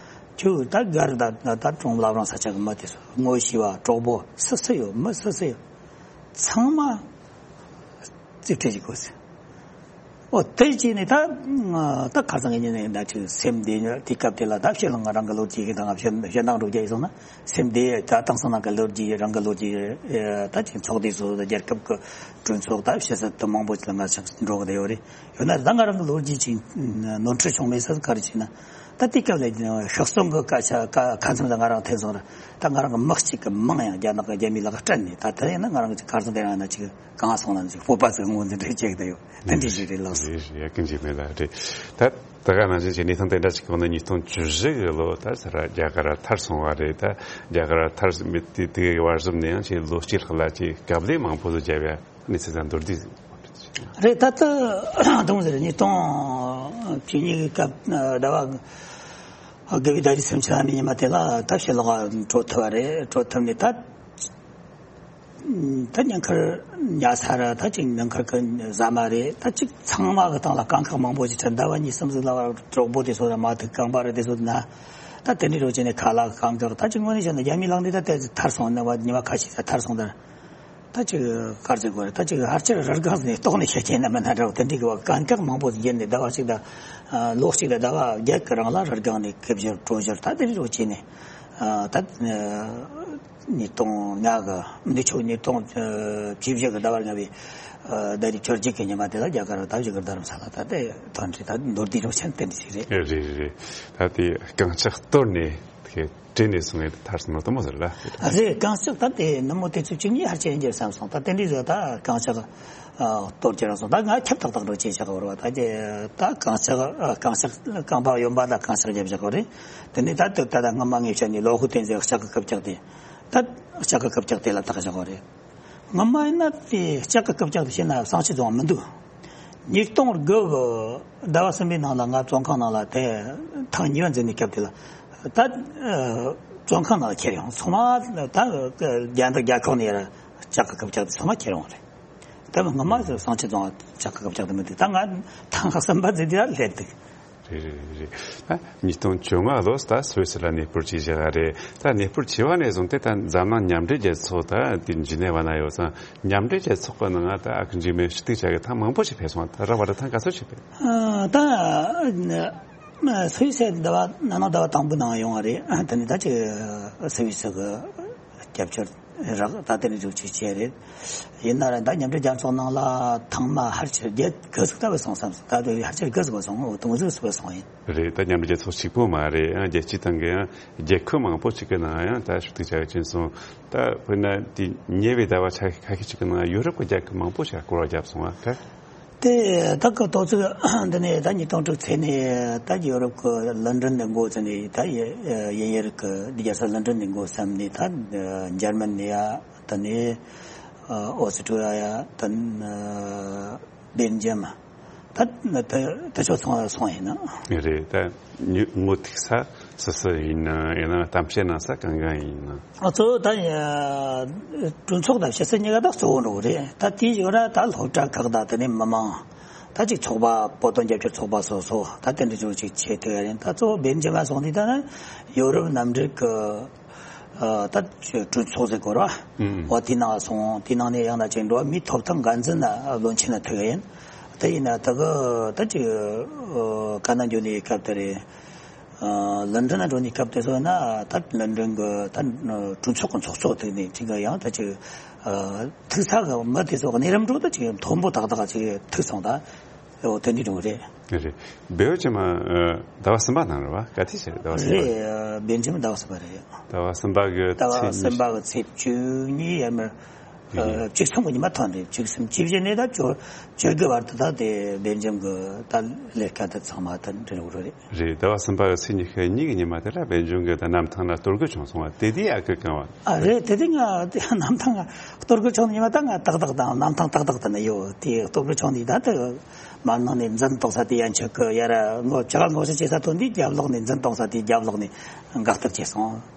ཁྱོད་ད་གར་ད་ད་ད་གྲོང་བླ་བྲང་ས་ཆ་གི་མི་དེ་ཚོ་ངོ་ཤེས་པ་གྲོགས་པོ་སུ་སུ་ཡོད་མི་སུ་སུ་ཡོད། ཚང་མ་རྩིས་སྤྲོད་བྱེད་དགོས་ཟེར། ཨོ་དེ་བྱས་ནས་ད་ད་ཁ་སང་གི་ཉིན་ནས་ད་ཅིག་སེམས་བདེ་ཉོ་དེ་སྐབས་དེ་ལ་ད་ཕྱི་ལ་ང་རང་གི་ལོ་རྒྱུས་ཀྱི་དང་ཕྱི་ཕྱི་ནང་འགྲོ་རྒྱུ་ཡིན་སོང་ན་སེམས་བདེ་ད་དེང་སང་ནང་གི་ལོ་རྒྱུས་རང་གི་ལོ་རྒྱུས་ད་ཅིག་ཚོགས་སྡེ་སོ་སོ་རྒྱལ་ཁབ་ཀྱི་གྲོས་ཚོགས་ད་ཕྱི་ས་དུ་མང་པོ་ཅིག་ལ་ང་ཆགས་འགྲོ་གི་ཡོད་རེད། ཡོད་ན་ད་ང་རང་གི་ལོ་རྒྱུས་ཅིག་ནོར་འཁྲུལ་བྱུང་མེད་ས་ག་རེ་བྱས་ན་ད་དེ་སྐབས་ལ་ཤག་གསོང་གི་སྐད་ཆ་ཁ་མཚམས་ལ་ང་རང་འཐེན་སོང་ར་ད་ང་རང་གི་མི་གཅིག་གི་མིང་ཡང་རྒྱ་ནག་གི་རྒྱ་མིའི་ལག་སྤྲད་ནས་ད་ད་ཡིན་ན་ང་རང་གི་ཁ་སང་དེ་རང་ན་ཅིག་གང་སོང་ན་ཅིག་སྤོབས་པ་ཟིག་ངོས་འཛིན་རེ་བྱེད་ཀྱི་ཡོད། དེ་འདྲ་ཞིག་རེད་ལགས་སོ། རེད་རེད། ཡ་ཀུན་གྱིས་མེད་ལ་རེད། ད་ད་ག་ནང་བཞིན་གྱི་གནས་སྟངས་དེ་འདྲ་ཞིག་གོང་ན་ཉིས་སྟོང་བཅུ་བཞི་གི་ལོ་ད་ས་ར་རྒྱ་གར་ཐར་སོང་བ་རེད། ད་རྒྱ་གར་ཐར་མེད་དེ་དེ་གི་བར་གསུམ་ནས་ཡང་ཆེས་ལོ་གཅིག་ལྷག་ལ་ཅིག་དཀའ་ལས་མང་པོ་ཟིག་བརྒྱབ་ཡ་གནས་ཚུལ་ད་མདོར་བསྡུས་རེད། ད་ལྟ་དུང་ཟེར་ཉིས་སྟོང་བཅུ་གཉིས་གི་སྐབས་ཟླ་བ་དགུ་པའི་ཟླ་རིས་སུམ་ཅུ་ལྷག་མའི་ཉི་མ་དེ་ལ་ད་ཕྱི་ལོགས་འགྲོ་ཐུབ་པ་རེད། འགྲོ་ཐུབ་ནས་ད། ད་ཉིན་ཁར་ཉལ་ས་ར་ད་ཅིག་ཉིན་ཁར་གི་ཟ་མ་རེད། ད་ཅིག་ཚང་མ་གི་སྟེང་ལ་དཀའ་ཁག་མང་པོ་ཅིག་འཕྲད། ཟླ་བ་གཉིས་གསུམ་ཟིག་ལ་བར་གྲོགས་པོ་དེ་ཚོ་ར་མ་ཐུག་རྐང་པ་ར་དེ་ཚོ་ན། ད་དེ་འདྲའི་རོ་ཅན་ནས་ཁ་ལག་རྐང་ཀྱོག་ད་ཅིག་དངོས་གནས་བཤད་ན་རྒྱ་མིའི་ལག་འདི་ད་དེ་ཐར་སོང་ནས་བ་ཉི་མ་ཁ་ཤས་ས་ཐར་སོང་ད། ད་ཅིག་གར་ཟེར་དགོས་རེད། ད་ཅིག་ཧར་ཆེར་རི་སྒང་ནས་ལྟོགས་ནས་བཤད་ཀྱིན་ན་མི་སྣ་འདྲ་བོ་དེ་འདྲའི་གི་བ་དཀའ་ཁག་མང་པོ་ཟིག་བརྒྱབ་ནས་ཟླ་བ་གཅིག་དང་ལོ་གཅིག་དང་ཟླ་བ་བརྒྱད་ཀྱི་རིང་ལ་རི་སྒང་ནས་ཁེབས་བཞུར་བྲོས་བཞུར་ད་དེ་འདྲའི་རོ་ཅན་ནས་ད། ཉིས་སྟོང་ལྔ་གི་འདི་ཆོ་ཉིས་སྟོང་བཅུ་བཞི་གི་ཟླ་བ་ལྔ་པའི་ཟླ་རིས་བཅོ་བརྒྱད་ཀྱི་ཉི་མ་དེ་ལ་རྒྱ་གར་ད་བཞུགས་རྡ་རམ་ས་ལ་ད་ལྟ་ཐོན་ཁྲི་ད་མདོར་བསྡུས་རོགས་ཆེན་ཏན་ཞིག་རེད། རེད་རེད་རེད། ད་དེ་རྐང་ལྕགས་གཏོར་ནས་དེ་བྲེལ་ནས་སོང་ངས་ཐར་སོང་ནོ་དེ་མོ་ཟེར་ལ། རེད། རྐང་ལྕགས་ད་དེ་ནུབ་མོ་དུས་ཚོད་བཅུ་གཉིས་ཧར་ཆེན་རྒྱབ་བསམ་སོང་། ད་དེ་འདྲའི་ཟེར་ད་རྐང་ལྕགས་གཏོར་རྒྱུ་རང་སོང་། ད་ང་ཁྱབ་ཐག་ཐག་འགྲོ་ཅེས་བྱ་གི་རེད་བ། ད་ཀྱེ་ད་རྐང་ལྕགས་རྐང་ལྕགས་རྐང་པ་གཡོན་པ་ད་རྐང་ལྕགས་རྒྱབ་བཞག་གི་རེད། དེ་ནས་ད་དུ་ད་ད་སྔ་མ་ངས་བཤད་ནས་ལོ་ཧུ་ཏན་ཟེར་ལྕགས་ཀྱི་རྐུབ་བཀྱག་དེ། ད་ལྕགས་ཀྱི་རྐུབ་བཀྱག་དེ་ལ་བཏགས་བཞག་གི་རེད། སྔ་མ་ཡིན་ན་དེ་ལྕགས་ཀྱི་རྐུབ་བཀྱག་དེ་བྱས་ན་བསང་ཆུ་བཙོང་མི་འདུག་ཉིས་སྟོང་དགུ་གི་ཟླ་བ་གསུམ་པའི་ནང་ལ་ང་བཙོན་ཁང་ནང་ལ་དེ་ཐེངས་གཉིས་པ་འཛིན་ནས་སྐབས་དེ་ལ་ད་བཙོན་ཁང་ནང་ལ་ཁྱེར་ཡོང་། ཚང་མ་ད་རྒྱ་འདི་རྒྱ་ཁོག་ནས་ཡར་ལྕགས་ཀྱི་རྐུབ་བཀྱག་དེ་ཚང་མ་ཁྱེར་ཡོང་རེད། ད་སྔ་མ་བསང་ཆུ་བཙོང་ལྕགས་ཀྱི་རྐུབ་བཀྱག་དེ་མི་འདུག་ད་ང་ཐེངས་གསུམ་པ་འཛིན་དེ་ལ་སླེབས་འདུག་རེད་རེད་རེད། ད་ཉིས་སྟོང་བཅོ་ལྔ་ལོ་ད་སུད་སི་ལ་གནས་སྤོར་བྱས་བཞག་རེད། ད་གནས་སྤོར་བྱས་པ་ནས་བཟུང་སྟེ་ད་འཛམ་གླིང་མཉམ་འབྲེལ་རྒྱལ་ཚོགས་ད་དེ་འཇི་ནེ་བ་ན་ཡོད་ཙང་མཉམ་འབྲེལ་རྒྱལ་ཚོགས་ཀྱི་ནང་ད་ཨ་ཁུ་འཇིགས་མེད་ཞུ་གཏུག་བྱ་གི་ཐེངས་མང་པོ་ཞིག་ཕེབས་སོང་། ད་ར་བ་ད་ཐེངས་ག་ཚོད་ཞིག་ཕེབས། ཨ་ད་ སུད་སི་ཟླ་བ་ནང་ནང་ཟླ་བ་དང་པོའི་ནང་ཡོང་བ་རེད། དེ་ནས་ད་ཅིག་སུད་སི་གི་རྒྱབ་སྐྱོར་རག་ད་དེ་ནས་འཇུག་ཅིག་བྱས་རེད། ཡིན་ན་ར་ད་མཉམ་འབྲེལ་རྒྱལ་ཚོགས་ནང་ལ་ཐེངས་མ་ཕལ་ཆེར་བརྒྱད་དགུ་ཟིག་ལྟ་བུ་སོང་བསམ་སོང་། ད་དུང་ཕལ་ཆེར་དགུ་ཟིག་སོང་། དུང་ཟིག་སུ་སོང་ཡིན། རེད། ད་མཉམ་འབྲེལ་རྒྱལ་ཚོགས་གཅིག་པོ་མ་རེད། ཡང་རྒྱལ་སྤྱིའི་སྟེང་གི་ཡང་རྒྱལ་ཁབ་མང་པོ་ཞིག་གི་ནང་ཡང་ད་ཞུ་གཏུག་བྱ་ཡོད་ཅན་སོང་། ད་དཔེར་ན་དེ་ཉེ་བའི་ཟླ་བ་ཆ་ཁ་ཤས་ཤིག་གི་ནང་ཡོ་རོབ་ཀྱི་རྒྱལ་ཁབ་མང་པོ་ཞིག་སྐོར་བ་བརྒྱབ་སོང་བ་ཁ། དེ་ད་གི་ཏོག་ཙི་འདི་ནས་ད་ཉིས་སྟོང་དྲུག་ཚེ་ནས་ད་ཡོ་རོབ་ཀྱི་ལོན་ཌོན་ནས་འགོ་བཙུགས་ནས། ད་དབྱིན་ཡུལ་གྱི་འདི་རྒྱལ་ས་ལོན་ཌོན་ནས་འགོ་བརྩམས་ནས། ད་འཇར་མ་ནི་ཡ། ད་ནི་ཨོ་སི་ཀྲི་ཡ་ཡ། ད་ནི་སྦེལ་ཇམ། ད་ད་ད་ཕྱོགས་ཚང་སོང་ཡིན་ན། རེད། ད་ཉི་ངོ་ཐུག་ས་སུ་སུ་ཡིན་ན། ཡང་ན་གཏམ་བཤད་གནང་ས་གང་གང་ཡིན་ན། ཨ་གཙོ་བོ་ད་གྲོས་ཚོགས་དང་ཕྱི་སྲིད་གཉིས་ཀ་ད་གཙོ་བོ་འགྲོ་གི་རེད། ད་དེའི་ཞོར་ད་སློབ་གྲྭ་ཁག་དང་དེ་ནས་མི་མང་ད་ཅིག་ཚོགས་པ། བོད་དོན་རྒྱབ་སྐྱོར་ཚོགས་པ་སོ་སོ་ད་དེ་འདྲ་ཅིག་ཅིག་བྱེད་ཐུབ་ཡ་རེད། ད་གཙོ་བོ་སྦེལ་ཇམ་ལ་སོང་དུས་ད་ནི་ཡོ་རོབ་མཉམ་འབྲེལ་གྱི་ཨ་ད་གྲོས་ཚོགས་ཟེར་དགོས་ར། ཨང་། འོ་དེ་ནང་སོང་། དེ་ནང་ནས་ཡང་ན་ཅིག་འགྲོ་བ་མིའི་ཐོབ་ཐང་འགན་འཛིན་ལ་བློན་ཆེན་ལ་ཐུག་ཡིན། དེ་ཡིན་ན་ད་གི་ད་ཅིག་ཨ་ཀ་ན་འགྱོ་ནས་སྐབས་དེ་རེད། ཨ་ལོན་ཌོན་ལ་འགྲོ་ནས་སྐབས་དེ་ཚོ་ན་ད་ལོན་ཌོན་གི་ད་གྲོས་ཚོགས་གི་ཚོགས་གཙོ་ཐུག་ནས་ཅིག་ཡང་ད་ཅིག་ཨ་ཐུག་ས་གི་མི་དེ་ཚོ་གི་གནས་རིམ་འགྲོ་ད་ཅིག་མཐོན་པོ་ཏག་ཏག་ཅིག་ཐུག་སོང་། ད། ཨོ་དེ་འདྲ་འགྲོ་གི་རེད། རེད། རེད། སྦེལ་ཇམ་ཟླ་བ་གསུམ་པ་ནང་རེད་བ། ག་དུས་བྱས་རེད། ཟླ་བ་གསུམ་པ། རེད། སྦེལ་ཇམ་ཟླ་བ་གསུམ་པ་རེད། ཟླ་བ་གསུམ་པ་གི་ཟླ་བ་ཚེས་གསུམ་པ་གི་ཚེས་བཅུ་གཉིས་ཡར་མར། ཨ་ཡིན། བཅུ་གསུམ་གི་ཉི་མ་ཐོན་རེད། བཅུ་གསུམ་བཅུ་བཞི་ནས་ད་བཅུ་བཅུ་དགུ་བར་དུ་ད་དེ་སྦེལ་ཇམ་གི་ད་ལས་ཀ་ད་ཚང་མ་ད་འདྲ་འགྲོ་གི་རེད། རེད། ཟླ་བ་གསུམ་པ་གི་ཚེས་ཉི་ཤུ་གཉིས་གི་ཉི་མ་དེ་ལ་སྦེལ་ཇམ་གི་ད་གནམ་ཐང་ལ་གཏོར་རྒོལ་བྱུང་སོང་བ་དེ་དུས་ཨ་ཁུ་གང་བ། ཨ་རེད། དེ་དུས་ང་གནམ་ཐང་གཏོར་རྒོལ་བྱུང་ནས་ཉི་མ་ད་ང་ཏག་ཏག་དང་གནམ་ཐང་ཏག་ཏག་དེ་ན་ཡོད། དེ་གཏོར་རྒོལ་བྱུང་ནས་ད་དེ་མར་ནང་ནས་འཛིན་གཏོང་ས་དེ་ཡན་ཆད་ཀྱི་ཡར་ངོ་ཅ་ག་ངོ་ཤེས་བྱེད་ས་ཐོན་དུས་རྒྱབ་ལོགས་ནས་འཛིན་གཏོང་ས་དེ་རྒྱབ་ལོགས་ནས་འགག་ཐབས་བྱས་སོང་།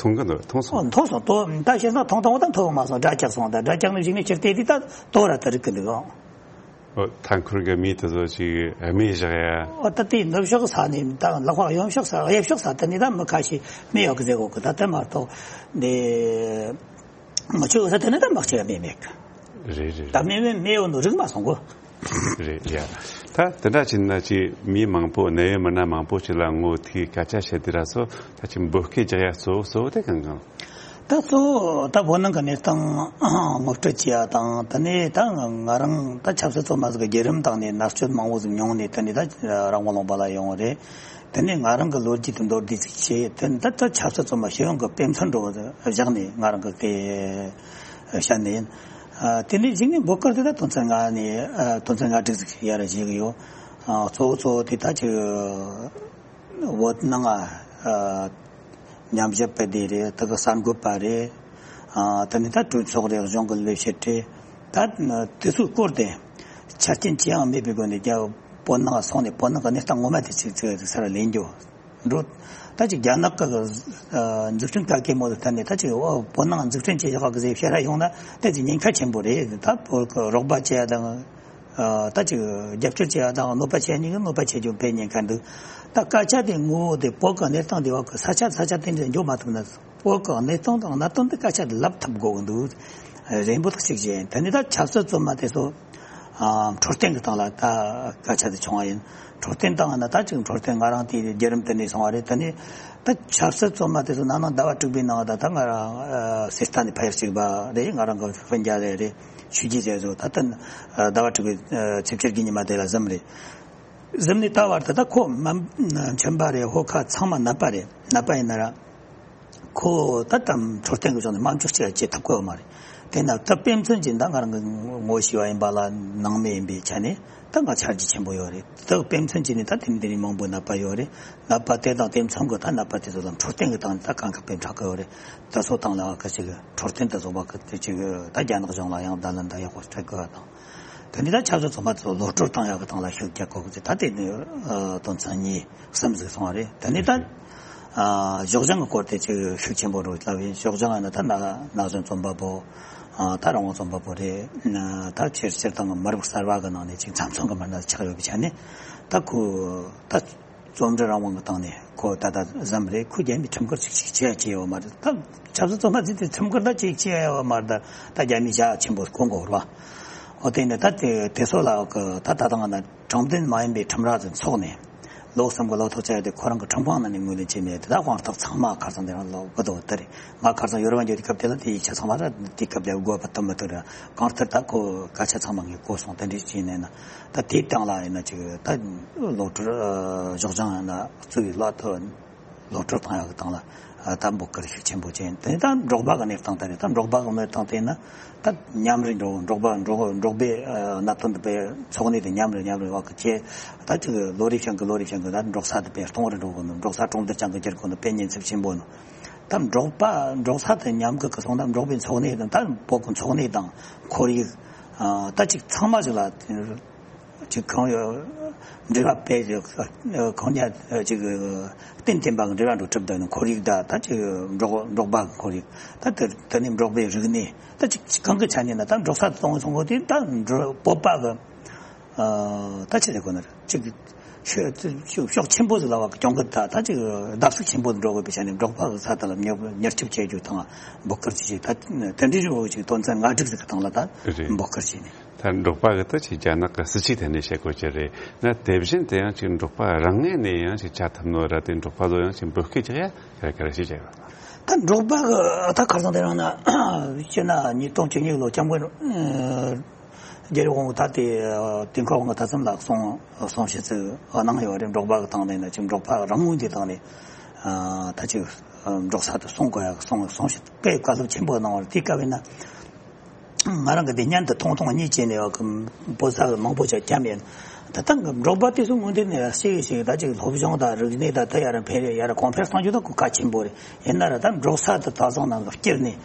མཐོང་གི་འདུག་མཐོང་སོང་། ཨོ་མཐོང་སོང་། ཏོ་ད་བཤད་ན་མཐོང་མཐོང་བ་ད་མཐོང་མ་སོང་། སྒྲ་རྒྱག་སོང་། ད་སྒྲ་རྒྱག་ནས་གཞུག་ནས་ཕྱིར་བལྟས་དུས་ད་ཏོ་ར་ད་རིག་གི་འདུག་ཨང་། ཨོ་མཐའ་འཁོར་གྱི་མི་དེ་ཚོ་ཅིག་རྨས་བཞག་ཡ། ཨོ་ད་དེ་ནུབ་ཕྱོགས་ས་ནས་ད་ལག་པ་གཡོན་ཕྱོགས་ས་གཡས་ཕྱོགས་ས་དེ་ནས་ད་མི་ཁ་ཤས་རྨས་ཡོད་གི་ཟེར་གོ་གི། ད་དེ་མ་གཏོགས་འདི་མི་ཆོས་ས་དེ་ནས་ད་མི་གཅིག་རྨས་མེད་གི། རེད་རེད། ད་རྨས་མེད་རྨས་ཡོད་ནོ་རིག་མ་སོང་གོ། རེད་ཡ། ད་དེ་འདྲ་བྱས་ན་ཅིག་མི་མང་པོ་གནད་ཡོད་མི་སྣ་མང་པོ་ཅིག་ལ་ངོ་ཐུག་སྐད་ཆ་བཤད་དུས་ར་སོ་ད་ཅིག་འབོད་སྐད་རྒྱག་ཡ་གཙོ་བོ་གཙོ་བོ་དེ་གང་གང་། ད་གཙོ་བོ་ད་བོད་ནང་གི་གནས་སྟངས་ངོ་སྤྲོད་བྱེད་ཡ་དང་། དེ་ནས་ད་ང་རང་ད་ཆབ་སྲིད་བཙོན་པ་ཟིག་གི་བརྒྱུད་རིམ་དང་ནས་མནར་གཅོད་མང་བོ་ཟིག་མྱོང་ནས། དེ་ནས་ད་རང་དབང་ལུང་པ་ལ་ཡོང་བ་རེད། དེ་ནས་ང་རང་གི་ལོ་རྒྱུས་དེ་མདོར་བསྡུས་ཟིག་བྱས། དེ་ནས་ད་ད་ཆབ་སྲིད་བཙོན་པ་སྤྱི་ཡོངས་ཀྱི་དཔེ་མཚོན་འདྲ་བོ་བཞག་ནས་ང་རང་གི་དེ་བཤད་ནི་ཡིན། ཨ་དེ་ནས་གཞུག་ནས་འབོད་སྐུལ་དེ་ད་དོན་ཚན་ལྔ་ནས་ཨ་དོན་ཚན་ལྔ་དྲུག་ཟིག་ཡར་བཞེས་གི་ཡོད། ཨ་གཙོ་བོ་གཙོ་བོ་དེ་ད་ཅིག་བོད་ནང་ཨ་ཉམས་ཞིབ་པ་དེ་རེད། དེ་གི་གསར་འགོད་པ་རེད། ཨ་དེ་ནས་ད་གྲོས་ཚོགས་རེད། གཞུང་གི་ལས་བྱེད་རེད། ད་དེ་ཚོའི་སྐོར་དེ་ཆ་རྐྱེན་ཅི་ཡང་མེད་པའི་སྒོ་ནས་རྒྱ་བོད་ནང་སོང་ནས་བོད་ནང་གི་གནས་སྟངས་ངོ་མ་དེ་ཅིག་ཅིག་ས་ར་ལེན་རྒྱུ་འགྲོ། ད་ཅིག་རྒྱ་ནག་གི་ཨ་འཛུགས་སྐྲུན་ག་གེ་མོ་དེ་ད་ནས་ད་ཅིག་ཨོ་བོད་ནང་འཛུགས་སྐྲུན་བྱེད་བཞག་གི་ཟེར་བཤད་ར་ཡོང་ན་ད་ཅིག་ཉེན་ཁ་ཆེན་པོ་རེད། ད་བོད་གི་རོགས་པ་བྱེད་ཡ་དང་། ཨ་ད་ཅིག་རྒྱབ་སྐྱོར་བྱེད་ཡ་དང་གནོད་པ་བྱེད་ཡ་གཉིས་ཀ་གནོད་པ་བྱེད་རྒྱུ་དཔེ་ཉེན་ཁ་འདུག་ད་སྐད་ཆ་དེ་ངོ་བོ་དེ་བོད་གི་གནས་སྟངས་དེ་བ་གི་ས་ཆ་ས་ཆ་དེ་འདྲ་འཇོག་མ་ཐུབ་ན། བོད་གི་གནས་སྟངས་དང་གནད་དོན་དེ་སྐད་ཆ་དེ་ལབ་ཐུབ་དགོས་གི་འདུག་རེད། འབོད་ཐག་གཅིག་བྱས། དེ་ནས་ད་ཆབ་སྲིད་བཙོན་པ་དེ་ཚོ་ཨ་འཕྲོད་བསྟེན་གི་སྟེང་ལ་ད་སྐད་ཆ་དེ་བྱུང་བ་ཡིན། འཕྲོད་བསྟེན་སྟེང་ན་ད་ཅིག་འཕྲོད་བསྟེན་ང་རང་དེ་བརྒྱུད་རིམ་དེ་ནས་སོང་བ་རེད། དེ་ནས་ད་ཆབ་སྲིད་བཙོན་པ་དེ་ཚོ་ནང་ནང་ཟླ་བ་དྲུག་པའི་ནང་ད་ད་ང་རང་ཨ་སི་ཐན་ནས་ཕ་ཡུལ་གཅིག་པ་རེད། ང་རང་གི་སྤུན་ཀྱག་རེད། རེད། ཆོས་རྒྱལ་ཟེར་ཚོ་ད་ལྟ་ཨ་ཟླ་བ་དྲུག་པའི་ཨ་ཚེས་བཅུ་དགུ་ཉི་མ་དེ་ལ་གཟིམས་རེད། གཟིམས་ནས་ད་བར་དུ་ད་ཁོ་མ་མཆིན་པ་རེད། ཧོ་ཁ་ཚང་མ་ནད་པ་རེད། ནད་པ་ཡིན་ན་ར་ཁོ་ད་ལྟ་འཕྲོད་བསྟེན་གྱི་ཕྱོགས་ནས་དམག་འཁྲུག་ཅིག་བྱེད་ཐུབ་ཀྱི་ཡོད་མ་རེད། དེ་ན་ད་དཔེ་མཚོན་གྱིས་ད་ང་རང་གི་ངོ་ཤེས་པ་ཡིན་པ་ལ་ནང་མི་ཡིན་པའི་ཆ་ནས་ད་ང་ཆ་རྒྱུས་ཆེན་པོ་ཡོད་རེད། ད་དཔེ་མཚོན་གྱིས་ནི་ད་དེ་མི་དེ་རིང་མང་པོ་ནད་པ་ཡོད་རེད། ནད་པ་དེ་དང་དེ་མཚུངས་ཀྱི་ད་ནད་པ་དེ་ཚོ་ལ་འཕྲོད་བསྟེན་གྱི་སྟེང་ནས་ད་གང་ག་དཔེ་འཕྲོག་གི་ཡོད་རེད། ད་སོ་ཐང་ལ་ག་ཅིག་འཕྲོད་བསྟེན་དུ་བཟོ་བ་གི་དེ་ཅིག་ད་རྒྱ་ནག་གཞུང་ལ་ཡང་བརྡ་ལན་ད་ཡག་པོ་སྤྲད་དགོས་པ་དང་། དེ་ནས་ད་ཆབ་སྲིད་བཙོན་པ་ཚོ་གློད་བཀྲོལ་བཏང་ཡག་གི་སྟེང་ལ་ཤུགས་རྒྱག་དགོས་ཀྱི། ད་དེ་ནི་ཨ་དོན་ཚན་གཉིས་གསུམ་ཟིག་སོང་བ་རེད། དེ་ནས་ད་ཨ་ཕྱོགས་གཞན་གྱི་སྐོར་དེ་ཅིག་ཤུགས་ཆེན་པོ་རུ་ལབ་ཡིན། ཕྱོགས་གཞན་ཡིན་ན་ད་ན་ན་གཞོན་རྩོམ་པ་པོ། ཨ་ད་རང་དབང་རྩོམ་པ་པོ་རེད། ད་ཕྱིར་སྤྱིར་བཏང་གི་མི་རབས་གསར་བ་གི་ནང་ནས་ཅིག་མཚམས་མཚོན་གྱི་མི་སྣ་ཆགས་ཡོད་པའི་ཆ་ནས་ད་ཁོ་ད། རྩོམ་འབྲི་རང་དབང་གི་སྟེང་ནས་ཁོ་ད་ལྟ་གཟིམས་རེད། ཁོ་རྒྱ་མིས་ཁྲིམས་འགལ་ཅིག་ཅིག་བྱས་བྱས་ཡོད་མ་རེད། ད་ཆབ་སྲིད་བཙོན་པ་ཚོས་དེ་ཁྲིམས་འགལ་ད་ཅིག་བྱས་ཡོད་མ་རེད། ད་ད་རྒྱ་མིས་ཞྭ་ཆེན་པོ་གོན་དགོས་རེད་བ། འོ་དེ་ནས་ད་དེ་དེ་ཚོ་ལ་གི་ད་ད་ཐེངས་ན་དྲང་བདེན་མ་ཡིན་པའི་ཁྲིམས་ར་ཚོ་འཚོགས་ནས་ ལོ་གསུམ་གྱི་ལོ་ཐོག་བཅད་དེ་ཁོ་རང་གི་ཁྲིམས་ཁང་ནང་ནས་ངོས་ལེན་བྱས་མེད་དེ། ད་དབང་ཐོག་ཚང་མ་ཁ་སང་དེ་རང་ལོ་བུ་དོ་དེ་རེད། ང་ཁ་སང་ཡོ་རོབ་འགྱོ་དུས་སྐབས་དེ་ལ་དེའི་ཆ་ཚང་མ་ར་དེ་སྐབས་ལ་དགོས་པ་ཐུབ་མི་ཐུབ་ར། གང་ལྟར་ད་ཁོ་སྐད་ཆ་ཚང་མ་ངས་གོ་སོང་། དེ་འདྲ་བྱས་ནས་ན་ད་དེའི་སྟེང་ལ་ཡིན་ན་ཅིག་ད་གློད་གྲོལ་གཞུག་སྦྱང་ཡིན་ན་གཙོ་བོའི་ལག་ཏུ་གློད་གྲོལ་བཏང་ཡག་གི་སྟེང་ལ་ད་འབོད་སྐུལ་ཤུགས་ཆེན་པོ་བྱས། དེ་ནས་ད་འབྲོག་པ་གི་གནས་སྟངས་དེ་རེད། ད་འབྲོག་པ་གི་གནས་སྟངས་དེ་ན་ད་མཉམ་རུབ་འགྲོ། འབྲོག་པ་འབྲོག་འབྲོག་པའི་ཨ་གནད་དོན་དེ་དཔེ་འཚོ་གནས་དེ་མཉམ་རུབ་མཉམ་རུབ་བ་གི་ཁྱེད་ད་ཅིག་ལོ་རེ་བཞིན་གི་ལོ་རེ་བཞིན་གི་ད་འབྲོག་ས་དེ་དཔེ་སྟོང་རུ་འགྲོ་གི་འདུག། འབྲོག་ས་གྲོང་རྡལ་ཅན་གི་འགྱུར་གི་འདུག། དཔེ་ཉེན་ཚབས་ཆེན་པོ་འདུག། ད་འབྲོག་པ་འབྲོག་ས་དེ་མཉམ་གི་གི་སོང་ད་འབྲོག་པའི་འཚོ་གནས་དང་ད་བོད་གི་འཚོ་གནས་དང་ཁོར་ཡུག་ཨ་ད་ཅིག་ཚང་མ་ཞིག་ལ་ཅིག་གང་ཡོད་འབྲེལ་བ་སྤེལ་ཅིག་གང་ཉག་ཅིག་གཏན་གཏན་པ་གི་འབྲེལ་བ་འགྲོ་གྲུབ་འདུག་ནི། ཁོར་ཡུག་ད་ད་ཅིག་འབྲོག་འབྲོག་པ་གི་ཁོར་ཡུག་ད་དེ་དེ་ནི་འབྲོག་པའི་རིག་གནས་ད་ཅིག་གང་གི་ཆ་ནས་ན་ད་འབྲོག་ས་དེ་གཏོང་གི་སོང་གོ་དེ་ད་འབྲོག་བོད་པ་གི་ཨ་ད་ཆི་ཟེར་དགོས་ན་རེད། ཅིག་ཤོག་ཤོག་ཆེན་པོ་ཟིག་ལ་བ་གི་གྱོང་གུད་ད་ད་ཅིག་བརྡབ་གསིག་ཆེན་པོ་འགྲོ་དགོས་པའི་ཆ་ནས་འབྲོག་པ་གི་ས་དེ་ལ་མྱུར་མྱུར་སྐྱོབ་བྱེད་རྒྱུ་དང་འབོད་སྐུལ་བྱེད་ཅིག་ད་དེ་འདྲའི་རིགས་ཅིག་དོན་ཚན་ལྔ་དྲུག་ཟིག་གི་སྟེང་ལ་ད་རེད། འབོད་སྐུལ་བྱས་ནས། ད་འབྲོག་པ་གི་ད་ཅིག་རྒྱ་ནག་གི་སྲིད་ཇུས་དེ་ནས་བཤད་དགོས་ཀྱི་རེད་ན། དེ་བཞིན་དེ་ཡང་ཅིག་འབྲོག་པ་རང་ངོས་ནས་ཡང་ཅིག་བྱ་ཐུབ་ནོ་ར། དེ་འབྲོག་པ་ཚོ་ཡང་ཅིག་འབོད་སྐུལ་རྒྱག་ཡ་ག་རེ་ག་རེ་ཞིག་བྱས་ཡོད། ད་འབྲོག་པ་གི་ད་ཁ་སང་དེ་རིང་ན་སྤྱིར་ན་ཉིས་སྟོང་བཅུ་གཉིས་ལོ་སྐྱབས་མགོན་རྒྱལ་བའི་དབང་པོ་ད་དེ་དུས་འཁོར་དབང་པོ་ཐ་ཚང་ལགས་གསུང་གསུང་བཤད་ཚིག་གནང་ཡོད་རེད། འབྲོག་པ་གི་སྟེང་ནས་ན་ཅིག་འབྲོག་པ་རང་ངོས་འདི་སྟེང་ནས་ད་ཅིག་འབྲོག་ས་དུ་སོང་དགོས་ཡ་གསུང་གསུང་བཤད་དཔེ་བཀའ་སློབ་ཆེན་པོ་གནང་བ་རེད། དེ་སྐབས་ཡིན་ན། ང་རང་གི་འདི་སྙན་དུ་ཐུང་ཐུང་གཉིས་བྱས་ནས་ཡོད་གི་པོ་ས་མང་པོ་ཞིག་བརྒྱབ་ཡོད། ད་ལྟ་གི་འབྲོག་པ་དེ་ཚོ་ངོས་འདི་ནས་ཤེས་ཤེས་ད་ཅིག་སློབ་སྦྱོང་དང་རིག་གནས་དང་ད་ཡར་འཕེལ་ཡར་གོང་འཕེལ་གཏང་རྒྱུ་ད་གོ་སྐབས་ཆེན་པོ་རེད། ཡིན་ན་ར་ད་འབྲོག་ས་དུ་ད་སོང་ནང་གི་བསྐྱུར་ནས་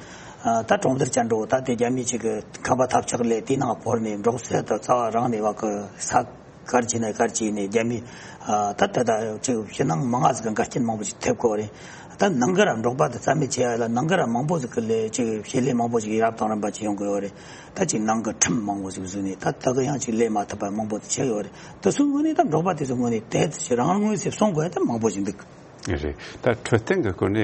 ད་གྲོང་རྡལ་ཅན་འགྲོ་ད་དེ་རྒྱ་མི་ཅིག་གི་ཁང་པ་ཐབས་ཆག་ལས་དེ་ནང་བོར་ནས་འབྲོག་ས་དུ་རྩ་བ་རང་ནས་བ་གི་ས། གར་གྱིས་ནས་གར་གྱིས་ནས་རྒྱ་མི་ཨ་ད་ད་ད་ཅིག་ཕྱི་ནང་མང་ང་ཟིག་གི་འགལ་རྐྱེན་མང་པོ་ཞིག་ཐེབས་གོ་རེད། ད་ནང་གི་ར་འབྲོག་པ་དེ་རྩ་མེད་བྱེད་ཡ་ལ་ནང་གི་ར་མང་པོ་ཟིག་གི་ལས་ཅིག་བྱེད་ལས་མང་པོ་ཞིག་ཡར་བཏང་རིམ་པ་ཅིག་ཡོང་གི་ཡོད་རེད། ད་ཅིག་ནང་གི་ཁྲིམས་མང་པོ་ཞིག་བཟོས་ནས་ད་ད་གི་ཡང་ཅིག་ལས་མ་ཐུབ་པ་མང་པོ་ཆགས་ཡོད་རེད། དེ་ཚོའི་ངོས་ནས་ད་འབྲོག་པ་དེ་ཚོའི་ངོས་ནས་དེ་ཚོ་ཞིག་རང་ངོས་སུ་སོང་དགོས་ཡ་ད་མང་པོ་ཞིག་འདུག། རེད། ད་འཕྲོད་བསྟེན་གྱི་སྐོར་ནས་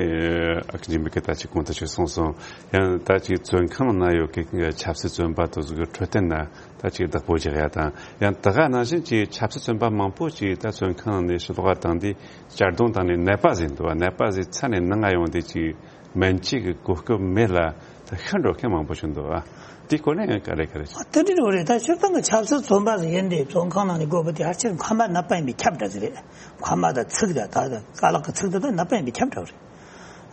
ཨ་ཁུ་འཇིགས་མེད་ཀྱིས་ད་ཅིག་གོང་དུ་ཅིག་གསུངས་སོང་། ཡང་ད་ཅིག་བཙོན་ཁང་ནང་ཡོད་མཁན་གྱི་ཆབ་སྲིད་བཙོན་པ་དེ་ཚོ་གི་འཕྲོད་བསྟེན་ན་ད་ཅིག་བདག་པོ་རྒྱག་ཡ་དང་། ཡང་ད་ག་ནང་བཞིན་གྱི་ཆབ་སྲིད་བཙོན་པ་མང་པོ་ཅིག་ད་བཙོན་ཁང་ནང་ནས་ཕྱི་ལོགས་བཏང་དུས་གཅར་རྡུང་བཏང་ནས་ནད་པ་ཟིག་འདུག་བ། ནད་པ་ཟིག་ཚ་ནས་ནང་ང་ཡོང་དུས་ཅིག་སྨན་བཅོས་ཀྱི་གོ་སྐབས་མེད་ལ་ད་ཤི་འགྲོ་མཁན་མང་པོ་ཞིག་འདུག་བ། དེའི་སྐོར་ནས་ཡང་ག་རེ་ག་རེ། ཨ་དེ་འདྲ་རེད། ད་སྤྱིར་བཏང་གི་ཆབ་སྲིད་བཙོན་པ་ཟིག་ཡིན་དུས་བཙོན་ཁང་ནང་ནས་དགོས་པ་དེ་ཕལ་ཆེར་མཁལ་མ་ནད་པ་ཡིན་པའི་ཁྱབ་བསྒྲགས་ཟིག་རེད། མཁལ་མ་དང་ཚིགས་དང་ད་རྐང་ལག་གི་ཚིགས་དེ་དག་ནད་པ་ཡིན་པའི་ཁྱབ་བསྒྲགས་རེད།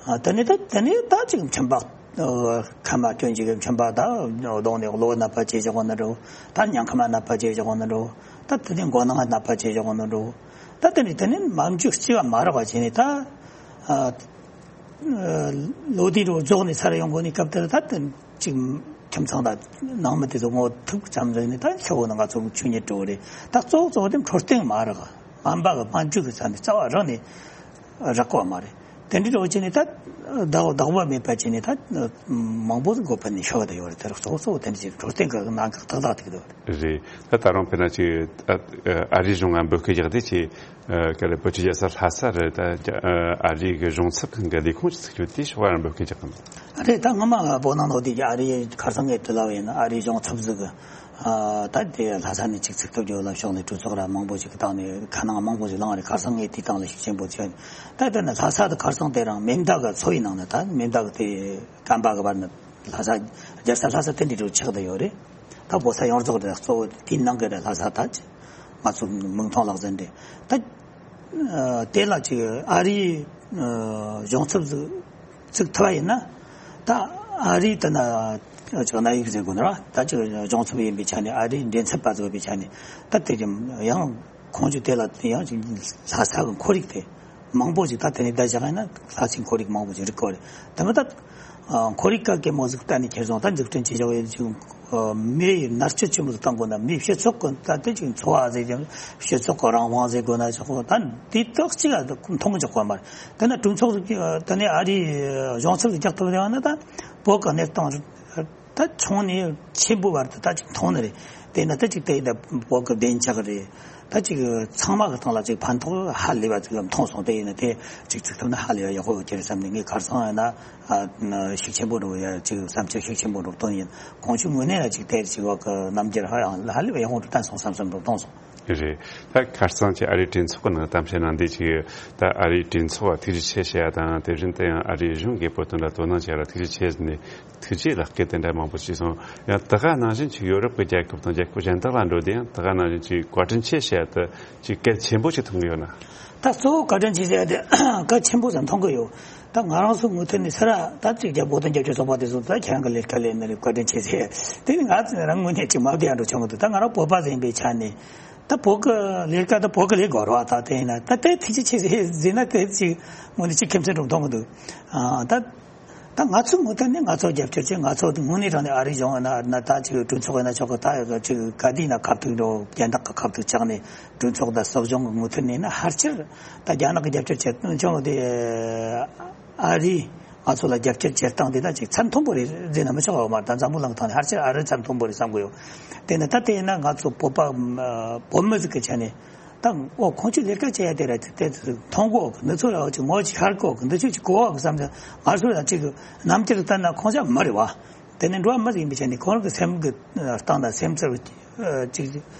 ཨ་དེ་ནས་ད་དེ་ནས་ད་ཅིག་མཆིན་པ་ཨ་མཁལ་མ་སྐྱོན་ཅིག་གི་མཆིན་པ་ད་གདོང་ནས་གློ་ནད་པ་བྱེད་བཞག་གོ་ན་འགྲོ། ད་ཉལ་མཁལ་མ་ནད་པ་བྱེད་བཞག་གོ་ན་འགྲོ། ད་དེ་ནས་མགོ་ནང་ནད་པ་བྱེད་བཞག་གོ་ན་འགྲོ། ད་དེ་ནས་དེ་ནས་མ་འཇུག་སྐྱེ་བ་མ་རག་པ་བྱས་ནས་ད་ཨ། ལོ་དེའི་རོ་རྫོགས་ནས་ཚར་ཡོང་དགོས་ནས་སྐབས་དེར་ད་དེ་ཅིག་ཁྱིམ་ཚང་དང་ནང་མི་དེ་ཚོ་ངོ་ཐུག་ཙམ་རེ་ནས་ད་ཁྱེད་བོ་ནང་ང་ཚོ་ཆོས་ཉིད་འགྲོ་རེད། ད་གཙོ་བོ་གཙོ་བོ་དེ་འཕྲོད་བསྟེན་མ་རག། སྨན་པ་གི་སྨན་བཅོས་ཀྱི་ས་ནས་རྩ་བ་རག་ནས་རག་གོ་མ་རེད། དེ་འདྲའི་རོ་བྱས་ནས་ད་བདག་བདག་པོ་མེད་པ་བྱས་ནས་ད་མང་པོ་འགོ་ཕན་ནས་ཤོར་བ་ད་ཡོད་རེད། དེ་ར་གཙོ་བོ་གཙོ་བོ་དེ་འདྲ་ཅིག་འཕྲོད་བསྟེན་གྱི་གནད་འགག་ཏག་ཏག་ཐུག་འདུག། རེད། ད་ད་རུང་དཔེར་ན་ཅིག་ཨ་ཨ་རིའི་གཞུང་ང་འབོད་སྐུལ་རྒྱག་དུས་ཅིག་ཨ་ག་རེ་བོད་ཀྱི་རྒྱལ་ས་ལྷ་ས་རུ་ད་ཨ་ཨ་རིའི་གི་གཞུང་ཚབ་ཁང་གི་ལས་ཁུངས་ཅིག་ཚུགས་རྒྱུ་དེ་ཕྱོགས་རང་འབོད་སྐུལ་རྒྱག་གི་འདུག། རེད། ད་སྔོན་མ་བོད་ནང་ལོགས་དེ་ཨ་རིའི་ཁ་སང་ངས་དྲི་ལབ་ཡིན། ཨ་རིའི་གཞུང་ཚབ་ཟིག་གི་ཨ་ད་དེ་ལྷ་ས་ནས་ཅིག་ཚུགས་ཐུབ་རྒྱུ་ལ་ཕྱོགས་ནས་གྲོས་ཚོགས་ར་མང་པོ་ཞིག་གི་སྟེང་ནས་ཁ་ནང་མང་པོ་ཞིག་ལངས་རེད། ཁ་སང་ངས་དེའི་སྟེང་ལ་ཤུགས་ཆེན་པོ་བྱས། ད་དེ་ནས་ལྷ་ས་དུ་ཁ་སང་དེ་རང་མེ་མདའ་གི་ཚོ་བའི་ནང་ནས་ད་མེ་མདའ་གི་དེ་བཀའ་འབག་གི་བར་ན་ལྷ་ས་རྒྱལ་ས་ལྷ་ས་དེ་འདྲའི་འགྲོ་ཆགས་བསྡད་ཡོད་རེད། ད་བོད་ས་ཡོངས་རྫོགས་རེད། གཙོ་བོ་དེའི་ནང་གི་རེད། ལྷ་ས་ད་ཅི་ང་ཚོ་མིག་མཐོང་ལག་ཟིན་རེད། ད་ཨ་དེ་ལ་ཅིག་ཨ་རིའི་ཨ་གཞུང་ཚབ་ཟིག་ཚུགས་ཐུབ་པ་ཡིན་ན། ད་ཨ་རིའི་ད་ན་ཅིག་གནད་ཡོད་ཟེར་དགོས་ན་ར། ད་ཅིག་གཞུང་ཚབ་ཡིན་པའི་ཆ་ནས་ཨ་རིའི་མགྲིན་ཚབ་པ་ཟིག་ཡིན་པའི་ཆ་ནས་ད་དེ་ཅིག་ཡང་ཁོང་ཚོས་དེ་ལ་ཡང་ཅིག་ལྷ་ས་གི་ཁོར་ཡུག་དེ། མང་པོ་ཞིག་ད་དེ་ནས་བསྡད་བཞག་ཡིན་ན་ལྷ་སའི་ཁོར་ཡུག་མང་པོ་ཞིག་རིག་གི་རེད། དེ་མ་ད་ཨ་ཁོར་ཡུག་ག་གེ་མོ་ཟིག་གཏན་ནས་ཁྱེར་སོང་། ད་འཛུགས་སྐྲུན་བྱེད་བཞག་ཡོད་ཅིག་ཨ་མིའི་མནར་གཅོད་ཆེན་པོ་ཟིག་བཏང་དགོས་ན། མིའི་སྤྱི་ཚོགས་ཀྱི་ད་དེ་ཅིག་འཚོ་བ་ཟེར་ཀྱང་སྤྱི་ཚོགས་ཀྱི་རང་དབང་ཟེར་དགོས་ན་ཆོག་གོ། ད་དེ་དག་ཅིག་ཨ་མཐོང་གི་འཇོག་གོ་མ་རེད། དེ་ན་གྲོས་ཚོགས་ཟིག་གིས་དེ་ནས་ཨ་རིའི་གཞུང་ཚབ་ཟིག་རྒྱག་ཐུབ་ཡོད་ན་ད་བོད་ཀྱི་གནས་སྟངས་ད་ཆུང་ནས་ཆེན་པོའི་བར་དུ་ད་ཅིག་མཐོང་ནི་རེད། དེ་ན་ད་ཅིག་དེ་ད་བོད་ཀྱི་བདེ་འཇགས་རེད། ད་ཅིག་ཚང་མ་གི་སྟེང་ལ་ཅིག་ཕན་ཐོགས་ཧ་ལས་པ་ཅིག་མཐོང་སོང་། དེ་ཡིན་ན་དེ་ཅིག་ཚུགས་ཐུབ་ན་ཧ་ལས་པ་ཡག་པོ་ཡོད་ཀྱི་རེད་བསམ་ནས། ངས་ཁ་སང་ཡིན་ན་ཨ་ཤུགས་ཆེན་པོ་འགྲོ་ཡ་ཅིག་བསམ་ཚུལ་ཤུགས་ཆེན་པོ་འགྲོ་བཏོན་ཡིན། གོང་ཞུས་ངོས་ནས་ལ་ཅིག་དེ་ཅིག་བ་གི་རྣམ་འགྱུར་ཧ་ཡང་ཧ་ལས་པ་ཡག་པོ་འགྲོ་བཏོན་སོང་བསམ་བསམ་འགྲོ་བཏོན་སོང་། རེད། ད་ཁ་སང་ཅིག་ཨ་རིའི་གྲོས་ཚོགས་ཀྱི་ནང་གཏམ་བཤད་གནང་དུས་ཅིག་ད་ཨ་རིའི་གྲོས་ཚོགས་ལ་ཐུགས་རྗེ་ཆེ་ཞུ་ཡ་དང་། དེ་བཞིན་དུ་ཡང་ཨ་རིའི་གཞུང་གིས་བོད་དོན་ལ་དོ་སྣང་བྱས་ལ་ཐུགས་རྗེ་ཆེ་ཟེར་ནས་ཐུགས་རྗེ་ལེགས་སྐྱེལ་དེ་འདྲ་མང་པོ་བྱས་སོང་། ཡང་དེ་ག་ནང་བཞིན་ཅིག་ཡོ་རོབ་ཀྱི་རྒྱལ་ཁབ་དང་རྒྱལ་ཁབ་གཞན་དག་ལ་འགྲོ་དུས་ཡང་དེ་ག་ནང་བཞིན་ཅིག་བཀའ་དྲིན་ཆེ་ཞུ་ཡ་དེ་ཅིག་གལ་ཆེན་པོ་ཞིག་མཐོང་གི་ཡོད་ན། ད་གཙོ་བོ་བཀའ་དྲིན་ཆེ་ཟེར་ཡ་དེ་གལ་ཆེན་པོ་ཟིག་མཐོང་གི་ཡོད། ད་ང་རང་ཚོ་མུ་མཐུད་ནས་སེ་ར་ད་ཅིག་རྒྱ་བོད་དོན་རྒྱབ་སྐྱོར་ཚོགས་པ་དེ་ཚོ་ད་ཁྱེད་རང་གི་ལས་ཀ་ལས་ནི་རེད། བཀའ་དྲིན་ཆེ་ཟེར། དེ་ནི་ང་ཚོ་རང་ངོས་ནས་ཅིག་མ་བསྡད་ཡ་འགྲོ་ཆོག་གི་འདུག། ད་ང་རང་བོད་པ་ཟིག་ཡིན་པའི་ཆ་ནས། ད་བོད་ཀྱི་ལས་ཀ་ད་བོད་ཀྱི་ལས་དགོས་རེད་བ། ད་དེ་ཡིན་ན་ད་དེ་ཐུགས་རྗེ་ཆེ་ཟེར་ཟེར་ན་དེ་ཅིག་དངོས་གནས་ཅིག་ཁེམ་སེམས་འགྲོ་མཐོང་གི་འདུག། ཨ་ད་ད་ང་ཚོ་མུ་མཐུད་ནས་ང་ཚོ་རྒྱབ་སྐྱོར་བྱེད། ང་ཚོ་དངོས་གནས་དྲང་གནས་ཨ་རི་གཞུང་ཡིན་ན་ད་ཅིག་གྲོས་ཚོགས་ཡིན་ན་ཆོག་གི། ད་ཅིག་ག་དུས་ཡིན་ན་ཁ་ཐུག་འགྲོ། རྒྱ་ནག་གི་ཁ་ཐུག་བཅག་ནས་གྲོས་ཚོགས་དང་སྲིད་གཞུང་གི་མུ་མཐུད་ནས་ན་ཕལ་ཆེར་ད་རྒྱ་ནག་གི་རྒྱབ་སྐྱོར་བྱེད་དོན་ཆུང་དེ། ཨ་རི་ང་ཚོ་ལ་རྒྱབ་སྐྱོར་བྱེད་སྟངས་དེ་ད་ཅིག་ཚད་མཐོན་པོ་རེད་ཟེར་ན་མི་ཆོག་པ་མ་རེད། ད་འཛམ་བུ་གླིང་ཐོག་ནས་ཕལ་ཆེར་ཨ་རི་ཚད་མཐོན་པོ་རེད་བསམ་གི་ཡོད། དེ་ནི་ད་དེ་ཡིན་ན་ང་ཚོ་བོད་པ་བོད་མི་ཟིག་གི་ཆ་ནས་ད་འོ་ཁོང་ཚོས་ལས་ཀ་བྱེད་ཡ་དེ་ར་དེ་མཐོང་གོ་གི། འདི་ཚོ་ར་ཅིག་ངོ་ཅིག་ཤར་གོ་གི། འདི་ཚོ་ཅིག་གོ་བ་གི་བསམ་ཚེ་ང་ཚོ་ལ་ཅིག་རྣམ་འགྱུར་ལྟར་ན་ཁོང་ཚོ་མི་རེད་བ། དེ་ནས་འགྲོ་བ་མི་ཟིག་ཡིན་པའི་ཆ་ནས་ཁོང་རང་གི་སེམས་ཀྱི་སྟེང་དང་སེམས་ཚོར་ཅིག་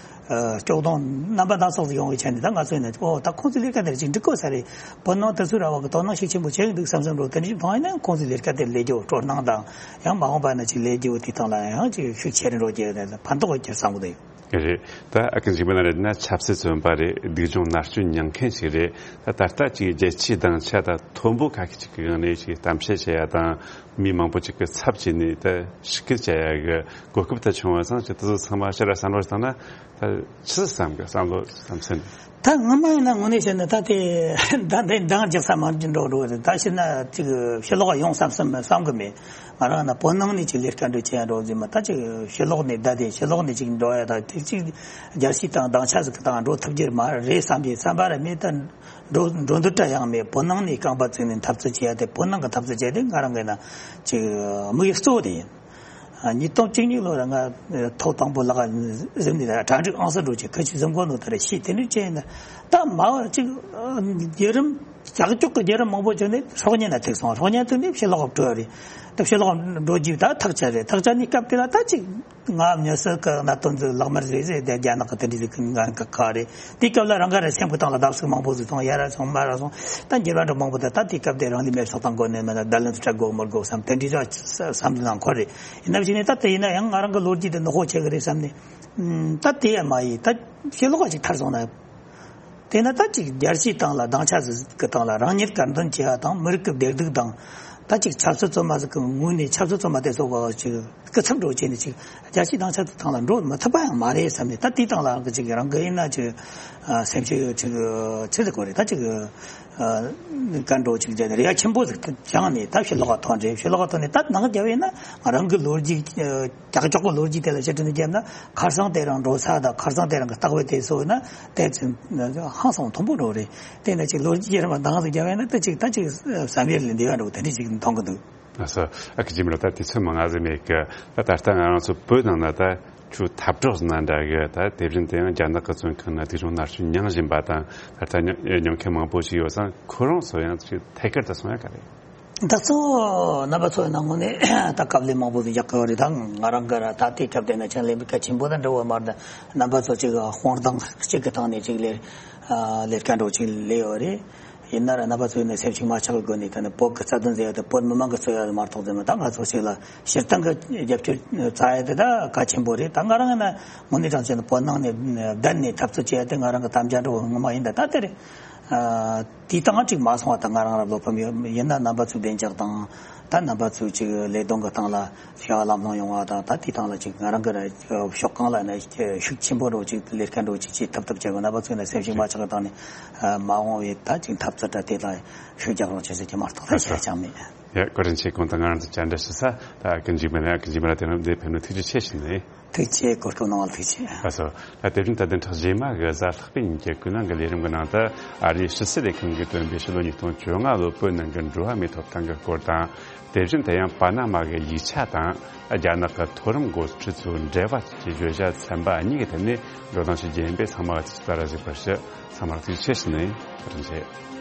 སྐྱོ་གདུང་རྣམ་པ་སྣ་ཚོགས་སུ་ཡོང་བའི་ཆ་ནས། ད་ང་ཚོ་ཡིན་ན་ཨོ་ད་ཁོང་ཚོའི་ལས་ཀ་དེར་ཅིག་འགྲིག་གོ་ས་རེད། བོད་ནང་དེ་ཚོའི་ར་བ་གི་དོ་སྣང་ཤུགས་ཆེན་པོ་བྱེད་ཀྱི་འདུག་བསམ་བསམ་འགྲོ། དེ་འདྲ་ཞིག་མཐོང་ཡིན་ན་ཁོང་ཚོའི་ལས་ཀ་དེར་ལས་རྒྱུ་སྤྲོ་སྣང་དང་། ཡང་མ་འོངས་པ་ན་ཅིག་ལས་རྒྱུ་དེ་སྟེང་ལ་ཡང་ཅིག་ཤུགས་ཆེ་རུ་འགྲོ་རྒྱུ་ཕན་ཐོགས་ཡོད་ཀྱི་རེད་བསམ་གི་འདུག། རེད། ད་ཨ་ཀི་འཇིགས་མེད་ལགས་རེད་ན་ཆབ་སྲིད་བཙོན་པ་རེད། སྡུག་སྦྱོང་མནར་གཅོད་མྱངས་མཁན་ཞིག་རེད། ད་ད་ལྟ་ཅིག་རྒྱལ་སྤྱིའི་སྡིངས་ཆ་དང་མཐོན་པོ་ཁ་ཤས་ཅིག་གི་ངང་ནས་ཅིག་གཏམ་བཤད་བྱེད་ཡ་དང་། མི་མང་པོ་ཅིག་གི་ཚབ་བྱས་ནས་ད་ཞིབ་བསྐྱར་བྱ་ཡ་གི་གོ་སྐབས་དེ་བྱུང་བ་སོང་ཅིག་དེ་ཚོ་ཚང་མ་ཕྱིར་བསམ་བློ་བཏང་ན་ད་ཆི་ཟིག་བསམ་གི། བསམ་བློ་བསམ་སེམས། ད་སྔོན་མ་ཡིན་ན་དངོས་གནས་བཤད་ན་ད་དེ་ད་འདི་འདང་རྒྱག་ས་མ་འགྲོ་འགྲོ་རེད། ད་བཤད་ན་ཅིག་ཕྱི་ལོགས་ཡོང་བསམ་བསམ་བསམ་གི་མེད། ང་རང་ན་བོད་ནང་ནས་ཅིག་ལས་ཀ་འགྲོ་བྱེད་ཡ་འགྲོ་ཟིན་མ། ད་ཅིག་ཕྱི་ལོགས་ནས་བསྡད་དེ་ཕྱི་ལོགས་ནས་ཅིག་འགྲོ་ཡ་ད་དེ་ཅིག་རྒྱལ་སྤྱི་དང་སྡིངས་ཆ་ཟིག་གི་སྟེང་འགྲོ་ཐུབ་རྒྱུ་མ་རེད་བསམ་པའི་བསམ་པ་ར་མེད། ད་འགྲོ་འགྲོ་འདོད་ར་ཡང་མེད། བོད་ནང་ནས་རྐང་པ་བཙུགས་ནས་འཐབ་རྩོད་བྱེད་ཡ་དེ། བོད་ནང་གི་འཐབ་རྩོད་བྱེད་ཡ་དེ་ང་རང་གི་ན་ཅིག་དམིགས་ཡུལ་གཙོ་བོ་དེ་ཡིན། ཉིས་སྟོང་བཅུ་གཉིས་ལོ་ལ་ང་ཐོག་དང་པོ་ལག་གཟིམ་ནས་གྲ་སྒྲིག་ཨང་གསར་འགྲོ་ཆེད་ཁ་ཆུ་གཟིམ་གོ་ནོ་དེ་རེད་ཤེས། དེ་འདྲ་བྱས་ན་ད་མ་བར་ཅིག་བརྒྱུད་རིམ་ཀྱག་ཀྱོག་གི་བརྒྱུད་རིམ་མང་པོ་བྱུང་ནས་སྲོག་ཉེན་ལ་ཐུག་སོང་། སྲོག་ཉེན་ཐུག་ནས་ཕྱི་ལོགས་བྲོས་རེད། ད་ཕྱི་ལོགས་འགྲོ་རྒྱུ་ད་ཐག་ཆད་རེད། ཐག་ཆད་ནས་སྐབས་དེ་ལ་ད་ཅིག་ང་མྱི་སེར་གི་གནད་དོན་ཚོ་ལག་དམར་བཟོས་བཟོས་དེ་རྒྱ་ནག་གི་དེ་འདྲ་ཟིག་གི་ངན་གི་ཁ་རེད། དེའི་སྐབས་ལ་རང་ག་རེ་སེམས་ཀྱི་སྟེང་ལ་བརྡབ་གསིག་མང་པོ་ཟིག་སོང་། ཡ་ར་སོང་མ་ར་སོང་། ད་འགྱུར་བ་འདྲ་མང་པོ་དེ་ད་དེའི་སྐབས་དེ་རང་ལུས་མེར་སྲེག་བཏང་དགོས་ནས་མེད་ན་བརྡ་ལན་དུ་སྤྲད་དགོས་མི་དགོས་བསམ་དེ་འདྲའི་ཅིག་བསམ་བློ་ནང་འཁོར་རེད། ཡིན་ན་བཞིན་ནས་ད་དེ་ཡིན་ན་ཡང་ང་རང་གི་ལོ་རྒྱུས་དེ་ནག་པོ་ཆགས་ཀྱི་རེད་བསམ་ནས། ད་དེ་ཡང་མ་ཡིན། ད་ཕྱི་ལོགས་ཅིག་ཐར་སོང་ན། དེ་ན་ད་ཅིག་རྒྱལ་སྤྱིའི་སྟེང་ལ་སྡིངས་ཆ་ཟིག་གི་སྟེང་ལ་རང་ཉིད་དཀར་འདོན་བྱེད་ཡ་དང་། མི་རིགས་ཀྱི་བདེ་སྡུག་དང་། ད་ཅིག་ཆབ་སྲིད་བཙོན་མ་ཟིག་གི་ངོས་ནས་ཆབ་སྲིད་བཙོན་མ་དེ་ཚོ་ག་ཅིག་སྐུ་ཚབ་འགྲོ་བྱས་ནས་ཅིག་རྒྱལ་སྤྱིའི་སྡིངས་ཆ་དེ་ཐང་ལ་འགྲོ་མི་ཐུབ་པ་ཡང་མ་རེད་བསམ་ནས། ད་དེའི་སྟེང་ལ་ཅིག་རང་གི་ཡིན་ན་ཅིག་སེམས་ཤུགས་ཅིག་ཆེ་ཟིག་གོ་རེད། ད་ཅིག་ག་འགྲོ་ཅིག་བྱས་ནས་རེ་བ་ཆེན་པོ་ཟིག་བཅངས་ནས་ད་ཕྱི་ལོགས་ལ་ཐོན་རེད། ཕྱི་ལོགས་ལ་ཐོན་ནས་ད་ནང་རྒྱབ་ཡིན་ན་རང་གི་ལོ་རྒྱུས་ཀྱག་ཀྱོག་གི་ལོ་རྒྱུས་དེ་ལ་ཕྱིར་དྲན་བརྒྱབ་ན་ཁ་སང་དེ་རང་འགྲོ་ས་དང་ཁ་སང་དེ་རང་གི་ལྟ་བ་དེ་ཚོ་ཡིན་ན་དེ་ཚོ་ཧང་སང་མཐོན་པོ་འགྲོ་རེད། དེ་ནས་ཅིག་ལོ་རྒྱུས་རིམ་པ་འདང་ཟིག་བརྒྱབ་ཡིན་ན་ད་ཅིག་ད་ཅིག་བསམ་ཡུལ་ལས་འདས་པ་འགྲོ་དེ་འདྲ་ཅིག་མཐོང་གི་འདུག། ལགས་སོ། ཨ་ཁུ་འཇིགས་མེད་ལགས། ད་དུས་ཚོད་མང་ང་ཟིག་མེད་གི། ད་ད་ལྟ་ང་རང་ཚོ་བོད་ནང་ན་ད་ཁྱོད་འཐབ་གྲོགས་ཟེར་ན་འདྲ་གི། ད་དེ་བཞིན་དུ་ཡང་རྒྱ་ནག་གི་བཙོན་ཁང་ན་སྡུག་སྦྱོང་མནར་གཅོད་མྱངས་བཞིན་པ་དང་། ད་ལྟ་མྱོང་མཁན་མང་པོ་ཞིག་ཡོད་ཙང་ཁོ་རང་ཚོ་ཡང་ཅིག་ཐད་ཀར་དུ་སོང་ཡ་ག་རེད། ད་གཙོ་བོ་རྣམ་པ་ཚོ་ཡིན་ན་དངོས་གནས་ད་དཀའ་ལས་མང་པོ་ཟིག་རྒྱག་གི་རེད། ད་ང་རང་གི་ར་ད་ལྟའི་སྐབས་དེ་ན་ཆང་ལེན་པའི་གལ་ཆེན་པོ་དང་འདྲ་བོ་མ་རེད། རྣམ་པ་ཚོ་ཅིག་དཔང་རྟགས་གཅིག་གི་སྟེང་ནས་ཅིག་ལས་ལས་ཀ་འགྲོ་ཅིག་ལས་ཡོད་རེད། ཡིན་ན་ར་རྣམ་པ་ཚོ་ཡིན་ན་སེམས་ཤུགས་མ་ཆག་པའི་སྒོ་ནས་ད་ནི་བོད་ཀྱི་རྩ་དོན་ཟེར་ཡ་དེ་བོད་མི་མང་གི་རྩོད་ཡ་མ་གཏོགས་ཟེར་ན། ད་ང་ཚོ་ཞིག་ལ་སྤྱིར་བཏང་གི་རྒྱབ་སྐྱོར་བྱ་ཡ་དེ་ད་གལ་ཆེན་པོ་རེད། ད་ང་རང་ཡིན་ན་དངོས་གནས་དྲང་གནས་བོད་ནང་ནས་བསྡད་ནས་འཐབ་རྩོད་བྱེད་ཡ་དེ་ང་རང་གི་དམ་བཅའ་འདྲ་བོ་ངོ་མ་ཡིན། ད་ད་དེ་རེད། དེའི་སྟེང་ཅིག་མ་སོང་བ་ད་ང་རང་ར་བློ་ཕམ་ཡོད། ཡིན་ན་རྣམ་པ་ཚོའི་བདེ་འཇགས་དང་། ད་རྣམ་པ་ཚོའི་ཅིག་ལས་དོན་གྱི་སྟེང་ལ་བྱ་བ་ལམ་ལྷོང་ཡོང་བ་དང་། ད་དེའི་སྟེང་ལ་ཅིག་ང་རང་གི་ར་ཕྱོགས་གང་ལ་ན་ཤུགས་ཆེན་པོ་འགྲོ་ཅིག་ལས་ཀ་འགྲོ་ཅིག་བྱེད་ཐུབ་ཐུབ་བྱེད་དགོས། རྣམ་པ་ཚོས་ན་སེམས་ཤུགས་མ་ཆག་གི་སྟེང་ནས་མ་འོངས་པའི་ད་ཅིག་འཐབ་རྩོད་དྲ་དེ་ལ་ཤུགས་རྒྱག་རོགས་བྱེད་ཟེར་གྱི་མ་གཏོགས་ད་བཤད་ཅང་མེད། ཡ། བཀའ་དྲིན་ཆེ། གོང་དུ་ང་རང་ཚོ་བཅར་འདྲི་ཞུ་ས་ད་ཨ་ཀུན་འཇིགས་མེད་ལགས། ཨ་ཀུན་འཇིགས་མེད་ལགས་དེ་རིང་འདིར་ཕེབས་ནས་ཐུགས་རྗེ་ཆེ་ཞུ་ནི། ཐུགས་རྗེ་ཆེ། གོ་སྐབས་གནང་བ་ལ་ཐུགས་རྗེ་ཆེ། ལགས་སོ། ད་དེ་རིང་ད་བདུན་ཕྲག་རྗེས་མ་གི་གཟའ་ལྷག་པའི་ཉིན་གྱི་ཀུན་གླེང་གི་ལས་རིམ་གྱི་ནང་དུ། ཨ་རིའི་ཕྱི་སྲིད་ལས་ཁུངས་ཀྱིས་བཏོན་པའི་ཕྱི་ལོ་ཉིས་སྟོང་བཅོ་ལྔ་ལོའི་བོད་ནང་གི་འགྲོ་བ་མིའི་ཐོབ་ཐང་གི་སྐོར་དང་། དེ་བཞིན་དུ་ཡང་པ་ན་མ་གི་ཡིག་ཆ་དང་། རྒྱ་ནག་གི་མཐོ་རིམ་འགོ་ཁྲིད་ཚོའི་འབྲེལ་བ་བཅས་ཀྱི་བརྗོད་བྱ་ཚན་པ་གཉིས་ཀྱི་ཐད་ནས་བགྲོ་གླེང་ཞིག་བརྒྱུད་པས་ཚང་མ་ལ་ཐུགས་རྗེ་ཆེ་ཞུ་བ་ཞུ། ཚང་མར་ཐུགས་རྗེ་ཆེ་ཞུ་ནི། བཀའ་དྲིན་ཆེ།